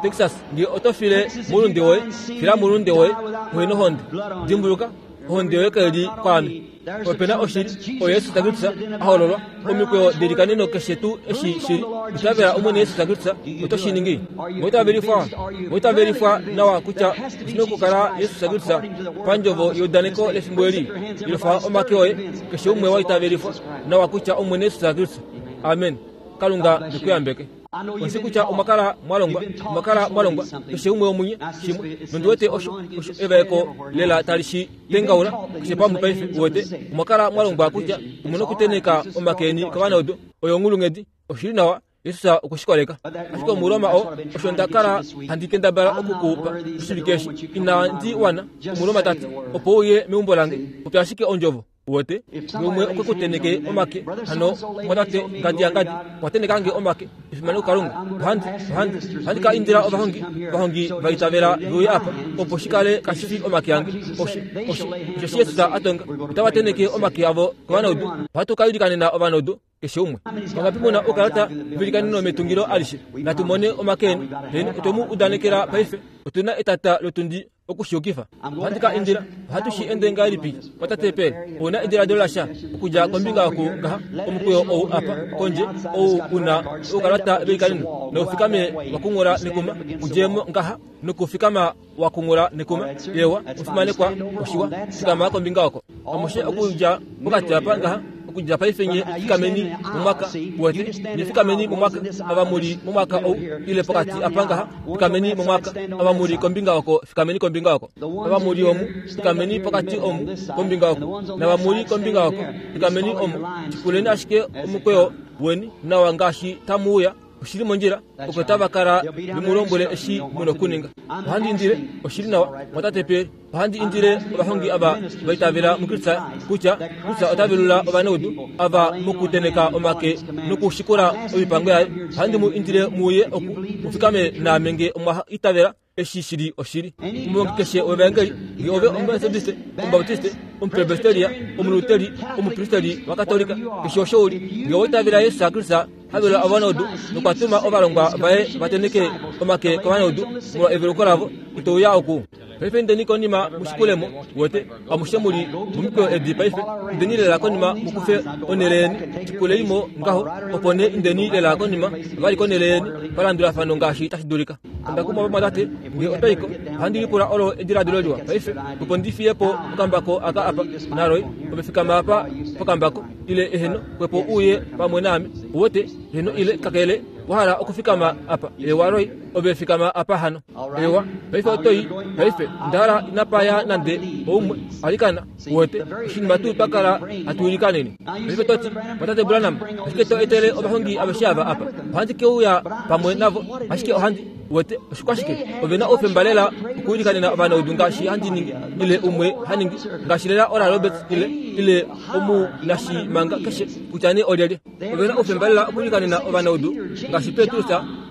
Texas, nge oto file moulunde woye, fila moulunde woye, muhe nohonde. Dimbuluka, ohonde yoye kai li kwaame. Ope na oshili, oyo Jesus Kristus a hololwa, omikweyo delikaneno keshe tuu eshi shi li. Itavela Omwene Jesus Kristus, oto shi ningi. Oitavelifwa, oitavelifwa nawa kutya oshi na okukala Jesus Kristus pandjovo yeudaneko lefimbo eli. Yelufa omake oye, keshe umwe wa itavelifwa nawa kutya Omwene Jesus Kristus. Amen. Kalunga ne ku yambeke. Ondi shii kutya omwa kala mwa longwa, omwa kala mwa longwa, keshe umwe womunye, shimwe. Nondi wete osho, osho evaeko lela tali shi tengaula, keshe pamwe paife, uwete. Omwa kala mwa longwa kutya omu nokutenheka omake eni kovanaudu. Oyo onghulunghedi. Oshi li nawa, Jesus okwe shi koleka. Ashike Omuroma oo, osho nda kala handi kendabala oku ku pa oshivike eshi, inandi wana, Omuroma ta ti, opo uye meumbo lange, popya ashike ondjovo. Uwete? Nge umwe okwe ku tenheke omake, hano mwatate ngadi yangadi okwa tenheka nge omake, efimano kuKalunga. Ohandi, ohandi, ohandi ka indila ovahongi, ovahongi va itavela ve uye apa, opo shi kale kashi fi omake ange. Osho, osho, osheshi Jesus a tonga, otava tenheke omake avo kovanaudu. Ohatu ka ilikanena ovanaudu. Keshe umwe. Vangapi mu na oukalata velikaneno metungilo alishe? Natu mone omake eni. Heeno, otwe mu udanekela paife. Otu na etata lotundi oku shi yukifa. Ohandi ka indila. Ohatu shi ende ngahelipi, Watate Pearl? Ou na ediladilo lasha okudja kombinga oku ngaha, omukweyo ou apa, kondje, ou u na oukalata velikaneno, nau fikame wa kunghula nekuma, u dje mo ngaha nokufikama wa kunghula nekuma? Eewa, omufimanekwa, oshiwa. Fikama kombinga oko. Amushe okudja pokati apa ngaha, okudja paife nye fikameni momwaka, uwete, nye fikameni momwaka, ava mu li momwaka ou, ile pokati apa ngaha, fikameni momwaka, ava mu li kombinga oko, fikameni kombinga oko, ava mu li omu, fikameni pokati omu, kombinga oko, nava mu li kombinga oko, fikameni omu, shikuleni ashike omukweyo weni nawa ngaashi tamu uya. Oshi li mondjila, oko tava kala ve mu lombwele eshi mu na okuninga. Ohandi indile, oshi li nawa, mwatate Pearl, ohandi indile ovahongi ava va itavela muKristus kutya Kristus ota velula ovanaudu ava mokutenheka omake nokushikula oipango yaye. Ohandi mu indile mu uye oku mu fikame naame nge omwa itavela eshi shi li oshili. Omuhongi keshe wevaengeli, nge ove Omumetodiste, Omubaptiste, Omupresbiteria, Omuluteri, omupristeri waKatolika, keshe osho u li, nge owa itavela Jesus Kristus ha velula ovanaudu nokwa tuma ovalongwa vaye va tenheke omake kovanaudu molwa eveluko lavo, ito uya oku. Paife indeni konima mu shikule mo, uwete, amushe mu li momikweyo edi paife. Indeni lela konima mu kufe onhele yeni, shikulei mo ngaho, opo nee indeni lela konima vali konhele yeni palandulafano ngaashi tashi dulika. Onda kumwa vamwatate, nge otwa i ko, ohandi lipula olo ediladilo liwa paife, opo ndi fiye po okambako aka apa. NaRoy, ove fikama apa pokambako, ile eheno, xwepo uye pamwe naame, uwete, eheno ile kakele wa hala okufikama apa. Eewa, Roy, ove fikama apa hano. Ewa, paife oto i. Paife, onda hala inapa ya nande oumwe, alikana, uwete, oshinima tuu twa kala hatu ilikanene. Paife to ti, Mwatate Branham, ashike to etele ovahongi aveshe ava apa. Ohandi ke uya pamwe navo, ashike ohandi. Uwete, oshikwashike? Ove na oufemba lela okuilikanena ovanaudu ngaashi handi ningi, ile umwe ha ningi, ngaashi lela Oral Roberts ile, ile omunashimanga keshe, kutya nee olyelye. Ove na oufemba lela okuilikanena ovanaudu ngaashi Petrus,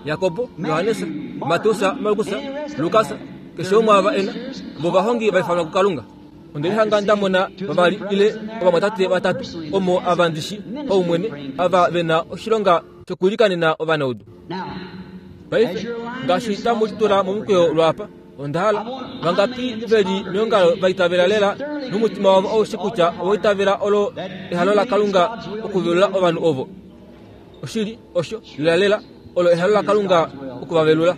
Jakob, Johannes, Mateus, Markus, Lukas, keshe umwe ava e na, vovahongi va ifanwa kuKalunga. Onde lihanga nda mona vavali ile ovamwatate vatatu omo ava ndi shi paumwene ava ve na oshilonga shokuilikanena ovanaudu. Paife, ngaashi tamu litula momukweyo lwaapa, onda hala vangapi ve li meongalo va itavela lela nomutima wavo aushe kutya owa itavela olo ehalo laKalunga okuvelula ovanhu ovo. Oshili, osho, lelalela, olo ehalo laKalunga oku va velula.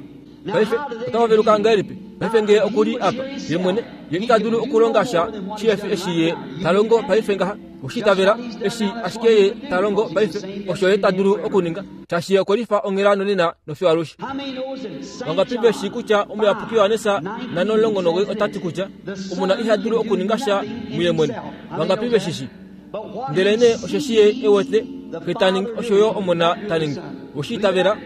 Paife, otava veluka ngahelipi? Paife ngee oku li apa, ye mwene, ye ita dulu okulonga sha shihe fi eshi ye ta longo paife ngaha. Oshi itavela, eshi ashike ye ta longo paife, osho ye ta dulu okuninga, shaashi ye okwe lifa onghela nonena nofiyo alushe. Vangapi ve shii kutya Omuyapuki Johannes 5:19 ota ti kutya Omona iha dulu okuninga sha muye mwene? Vangapi ve shi shii? Ndelenee osheshi ye e wete Xe ta ningi, osho yo Omona ta ningi. We shi itavela?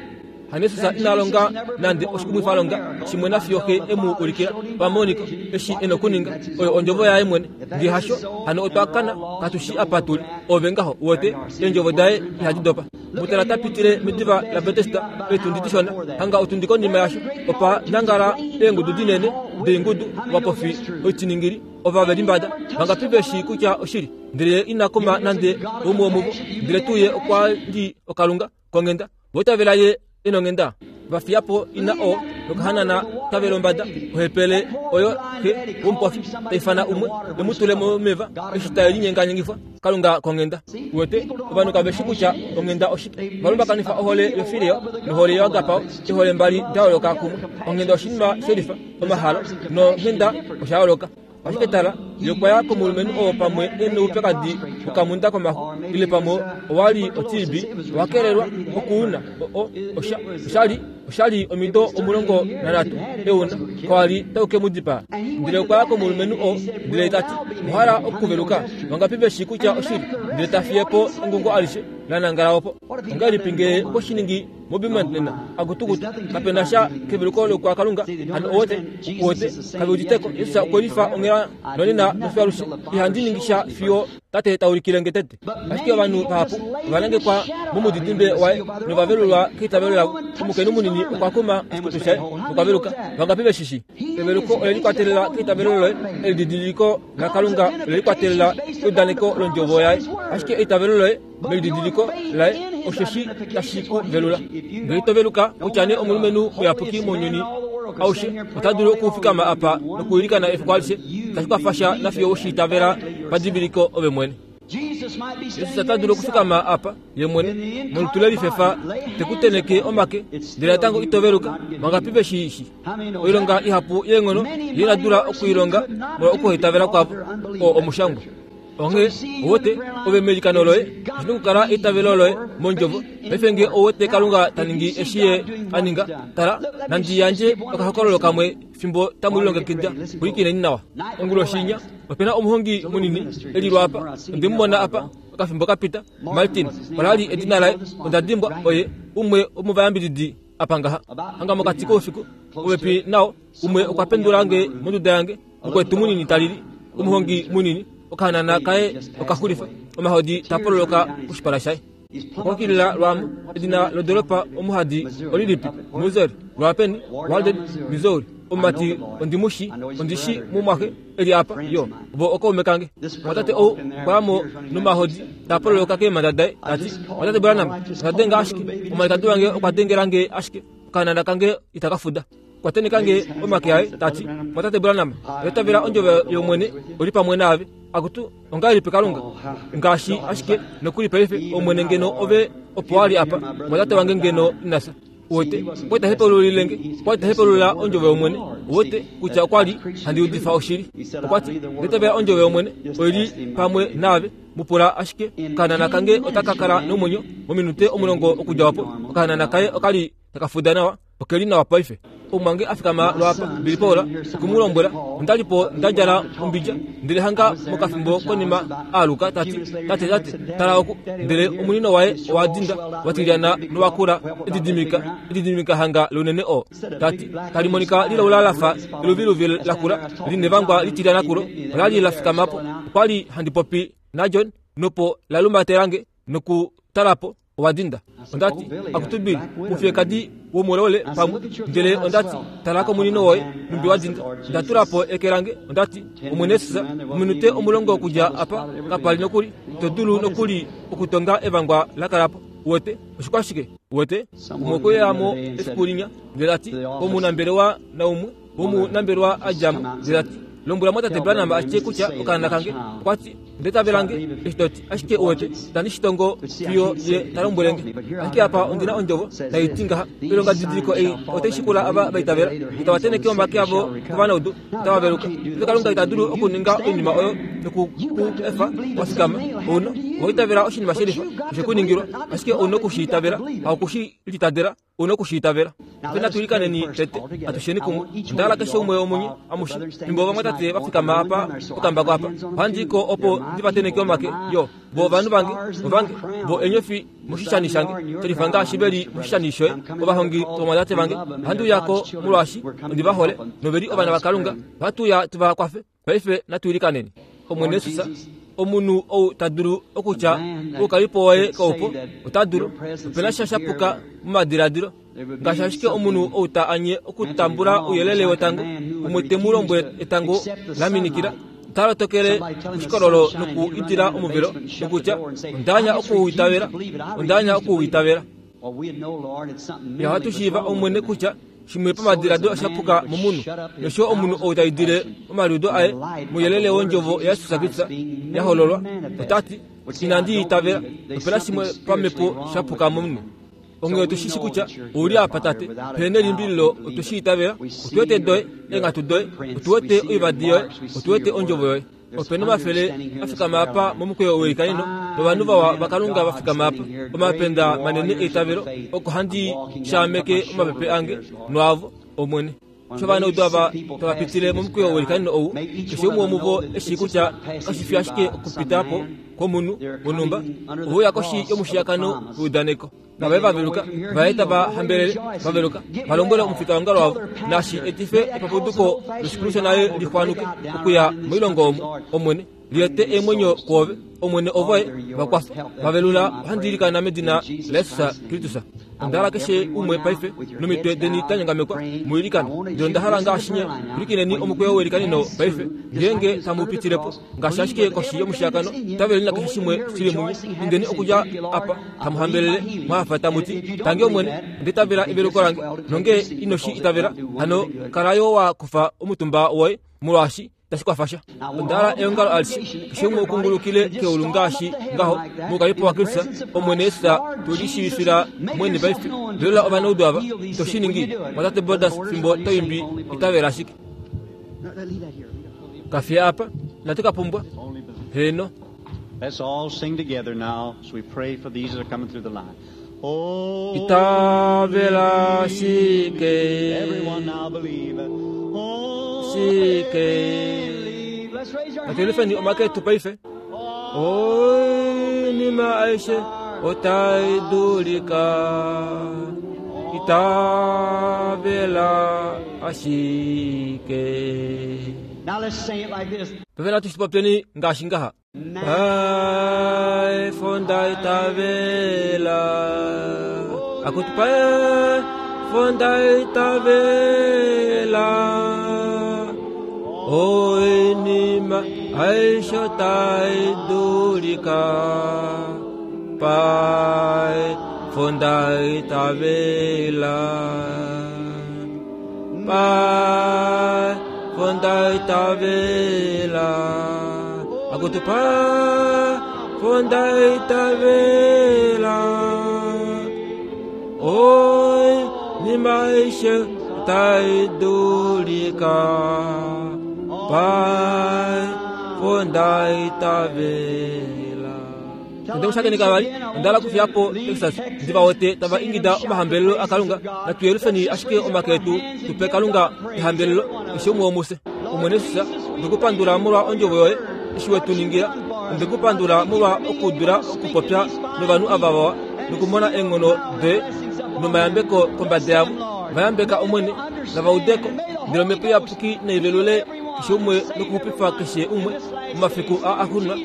HaJesus ina longa nande oshikumwifalonga shimwe nafiyo Xe e mu ulikila pamoniko eshi e nokuninga. Oyo ondjovo yaye mwene. Nge hasho, hano otwa kana, katu shii apa tu li. Ove ngaho, uwete, eendjovo daye ihadi dopa. Mu tala ta pitile mediva laBetesda eetundi dishona, hanga otundi konima yasho, opa nangala eengudu dinene doingudu, ovapofi, oitiningili, ova ve limbada. Vangapi ve shii kutya oshili? Ndele ye ina kuma nande umwe womuvo, ndele tuu ye okwa li okalunga konghenda. Vo itavela ye e nonghenda. Va fiya po ina oo nokahanana tave lombada, ohepele oyo xe womupofi ta ifana umwe e mu tule momeva eshi tae linyenganyengifwa. Kalunga konghenda. Uwete, ovanhu kave shi kutya onghenda oshike. Ova lumbakanifa ohole yofileo nohole yoagapao, eehole mbali da yooloka kumwe. Onghenda oshinima shelifa, omahalo, nonghenda osha yooloka. Ashike tala, ye okwa ya komulumenhu oo pamwe e noupyakadi wokamunda komaxu, ile pamwe owa li oTB, owa kelelwa okuuna. O, osha, osha li, osha li omido 13 e u na, kawa li tau ke mu dipaa. Ndele okwa ya komulumenhu oo, ndele ta ti, Owa hala okuveluka? Vangapi ve shii kutya oshili? Ndele ta fiye po engungo alishe la nangala opo. Ongahelipi ngee okwe shi ningi moBeaumont nena? Akutukutu, kape na sha keveluko loukwakalunga. Hano owete, uwete, kave udite ko. Jesus okwe lifa onghela nonena nofiyo alushe. Ihandi ningi sha fiyo Tate ta ulikile nge tete. Ashike ovanhu vahapu ova nangekwa momudidimbe waye nova velulwa keitavelo lavo. Omukainhu munini okwa kuma oshikutu shaye nokwa veluka. Vangapi ve shi shii? Eveluko ole likwatelela keitavelo loye. Elididiliko laKalunga ole likwatelela keudaneko lOndjovo yaye. Ashike eitavelo loye melididiliko laye osheshi tashi ku velula. Ngee ito veluka, kutya nee omulumenhu muyapuki mounyuni aushe ota dulu okufikama apa nokuilikana efiku alishe, itashi kwafa sha nafiyo we shi itavela padiviliko ove mwene. Jesus ota dulu okufikama apa ye mwene molutu le lifefa te ku tenheke omake, ndele natango ito veluka. Vangapi ve shi shi? Oilonga ihapu yeenghono ye ina dula okuilonga molwa okuhaitavela kwavo. Oo omushangwa. Onghee, ouwete, ove meilikano loye, oshi na okukala eitavelo loye mOndjovo. Paife nge ouwete Kalunga ta ningi eshi Ye a ninga, tala, nandi yandje okahokololo kamwe fimbo tamu lilongekida. Pwilikineni nawa. Onguloshi inya, ope na omuhongi munini e li lwaapa. Onde mu mona apa okafimbo ka pita. Martin, ola li edina laye, onda dimbwa, oye umwe womovayambididi apa ngaha. Hanga mokati koufiku, popepi nao, umwe okwa pendula nge monduda yange. Mukwetu munini ta lili, omuhongi munini, okahanana kaye okaxulifa, omahodi ta pololoka koshipala shaye. Okwa kilila lwaamo, edina lodolopa omuhadi olilipi? Missouri. Lwaapeni? Walden, Missouri. Omumati ondi mu shi, ondi shi mumwaxe e li apa, yo. Vo okaume kange. Omwatate ou okwa ya mo nomahodi ta pololoka keemhanda daye, ta ti, Mwatate Branham, onda denga ashike, omwalikadi wange okwa dengela nge ashike, okahanana kange itaka fuda. Okwa tenheka nge omake aye, ta ti, Mwatate Branham, oya tavela ondjovo yOmwene, oli pamwe naave. Akutu, ongahelipi Kalunga? Ngaashi ashike nokuli paife, Omwene ngeno ove opo wa li apa, mwatate wange ngeno ina fya. Uwete, okwa li ta hepaululile nge, okwa li ta hepaulula ondjovo yOmwene, uwete, kutya okwa li handi udifa oshili. Okwa ti, Onda itavela ondjovo yOmwene, oi li pamwe naave. Mu pula ashike, okahanana kange otaka kala nomwenyo mominute omulongo okudja opo. Okahanana kaye oka li taka fuda nawa. Oke li nawa paife. Omumwange a fikama lwaapa, Billy Paul, oku mu lombwela, onda li po nda djala ombidja, ndele hanga mokafimbo konima a aluka, ta ti, Tate, tate, tala oku! Ndele omunino waye owa dinda, wa tilyana nowa kula, edidimika, edidimika hanga lounene oo. Ta ti, Tali monika lilaula la fa eluviluvi lakula, li nevangwa litilyana kulo, ola li la fikama po. Okwa li handi popi naJohn, nopo la lumbatela nge, nokutala po. Owa dinda. Onda ti, Akutu Bill, mufiyekadi womolole pamwe. Ndele onda ti, Tala komunino woye, nhumbi wa dinda. Nda tula po eke lange, onda ti, Omwene Jesus, ominute 10 okudja apa, kapa li nokuli, to dulu nokuli okutonga evangwa la kala po. Uwete? Oshikwashike? Uwete? Umwe okwe uya mo efiku linya, ndele ta ti, Omunambelewa naumwe womunambelewa a dja mo, ndele ta ti, Lombwela mwatate Branham a tye kutya okaana kange, okwa ti, Nde tavela nge, eshi to ti, ashike uwete, itandi shi tongo fiyo ye ta lombwele nge. Ashike apa ondi na ondjovo tai ti ngaha, Oilongadidiliko ei otai shikula ava va itavela, itava tenheke omake avo kovanaudu, otava veluka. Ndele Kalunga ita dulu okuninga oinima oyo noku ku efa wa fikama. Ou na, owa itavela oshinima shelifa, oshe ku ningilwa, ashike ou na oku shi itavela, haoku shi litadela. U na oku shi itavela. Ope natu ilikaneni tete, atusheni kumwe. Onda hala keshe umwe womunye, amushe, fimbo ovamwatate va fikama apa pokambako apa, ohandi i ko opo ndi va tenheke omake, yo, vo ovanhu vange, ovange, vo eenyofi moshishani shange, shelifa ngaashi ve li moshishani shoye, ovahongi vovamwatate vange. Ohandi uya ko molwaashi ondi va hole, nove li ovana vaKalunga. Ohatu uya tu va kwafe. Paife natu ilikaneni. Omwene Jesus, omunhu ou ta dulu okutya oukalipo woye kaupo, ota dulu. Ope na sha sha puka momadiladilo. Ngaashi ashike omunhu ou ta anye okutambula ouyelele wetango, umwe te mu lombwele etango la minikila, ota lotokele koshikololo noku idila omuvelo, nokutya, Onda anya oku u itavela. Onda anya oku u itavela. Ya ohatu shiiva, Omwene, kutya shimwe pamadiladilo osha puka momunhu, nosho yo omunhu ou ta idile omaliudo aye mouyelele wondjovo yaJesus Kristus ya hololwa, ota ti, Inandi i itavela. Ope na shimwe pamhepo sha puka momunhu. Onghee otu shi shi kutya ou li apa, Tate. Pehena nelimbililo otwe shi itavela. Otu wete doye, eenghatu doye. Otu wete oivadi yoye. Otu wete ondjovo yoye. Ope na omafele a fikama apa momukweyo weilikaneno, novanhu vawa vaKalunga va fikama apa, omapenda manene eitavelo, oko handi shaameke omapepe ange noavo, Omwene. Eshi ovanaudu ava tava pitile momukweyo weilikaneno ou, keshe umwe womuvo e shii kutya kashi fi ashike okupita po kwomunhu wonhumba, ove uya koshi yomushiyakano weudaneko. Nave va veluka, va ye tava hambelele, va veluka, va lombwele omufitaongalo wavo, nashi etife epapuduko loshikulu shonale li xwanuke okuya moilongo omu, Omwene, li ete eemwenyo kwoove, Omwene, ovoye, va kwafa, va velula, ohandi ilikana medina laJesus Kristus. Onda hala keshe umwe paife, nomitwe deni da nyongamekwa, mu ilikane. Ndele onda hala ngaashi nye, pwilikineni omukweyo weilikaneno paife, ngeenge tamu pitile po, ngaashi ashike koshi yomushiyakano, taveleni nakeshe shimwe shi li munye, indeni okudja apa, tamu hambelele mwa hafa tamu ti, Tangi Omwene, onda itavela eveluko lange. Nongee ino shi itavela, hano kala yo wa kufa omutumba woye, molwaashi itashi kwafa sha. Onda hala eongalo alishe, keshe umwe ukungulukile keulu ngaashi ngaho, moukalipo waKristus, Omwene Jesus, tu lishiivifila mwene paife. Velola ovanaudu ava, ito shi ningi, Mwatate Borders, fimbo to imbi Itavela ashike. Ka fiya apa, inatu ka pumbwa. Heeno. Let's all sing together now as we pray for these that are coming through the line. Oh, Itavela shike. Everyone now believe. Oh, Shike. believe. Let's raise our Natu yelufeni omake etu paife. Oinima aishe otai dulika. Itavela ashike. Now let's sing it like this. Paife natu shi popyeni ngaashi ngaha. Paife nda itavela. Akutu paife nda itavela. Oinima aishe otai dulika. Paife nda itavela. Paife nda itavela. Akutu paife nda itavela. Oinima aishe otai dulika. Paife nda itavela. Onde mu shakeneka vali, onda hala okufiya po Texas, ndi va wete tava ingida omahambelelo aKalunga. Natu yelufeni ashike omake etu tu pe Kalunga ehambelelo, keshe umwe womufye. Omwene Jesus, onde ku pandula molwa ondjovo yoye, eshi we tu ningila. Onde ku pandula molwa okudula okupopya novanhu ava vawa nokumona eenghono doye nomayambeko kombada yavo. Va yambeka, Omwene, nava ude ko. Ndele Omhepo Iyapuki nai velule keshe umwe nokuxupifa keshe umwe momafiku aa axuuninwa.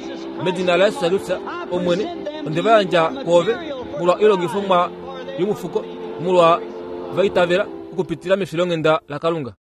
Medina laJesus Kristus, Omwene, onde va yandja kwoove molwa oilongifomwa yomufuko, molwa va itavela okupitila mefilonghenda laKalunga.